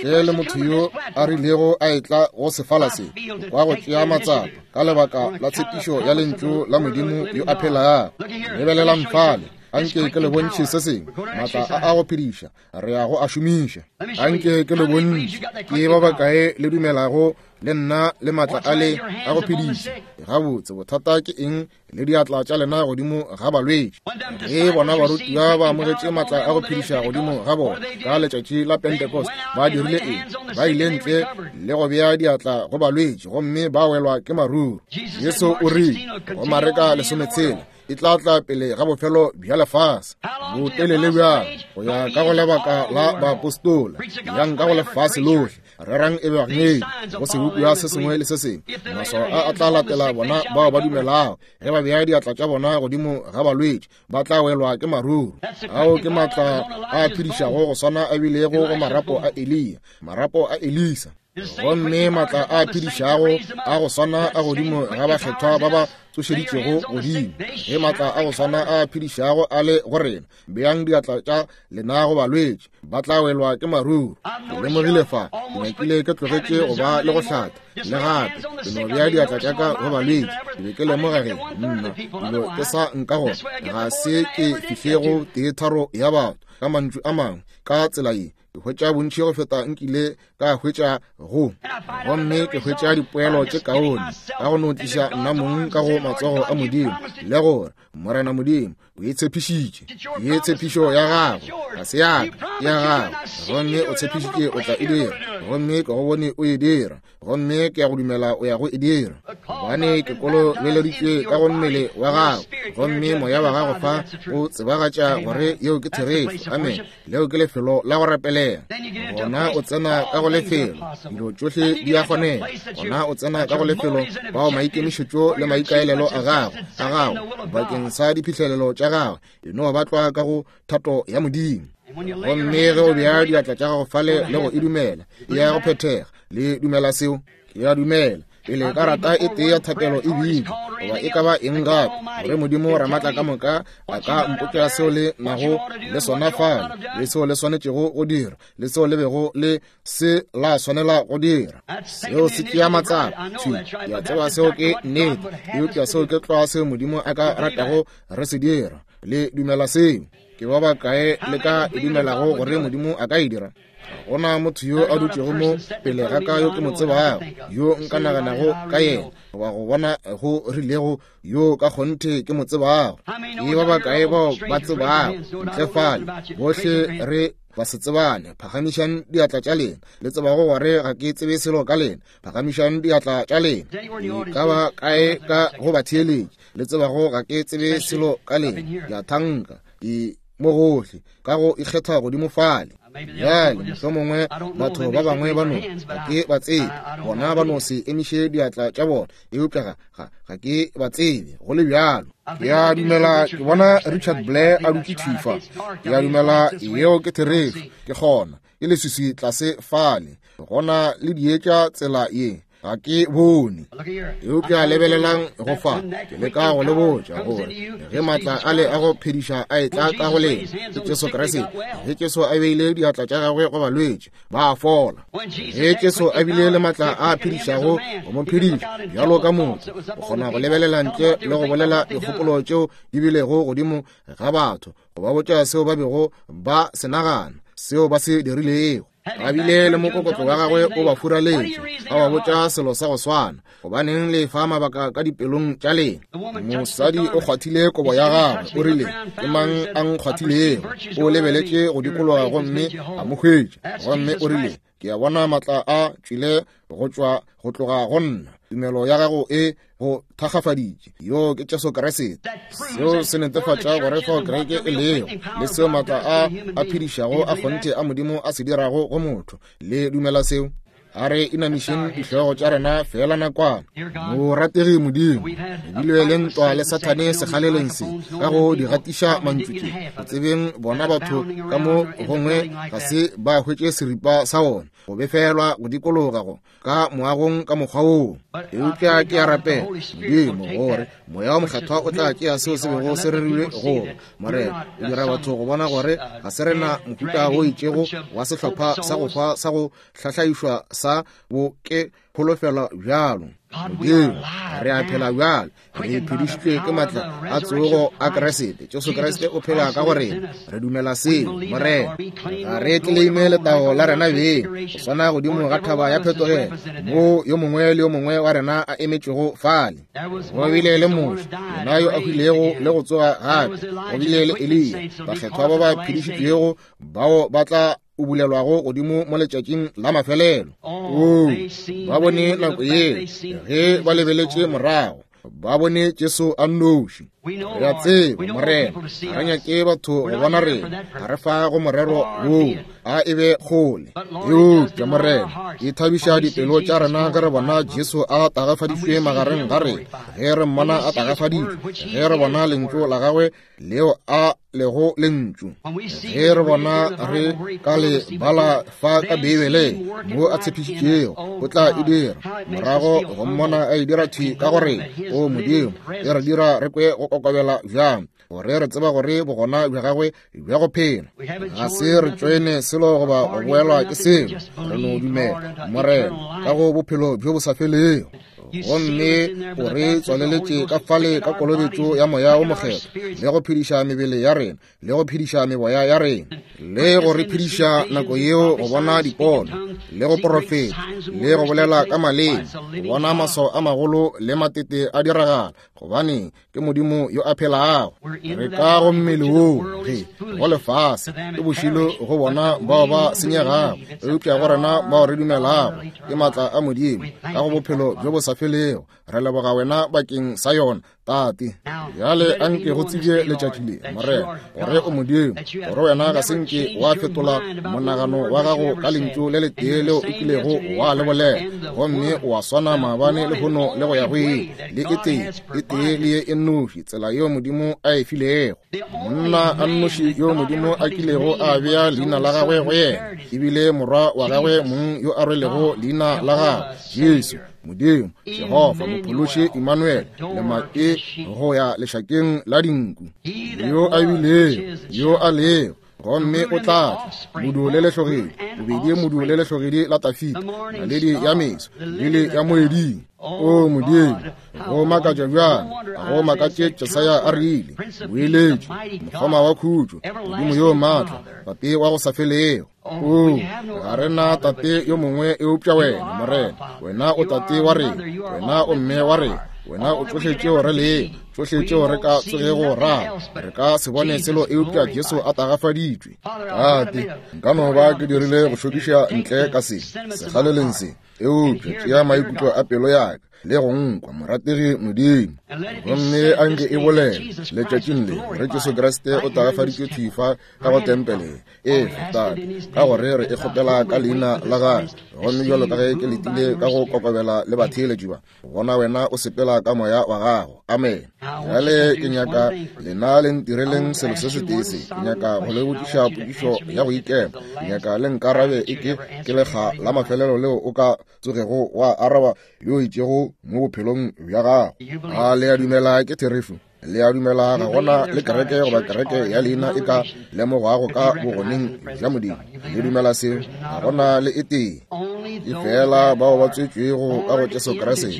Ntle le motho yo a rilego a etla go sefala se, kwa go tšea matsapa ka lebaka la tshepišo ya Lentšu la Modimo yo a phelago. Lebelelang fale, anke ke le bontšhe se sengwe, maatla a a go phediša re ya go a šomiša. Anke ke le bontšhe, ke ba bakae le dumelago le nna le maatla a le a go phediša? Gabotse, bothata ke eng le diatla tša lena godimo ga balwetši? Ge bona barutiwa ba amogetše maatla a go phediša godimo ga bona ka letšatši la Pentecost, ba dirile eng? Ba ile ntle le go bea diatla go balwetši gomme ba welwa ke maruru. Jesu o rile go Mareka 16, e tla tla pele ga bofelo bja lefase. Botelele bjang? Go ya ka go lebaka la baapostola, yang ka go lefase lohle, rerang ebangedi go sebopiwa se sengwe le se sengwe. Maswao a a tla latela bona bao ba dumelago. Ge ba bea diatla tša bona godimo ga balwetši, ba tla welwa ke maruru. Ao ke maatla a phedišago go swana a bilego go marapo a Eliya, marapo a Elisa. Gomme maatla a phedišago a go swana a godimo ga bakgethwa ba ba tsošeditšego godimo. Ge maatla a go swana a phedišago a le go rena, beang diatla tša lena go balwetši, ba tla welwa ke maruru. Ke lemogile fa, ke nyakile ke tlogetše go ba le go hlatha le gape, ke no bea diatla tša ka go balwetši. Ke be ke lemoga ge nna dilo ke sa nka gore ga se ke fihle go teetharo ya batho. Ka mantšu a mangwe, ka tsela ye ke hwetša bontši go feta nkile ka hwetša go, gomme ke hwetša dipoelo tše kaone ka go no tliša nna mong ka go matsogo a Modimo, le gore Morena Modimo o O e tshepišitše. Ye tshepišo ya gago, ga se ya ka, ya gago. Gomme o tshepišitše o tla e dira. Gomme ke go bone o e dira. Gomme ke ya go dumela o ya go e dira. Gobane ke kolobeleditšwe ka go mmele wa gago. Gomme moya wa gago fa o tsebagatša gore yeo ke therešo. Amen. Leo ke lefelo la go rapelela. Gona o tsena ka go lefelo, dilo tšohle di a kgonega. Gona o tsena ka go lefelo bao maikemišetšo le maikaelelo a gago, a gago, bakeng sa diphihlelelo tša gago, e no ba tlwa ka go thato ya Modimo. Gomme ge o bea diatla tša gago fale le go e dumela, e ya go phethega. Le dumela seo? Ke a dumela pele karata e tee ya thapelo e bitšwa goba e ka ba eng gape, gore Modimo Ramatla ka moka a ka mpotša seo le nago le sona fale, le seo le swanetšego go dira, le seo le bego le se la swanela go dira. Seo se tšea matsapa. Thwi, ke a tseba seo ke nnete, eupša seo ke tlwa seo Modimo a ka ratago re se dira. Le dumela seo? Ke ba bakae le ka e dumelago gore Modimo a ka e dira? Ga go na motho yo a dutšego mo pele ga ka yo ke mo tsebago, yo nka naganago ka yena, goba go bona go rilego yo ka kgonthe ke mo tsebago. Ke ba bakae bao ba tsebago ntle fale? Bohle re ba se tsebane. Phagamišang diatla tša lena. Le tsebago gore ga ke tsebe selo ka lena. Phagamišang diatla tša lena. E ka ba kae ka go batheeletši le tsebago ga ke tsebe selo ka lena? Ke a thanka e mo gohle ka go ikgetha godimo fale. Bjale mohlomongwe batho ba bangwe ba no ga ke ba tsebe, bona ba no se emiše diatla tša bona, eupša ga, ga, ga ke ba tsebe go le bjalo. Ke a dumela ke bona Richard Blair a dutše thwi fa. Ke a dumela yeo ke therešo. Ke kgona, ke leswiswi tlase fale, gona le dietša tsela ye. Ga ke bone. Eupša lebelelang go fa, ke leka go le botša gore ge maatla a le a go phediša a etla ka go lena, ke Jesu Kriste. Ge Jesu a beile diatla tša gagwe go balwetši, ba a fola. Ge Jesu a bile le maatla a phedišago go mo phediša bjalo ka motho, o kgona go lebelela ntle le go bolela dikgopolo tšeo di bilego godimo ga batho, go ba botša seo ba bego ba se nagana, seo ba se dirilego. A bile le mokokotlo wa gagwe o ba furaletše, a ba botša selo sa go swana. Gobaneng le fa mabaka ka dipelong tša lena? Mosadi o kgwathile kobo ya gagwe, o rile, Ke mang a nkgwathilego? O lebeletše go dikologa gomme a mo hwetša, gomme o rile, Ke a bona maatla a tšwile go tšwa go tloga go nna. Tumelo ya gago e go thakgafaditše. Yo ke Jesu Kriste. Seo se netefatša gore fao kereke e lego, le seo maatla a a phedišago a kgonthe a Modimo a se dirago go motho. Le dumela seo? A re inamišeng dihlogo tša rena feela nakwana. Morategi Modimo, re bile le ntwa le Sathane sekgaleleng se, ka go di gatiša mantšu tše. Go tsebeng bona batho ka mo gongwe ga se ba hwetše seripa sa ona, go befelwa go dikologa go ka moagong ka mokgwa woo. Eupša ke a rapela, Modimo, gore Moya wa Mokgethwa o tla tšea seo se bego se rerilwe go ba. Morena, o dira batho go bona gore ga se rena mohuta wo itšego wa sehlopha sa go hwa sa go hlahlaišwa sa bo ke kholofelo bjalo. Modimo, re a phela bjalo, re phedišitšwe ke matla a tsogo a Kriste. Jesu Kriste o phela ka go rena. Re dumela seo, Morena. Ga re tleleime letago la rena beng, go swana godimo ga thaba ya phetogelo, moo yo mongwe le yo mongwe wa rena a emetšego fale. Go bile le Moshe, yena yo a hwilego le go tsoga gape. Go bile le Eliya, bakgethwa ba ba phedišitšwego bao ba tla o bulelwago godimo mo letšatšing la mafelelo. Oo, ba bone nako yeo ge ba lebeletše morago, ba bone Jesu a nnoši. Re a tseba, Morena, ga re nyake batho go bona rena, ga re fa go morero woo, a e be kgole. Eupša, Morena, e thabiša dipelo tša rena ge re bona Jesu a tagafaditšwe magareng ga rena, ge re mmona a tagafaditšwe, ge re bona Lentšu la gagwe leo a lego lentšu, ge re bona re ka le bala fa ka Beibeleng mo a tshepišitšego o tla e dira, morago go mmona a e dira thwi ka gore, o Modimo, e re dira re kwe go kokobela bjang, gore re tseba gore bogona bja gagwe bja go phela ga se re tšoene selo goba go boelwa ke selo. Re no dumela, Morena, ka go bophelo bjo bo sa felego. Gomme o re tswaleletše ka fale ka kolobetšo ya Moya wo Mokgethwa, le go phediša mebele ya rena, le go phediša meboya ya rena, le go re phediša nako yeo go bona dipono, le go porofeta, le go bolela ka maleme, go bona maswao a magolo le matete a diragala, gobane ke Modimo yo a phelago. Re ka go mmele woo ge go lefase ke bošilo go bona bao ba senyegago, eupša go rena bao re dumelago ke maatla a Modimo ka go bophelo bjo bo sa felego. Re leboga wena bakeng sa yona, Tate. Bjale a nke go tsebje letšatši le, Morena, gore o Modimo, gore wena ga se nke wa fetola monagano wa gago ka lentšu le letee leo o kilego wa le bolela, gomme wa swana maabane, lehono le go ya go ile, le e tee, e tee le ye e nnoši tsela yeo Modimo a e filego. Monna a nnoši yo Modimo a kilego a bea leina la gagwe go yena, ebile morwa wa gagwe mong yo a rwelego leina la gagwe, Jesu. Modimo, Jehofa, Mophološi, Emmanuel, lemake go ya lešakeng la dinku, yo a bilego, yo a lego, gomme o tla tla, modu le lehlogedi, bobedi modu le lehlogedi la Tafita, naledi ya meso, lili ya moeding. O Modimo, go makatša bjang, go makatše Jesaya a rile, moeletši, mokgoma wa khutšo, Modimo yo maatla, Tate wa go sa felego. O, ga re na tate yo mongwe eupša wena, Morena. Wena o tate wa rena, wena o mme wa rena, wena o tšohle tšeo re lego, tšohle tšeo re ka tsogego ra. Re ka se bone selo eupša Jesu a tagafaditšwe. Tate, nka no ba ke dirile go šokiša ntle ka se, sekgaleleng se, eupša tšea maikutlo a pelo ya ka le go nkwa, morategi Modimo. Gomme a nke e bolele letšatšing le gore Jesu Kriste o tagafaditšwe thwi fa ka go tempele e Tate, ka gore re e kgopela ka leina la gagwe. Gomme bjalo ka ge ke letile ka go kokobela le batheeletši ba, bona wena o sepela ka moya wa gago. Amen. Bjale ke nyaka lena le ntireleng selo se setee se. Ke nyaka go le botšiša potšišo ya go ikema. Ke nyaka le nkarabe e ke ke lekga la mafelelo leo o ka tsogego wa araba yo itšego mo bophelong bja gago. A le a dumela ke therešo? Le a dumela ga gona le kereke goba kereke ya leina e ka lemogwago ka bogoneng bja Modimo? Le dumela seo? Ga gona le e tee. E fela bao ba tswetšwego ka go Jesu Kriste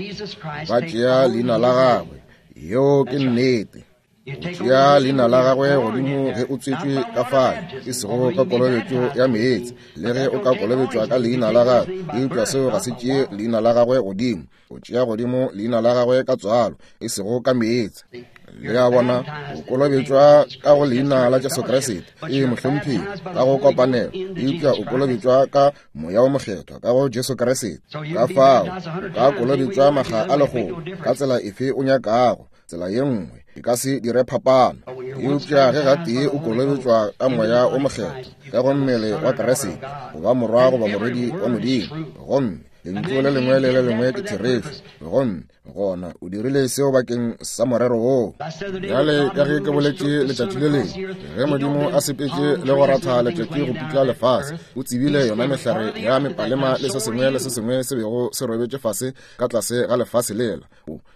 ba tšea leina la gagwe. Yeo ke nnete. O tšea leina la gagwe godimo ge o tswetšwe ka fale, e sego ka kolobetšo ya meetse, le ge o ka kolobetšwa ka leina la gagwe, eupša seo ga se tšee leina la gagwe godimo. O tšea godimo leina la gagwe ka tswalo, e sego ka meetse. Le a bona, o kolobetšwa ka go leina la Jesu Kriste, ee mohlomphegi, ka go kopanelo, eupša o kolobetšwa ka Moya wo Mokgethwa ka go Jesu Kriste. Ka fao, o ka kolobetšwa makga a lekgolo ka tsela efe o nyakago, tsela ye nngwe e ka se dire phapano. Eupša ge gatee o kolobetšwa ka Moya wo Mokgethwa ka go mmele wa Kriste, o ba morwa goba morwedi wa Modimo, gomme lentšu le lengwe le le lengwe ke therešo, gomme gona o dirile seo bakeng sa morero woo. Bjale ka ge ke boletše letšatši le lengwe, ge Modimo a sepetše le go ratha letšatši go putla lefase, o tsebile yona mehlare ya mepalema le se sengwe le se sengwe se bego se robetše fase ka tlase ga lefase lela,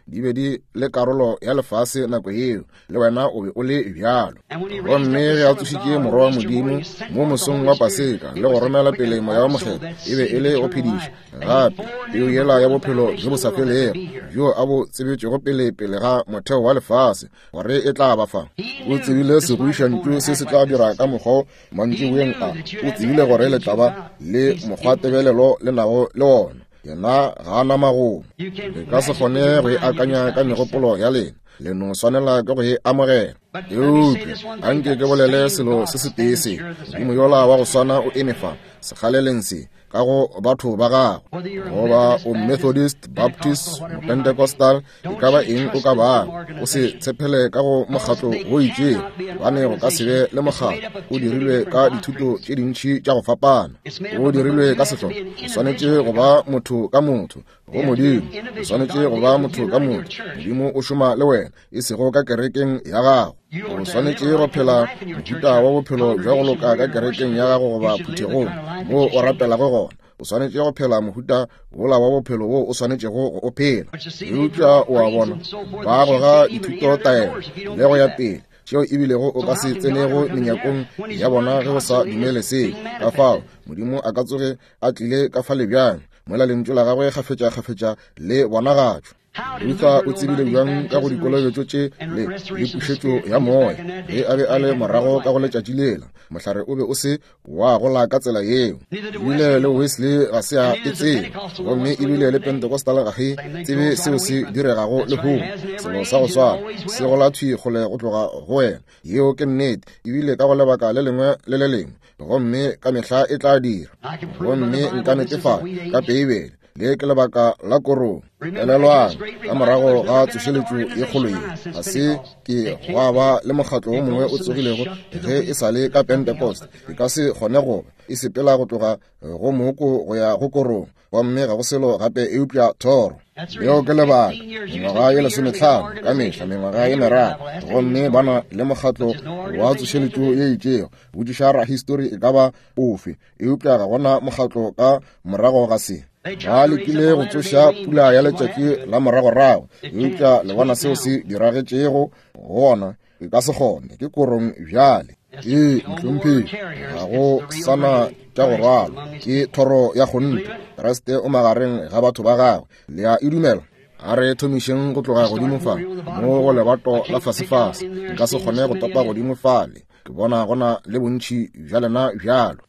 di be di le karolo ya lefase nako yeo, le wena o be o le bjalo. Gomme ge a tsošitše Morwa wa Modimo mo mosong wa Paseka le go romela pele Moya wa Mokgethwa, e be e le go phediša gape peu yela ya bophelo bjo bo sa felego bjo a bo tsebetšego pele pele ga motheo wa lefase gore e tla ba fa. O tsebile segoišantšu se se tla dira ka mokgwa mantšiboeng a. O tsebile gore le tla ba le mokgwatebelelo le nago le wona. Yena ga a na magomo. Le ka se kgone go e akanya ka megopolo ya lena. Le no swanela ke go e amogela. Eupša a nke ke bolele selo se setee se. Modimo yola wa go swana o eme fa sekgaleleng se ka go batho ba gago, goba o Methodist, Baptist, Pentecostal, e ka ba eng o ka bago, o se tshepele ka go mokgatlo wo itšego, gobane go ka se be le mokgatlo. O dirilwe ka dithuto tše dintši tša go fapana, o dirilwe ka sehlopha. O swanetše go ba motho ka motho go Modimo, o swanetše go ba motho ka motho. Modimo o šoma le wena, e sego ka kerekeng ya gago. O swanetše go phela mohuta wa bophelo bja go loka ka kerekeng ya gago goba phuthegong moo o rapelago gona. O swanetše go phela mohuta wola wa bophelo wo o swanetšego go o phela. Eupša o a bona, ba goga dithutotaelo le go ya pele, tšeo ebilego o ka se tsenego menyakong ya bona ge o sa dumele seo. Ka fao Modimo a ka tsoge a tlile ka fale bjang? mola Lentšu la Gagwe kgafetšakgafetša le bonagatšwa. Luther o tsebile bjang ka go dikolobetšo tše le le pušetšo ya moya ge a be a le morago ka go letšatši lela? Mohlare o be o se wa gola ka tsela yeo. Ebile le Wesley ga se a e tsebe, gomme ebile le Pentecostal ga e tsebe seo se diregago lehono. Selo sa go swana se gola thwi kgole go tloga go wena. Yeo ke nnete, ebile ka go lebaka le lengwe le le lengwe, gomme ka mehla e tla dira. Gomme nka netefatša ka Beibele, le ke lebaka la korong. Elelwang, ka morago ga tsošeletšo ye kgolo ye, ga se ke gwa ba le mokgatlo wo mongwe o tsogilego ge e sa le ka Pentecost. E ka se kgone go ba. E sepela go tloga go mooko go ya go korong, gomme ga go selo gape eupša thoro. Leo ke lebaka. Mengwaga ye lesometlhano, ka mehla mengwaga ye meraro, gomme ba na le mokgatlo wa tsošeletšo ye itšego. Botšiša rahistori e ka ba ofe, eupša ga gona mokgatlo ka morago ga se. Ba lekile go tsoša pula ya letšatši la moragorago, eupša le bona seo se diragetšego gona. E ka se kgone, ke korong bjale. Ee, mohlomphegi, ga go sana tša go rwalwa, ke thoro ya kgonthe. Kriste o magareng ga batho ba gagwe. Le a e dumela? A re thomišeng go tloga godimo fa mo go lebato la fasefase. Nka se kgone go topa godimo fale. Ke bona go na le bontši bja lena bjalo.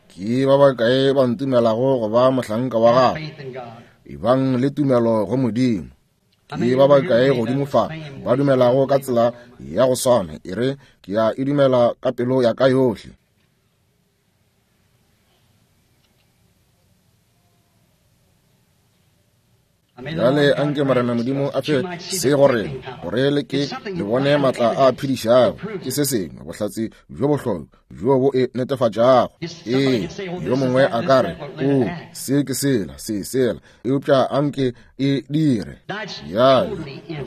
Ke ba bakae ba ntumelago go ba mohlanka wa gagwe? Ebang le tumelo go Modimo. Ke ba bakae godimo fa ba dumelago ka tsela ya go swana? E re, ke a e dumela ka pelo ya ka yohle. Bjale a nke Morena Modimo a fe se go rena, gore le ke le bone matla a phedišago. Ke se sengwe, bohlatse bjo bohlokwa bjo bo e netefatšago. Ee, yo mongwe a ka re, O, se ke sela, se sela, eupša a nke e dire. Bjale,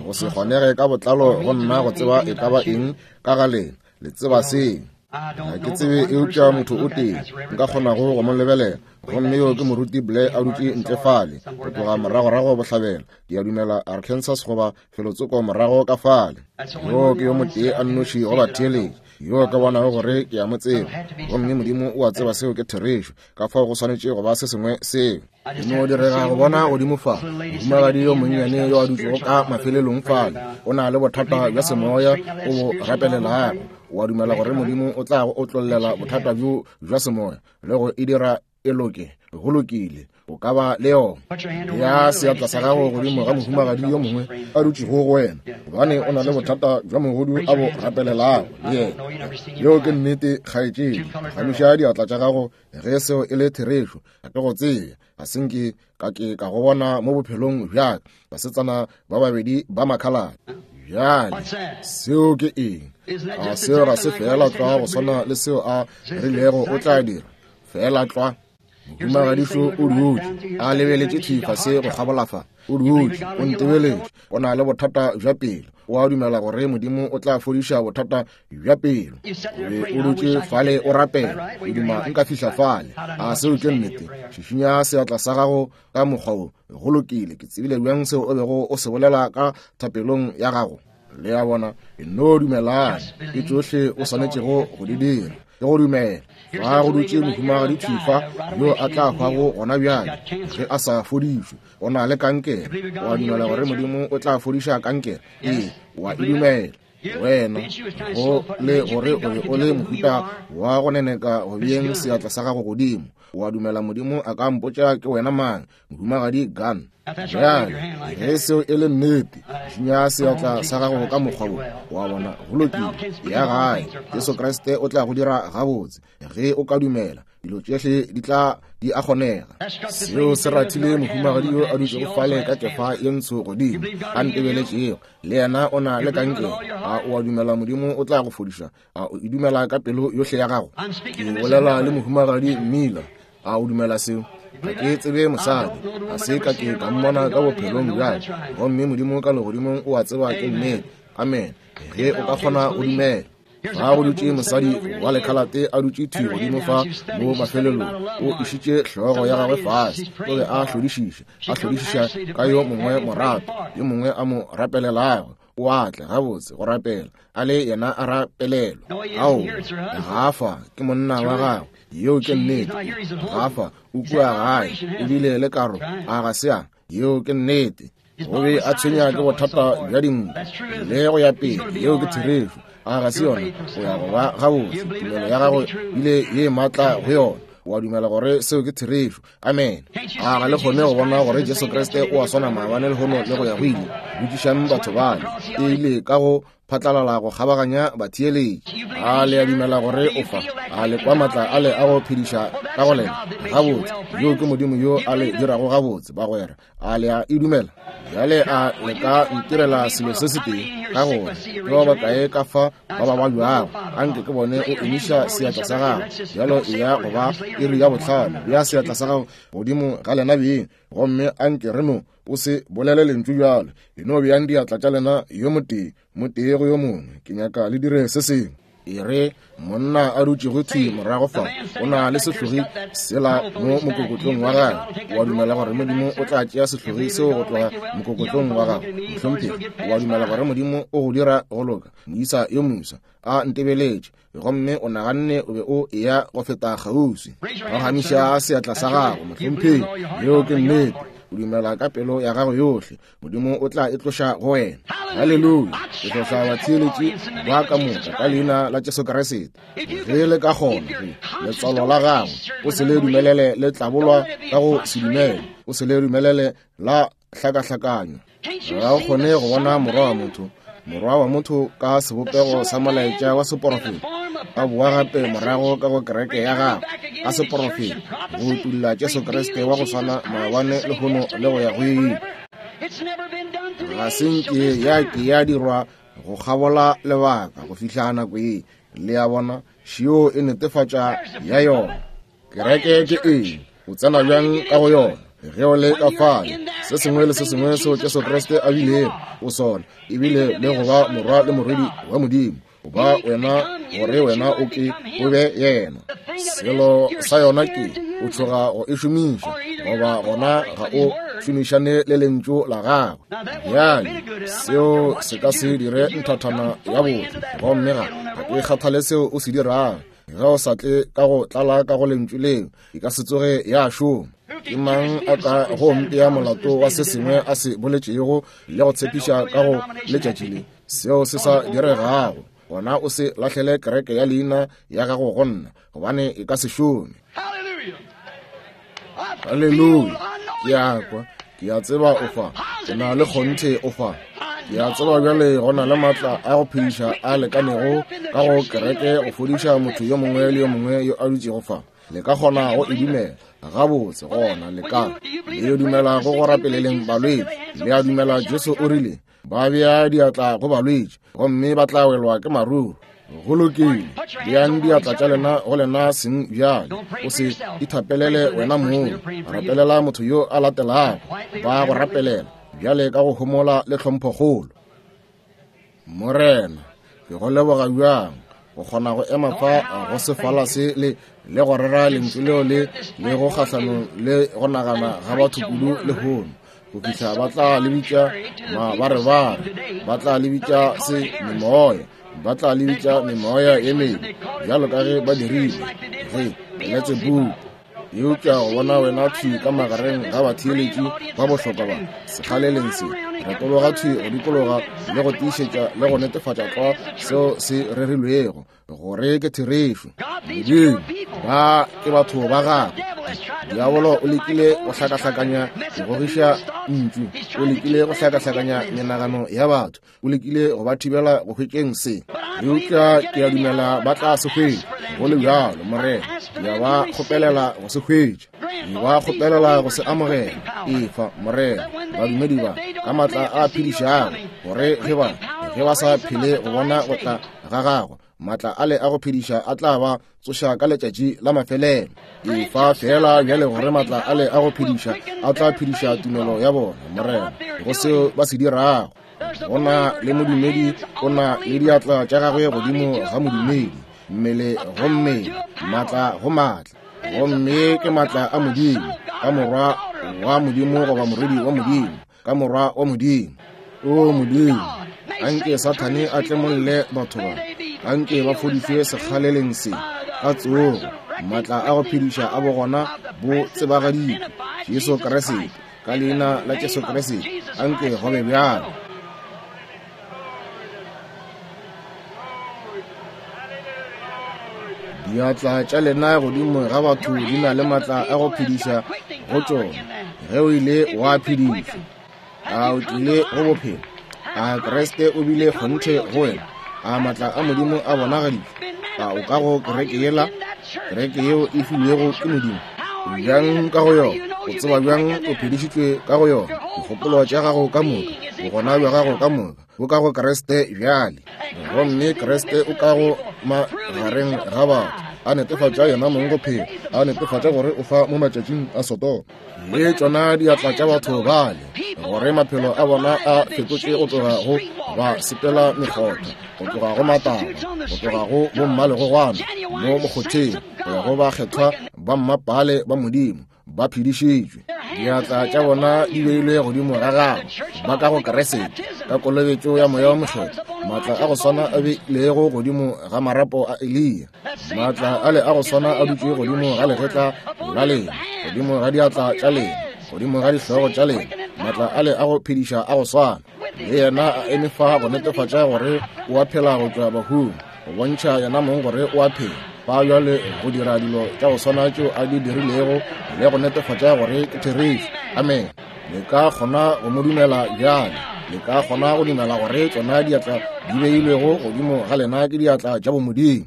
go se kgonege ka botlalo go nna go tseba e ka ba eng ka ga lena. Le tseba seo. Ga ke tsebe eupša motho o tee nka kgonago go mo lebelela, gomme yo ke Moruti Blair a dutše ntle fale, go tloga moragorago bohlabela, ke a dumela Arkansas goba felotsoko morago ka fale. Yo ke yo motee a nnoši go batheeletši yo ka bonago gore ke a mo tseba, gomme Modimo o a tseba seo ke therešo, ka fao go swanetše go ba se sengwe seo. E no direga go bona godimo fa mohumagadi yo monnyane yo a dutšego ka mafelelong fale, o na le bothata bja semoya o bo rapelelago. O a dumela gore Modimo o tla go otlollela bothata bjo bja semoya le go e dira e loke? Go lokile, o ka ba le yona. Ya seatla sa gago godimo ga mohumagadi yo mongwe a dutšego go wena, gobane o na le bothata bja mogodu a bo rapelelago le yena. Yeo ke nnete, kgaetšedi. Gamiša diatla tša gago ge seo e le therešo. Ga ke go tsebe, ga se nke ka ke ka go bona mo bophelong bja ka. Basetsana ba babedi ba makhalane. Bjale, seo ke eng? A seo ga se feela tlwa go swana le seo a rilego o tla dira? Feela tlwa. Mohumagadišo o dutše a lebeletše thwi fase go kgabola fa. O dutše, o ntebeletše. O na le bothata bja pelo. O a dumela gore Modimo o tla fodiša bothata bja pelo? O be o dutše fale o rapela. O duma nka fihla fale. A seo ke nnete? Šišinya seatla sa gago ka mokgwa wo. Go lokile. Ke tsebile bjang seo o bego o se bolela ka thapelong ya gago? Le a bona, e no dumelane. Ke tšohle o swanetšego go di dira, ke go dumela. Fa go dutše mohumagadi thwi fa yo a tla hwago gona bjale ge a sa fodišwe. O na le kankere. O a dumela gore Modimo o tla fodiša kankere? Ee, o a e dumela. Wena, go le gore o be o le mohuta wa go neneka go beeng seatla sa gago godimo. O a dumela Modimo a ka mpotša ke wena mang, Mohumagadi Gunn? Bjale, ge seo e le nnete, šinya seatla sa gago ka mokgwa wo. Wa bona, go lokile. Ya gae, Jesu Kriste o tla go dira gabotse ge o ka dumela. Dilo tšohle di tla di a kgonega. Seo se rathile mohumagadi yo a dutšego fale ka kefa ye ntsho godimo, a ntebeletšego. Le yena o na le kankere. A o a dumela Modimo o tla go fodiša? A o e dumela ka pelo yohle ya gago? Ke bolela le mohumagadi Miller. A o dumela seo? Ga ke tsebe mosadi, ga se ka ke ka mmona ka bophelong bjale. Gomme Modimo ka legodimong o a tseba ke nnete. Amen. Ge o ka kgona go dumela. Fa go dutše mosadi wa lekhalate a dutše thwi godimo fa mo mafelelong, o išitše hlogo ya gagwe fase, o be a hlodišiša, a hlodišiša ka yo mongwe morato, yo mongwe a mo rapelelago. O a tla gabotse go rapela, a le yena a rapelelwa. Ao, ga fa, ke monna wa gagwe. Yeo ke nnete. Gafa o kua gae, o bile le karo, a ga se a? Yeo ke nnete. O be a tshwenya ke bothata bja dinku le go ya pele. Yeo ke therešo. A ga se yona? O ya go ba gabotse. Tumelo ya gago bile ye maatla go yona. O a dumela gore seo ke therešo. Amen. A ga le kgone go bona gore Jesu Kriste o a swana maabane lehono le go ya go ile? Botšišang batho bale. E ile ka go phatlalala go kgabaganya batheeletši. A le a dumela gore o fa? A le kwa maatla a le a go phediša ka go lena? Gabotse, yoo ke Modimo yo a le dirago gabotse, bagwera. A le a e dumela? Bjale a le ka ntirela selo se setee, ka gore ke ba bakae ka fa ba ba babjago? Anke ke bone o emiša seatla sa gago. Bjalo e ya go ba iri ya 5. Bea seatla sa gago godimo ga lena beng, gomme anke re no o se bolele lentšu bjalo. E no beang diatla tša lena yo motee motee go yo mongwe. Ke nyaka le dire se sengwe. E re monna a dutšego thwi morago fa o na le sehlogi sela mo mokokotlong wa gagwe. O a dumela gore Modimo o tla tšea sehlogi seo go tloga mokokotlong wa gago? Mohlomphegi, o a dumela gore Modimo o go dira go loka? Moisa yo moswa a ntebeletše, gomme o naganne o be o eya go feta kgauswi. Phagamiša seatla sa gago, mohlomphegi. Yeo ke nnete. O dumela ka pelo ya gago yohle, Modimo o tla e tloša go wena. Haleluya! Ke hlohla batheeletši ba ka moka ka leina la Jesu Kriste. Ge le ka kgona, ge letswalo la gago o se le dumelele le tlabolwa ka go se dumele, o se le dumelele la hlakahlakanywa. Ga o kgone go bona morwa wa motho, morwa wa motho ka sebopego sa molaetša wa seporofeta, a boa gape morago ka go kereke ya gagwe ka seporofeta, go utulla Jesu Kriste wa go swana maabane, lehono le go ya go ile. Ga se nke ya ke ya dirwa go kgabola lebaka go fihla nako ye. Le a bona, šio e netefatša ya yona. Kereke ke eng? O tsena bjang ka go yona? Ge o le ka fale, se sengwe le se sengwe seo Jesu Kriste a bilego o sona, ebile le go ba morwa le morwedi wa Modimo, o ba wena gore wena o ke o be yena. Selo sa yona ke o tšhoga go e šomiša, goba gona ga o šomišane le lentšu la gagwe. Bjale seo se ka se dire nthathana ya botho, gomme ga ke kgathale seo o se dirago. Ge o sa tle ka go tlala ka go lentšu leo, e ka se tsoge ya šoma. Ke mang a ka go mpea molato wa se sengwe a se boletšego le go tshepiša ka go letšatši le, seo se sa diregago? Gona o se lahlele kereke ya leina ya gago go nna, gobane e ka se šome. Haleluya! Ke a kwa, ke a tseba o fa, ke na le kgonthe o fa. Ke a tseba bjale go na le maatla a go phediša a lekanego ka go kereke go fodiša motho yo mongwe le yo mongwe yo a dutšego fa. Le ka kgona go e dumela gabotse, gona le ka le dumela go go rapeleleng balwetši. Le a dumela Jesu o rile ba bea diatla go balwetši gomme ba tla welwa ke maruru. Go lokile, beang diatla tša lena go lena seng bjale. O se ithapelele wena mong, rapelela motho yo a latelago. Ba go rapelela bjale ka go homola le tlhomphokgolo. Morena, ke go leboga bjang go kgona go ema fa go sefala se le le go rera lentšu leo le le go kgahlanong le go nagana ga batho kudu lehono, go fihla ba tla le bitša mabarebare, ba tla le bitša se memoya, ba tla le bitša memoya ye mebe, bjalo ka ge ba dirile ge Beletsebubu. Eupša go bona wena thwi ka magareng ga batheeletši ba bohlokwa ba sekgaleleng se, retologa thwi go dikologa le go tiišetša le go netefatša tlwa seo se rerilwego gore ke therešo. Modimo, ba ke batho ba gagwe. Diabolo o lekile go hlakahlakanya go gogiša ntšu, o lekile go hlakahlakanya menagano ya batho, o lekile go ba thibela go hwetšeng se, eupša ke a dumela ba tla se hwetša. Go le bjalo, Morena, ke a ba kgopelela go se hwetša, ke ba kgopelela go se amogela. Efa, Morena, badumedi ba ka maatla a phedišago, gore ge ba ge ba sa phele go bona go tla ga gago, maatla ale a go phediša a tla ba tsoša ka letšatši la mafelelo. Efa feela bjale gore maatla ale a go phediša a tla phediša tumelo ya bona, Morena, go seo ba se dirago. Go na le modumedi o na le diatla tša gagwe godimo ga modumedi, mmele go mmele, maatla go maatla. Gomme ke maatla a Modimo ka morwa wa Modimo goba morwedi wa Modimo ka morwa wa Modimo. O Modimo, anke Sathane a tlemolle batho ba, anke ba fodišwe sekgaleleng se. Ka tsogo, maatla a go phediša a bogona bo tsebagaditšwe, Jesu Kriste. Ka Leina la Jesu Kriste, anke go be bjalo. Diatla tša lena godimo ga batho di na le maatla a go phediša go tšona. Ge o ile wa phedišwa, a o tlile go bophelo? A Kriste o bile kgonthe go wena? A maatla a Modimo a bonagaditšwe? A o ka go kereke yela, kereke yeo e filwego ke Modimo? O bjang ka go yona? O tseba bjang o phedišitšwe ka go yona? Dikgopolo tša gago ka moka, bogona bja gago ka moka bo ka go Kriste bjale. Gomme Kriste o ka go magareng ga batho, a netefatša yena mong go phela, a netefatša gore o fa mo matšatšing a Sodoma. Le tšona diatla tša batho bale, gore maphelo a bona a fetotše go tloga go ba sepela mekgotha, go tloga go mataba, go tloga go bommalegogwana mo mokgotheng, go ya go bakgethwa ba mmapale ba Modimo, ba phedišitšwe. Diatla tša bona di beilwe godimo ga gagwe, ba ka go Kriste, ka kolobetšo ya Moya wo Mokgethwa, maatla a go swana a beilego godimo ga marapo a Eliya. Maatla ale a go swana a dutše godimo ga legetla la lena, godimo ga diatla tša lena, godimo ga dihlogo tša lena. Maatla ale a go phediša a go swana le yena a eme fa go netefatša gore o a phela go tšwa bahung, go bontšha yena mong gore o a phela fa bjale, go dira dilo tša go swana tšeo a di dirilego le go netefatša gore ke therešo. Amen. Le ka kgona go mo dumela bjale. Le ka kgona go dumela gore tšona diatla di beilwego godimo ga lena ke diatla tša bomodimo.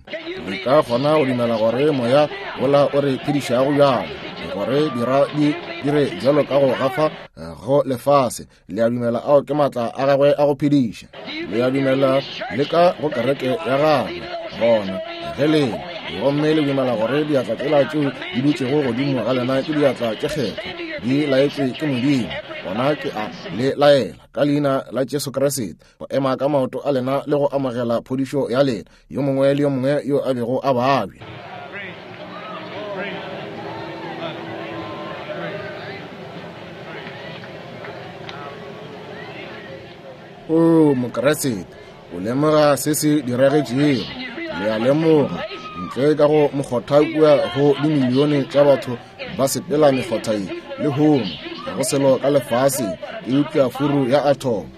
Le ka kgona go dumela gore moya wola o re phedišago bjale, gore dira di dire bjalo ka go gafa go lefase. Le a dumela ao ke maatla a gagwe a go phediša. Le a dumela le ka go kereke ya gagwe. Gona ge le gomme le dumela gore diatla tšela tšeo di dutšego godimo ga lena ke diatla tše kgethwa, di laetšwe ke Modimo, gona ke a le laela ka leina la Jesu Kriste go ema ka maoto a lena le go amogela phodišo ya lena, yo mongwe le yo mongwe yo a bego a babja. O Mokriste, o lemoga se se diragetšego. Le a lemoga, ntle ka go mokgotha kua go dimilione tša batho ba sepela mekgotha ye lehono, ga go selo ka lefaseng eupša furu ya athomo.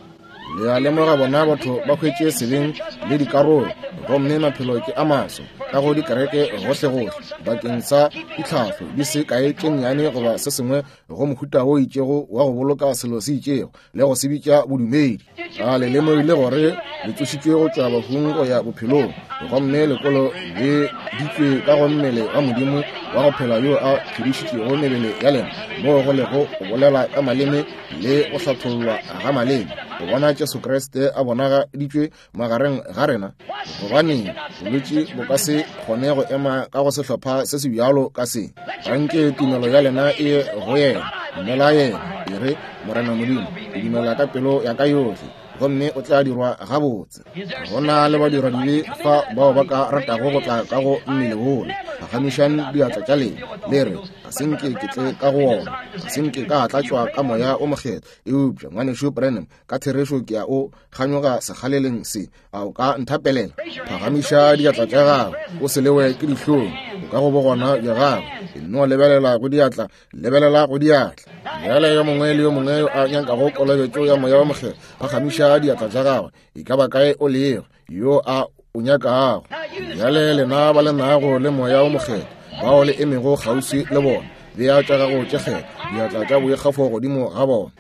Le a lemoga bona batho ba hwetše sebeng le dikarolo, gomme maphelo ke a maso ka go dikereke gohlegohle bakeng sa ditlhahlo di se kae tše nnyane goba se sengwe go mohuta wo itšego wa go boloka selo se itšego le go se bitša bodumedi. A le lemogile gore le tsošitšwe go tšwa bahung go ya bophelong, gomme lekolo le ditšwe ka go mmele wa Modimo wa go phela yo a phedišitšego mebele ya lena, moo go lego go bolela ka maleme le go hlathollwa ga maleme, go bona Jesu Kriste a bonagaditšwe magareng ga rena? Gobaneng, bolwetši bo ka se kgone go ema ka go sehlopha se se bjalo ka se. Anke tumelo ya lena e ye go yena. Dumela yena. E re, Morena Modimo, ke dumela ka pelo ya ka yohle, gomme o tla dirwa gabotse. Go na le badiradibe fa bao ba ka ratago go tla ka go mmele wola. Phagamišang diatla tša lena, le re, Ga se nke ke tle ka go wona. Ga se nke ka tlatšwa ka Moya o Mokgethwa. Eupša, Ngwanešu Branham, ka therešo ke a o kganyoga sekgaleleng se. A o ka nthapelela? Phagamiša diatla tša gago, o se lewe ke dihlong. O ka go bogona bja gago. E no lebelela go diatla, lebelela go diatla. Bjale yo mongwe le yo mongwe yo a nyakago kolobetšo ya Moya wa Mokgethwa, phagamiša diatla tša gagwe, e ka ba kae o lego, yo a o nyakago. Bjale lena ba le nago le Moya wo Mokgethwa, bao le emego kgauswi le bona, bea tša gago tše kgethwa, diatla tša boikgafo godimo ga bona.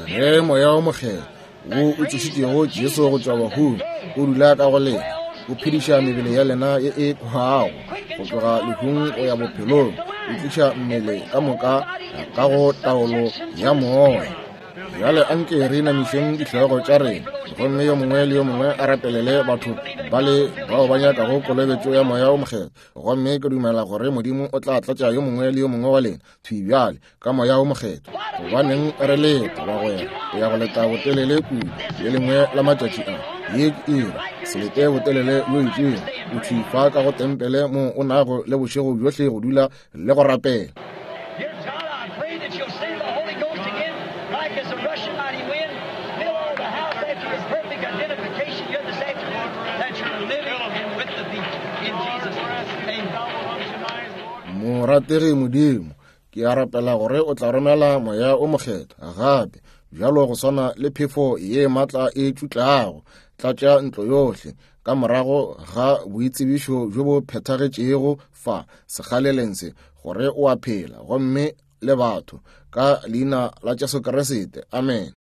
Ge Moya wo Mokgethwa wo o tsošitšego Jesu go tšwa bahung o dula ka go lena, o phediša mebele ya lena ye e hwago go tloga lehung go ya bophelong, o tliša mmele ka moka ka go taolo ya moya. Bjale anke re inamišeng dihlogo tša rena, gomme yo mongwe le yo mongwe a rapelele batho bale bao ba nyakago kolobetšo ya Moya wo Mokgethwa. Gomme ke dumela gore Modimo o tla tlatša yo mongwe le yo mongwe wa lena thwi bjale ka Moya wo Mokgethwa. Gobaneng re leta, bagwera? O ya go leta botelele kudu. Le lengwe la matšatši a, ye ke iri. Se lete botelele bjo itšego. O thwi fa ka go tempele moo o nago le bošego bjohle go dula le go rapela. Dear God, I pray that you'll send the Holy Ghost again, like as a rushing mighty wind, fill all the house after your perfect identification here this afternoon that you're living and Morategi Modimo, ke a rapela gore o tla romela Moya o Mokgethwa gape, bjalo go swana le phefo ye matla e tšutlago, tlatša ntlo yohle ka morago ga boitsebišo bjo bo phethagetšego fa sekgaleleng se, gore o a phela gomme le batho, ka leina la Jesu Kriste. Amen.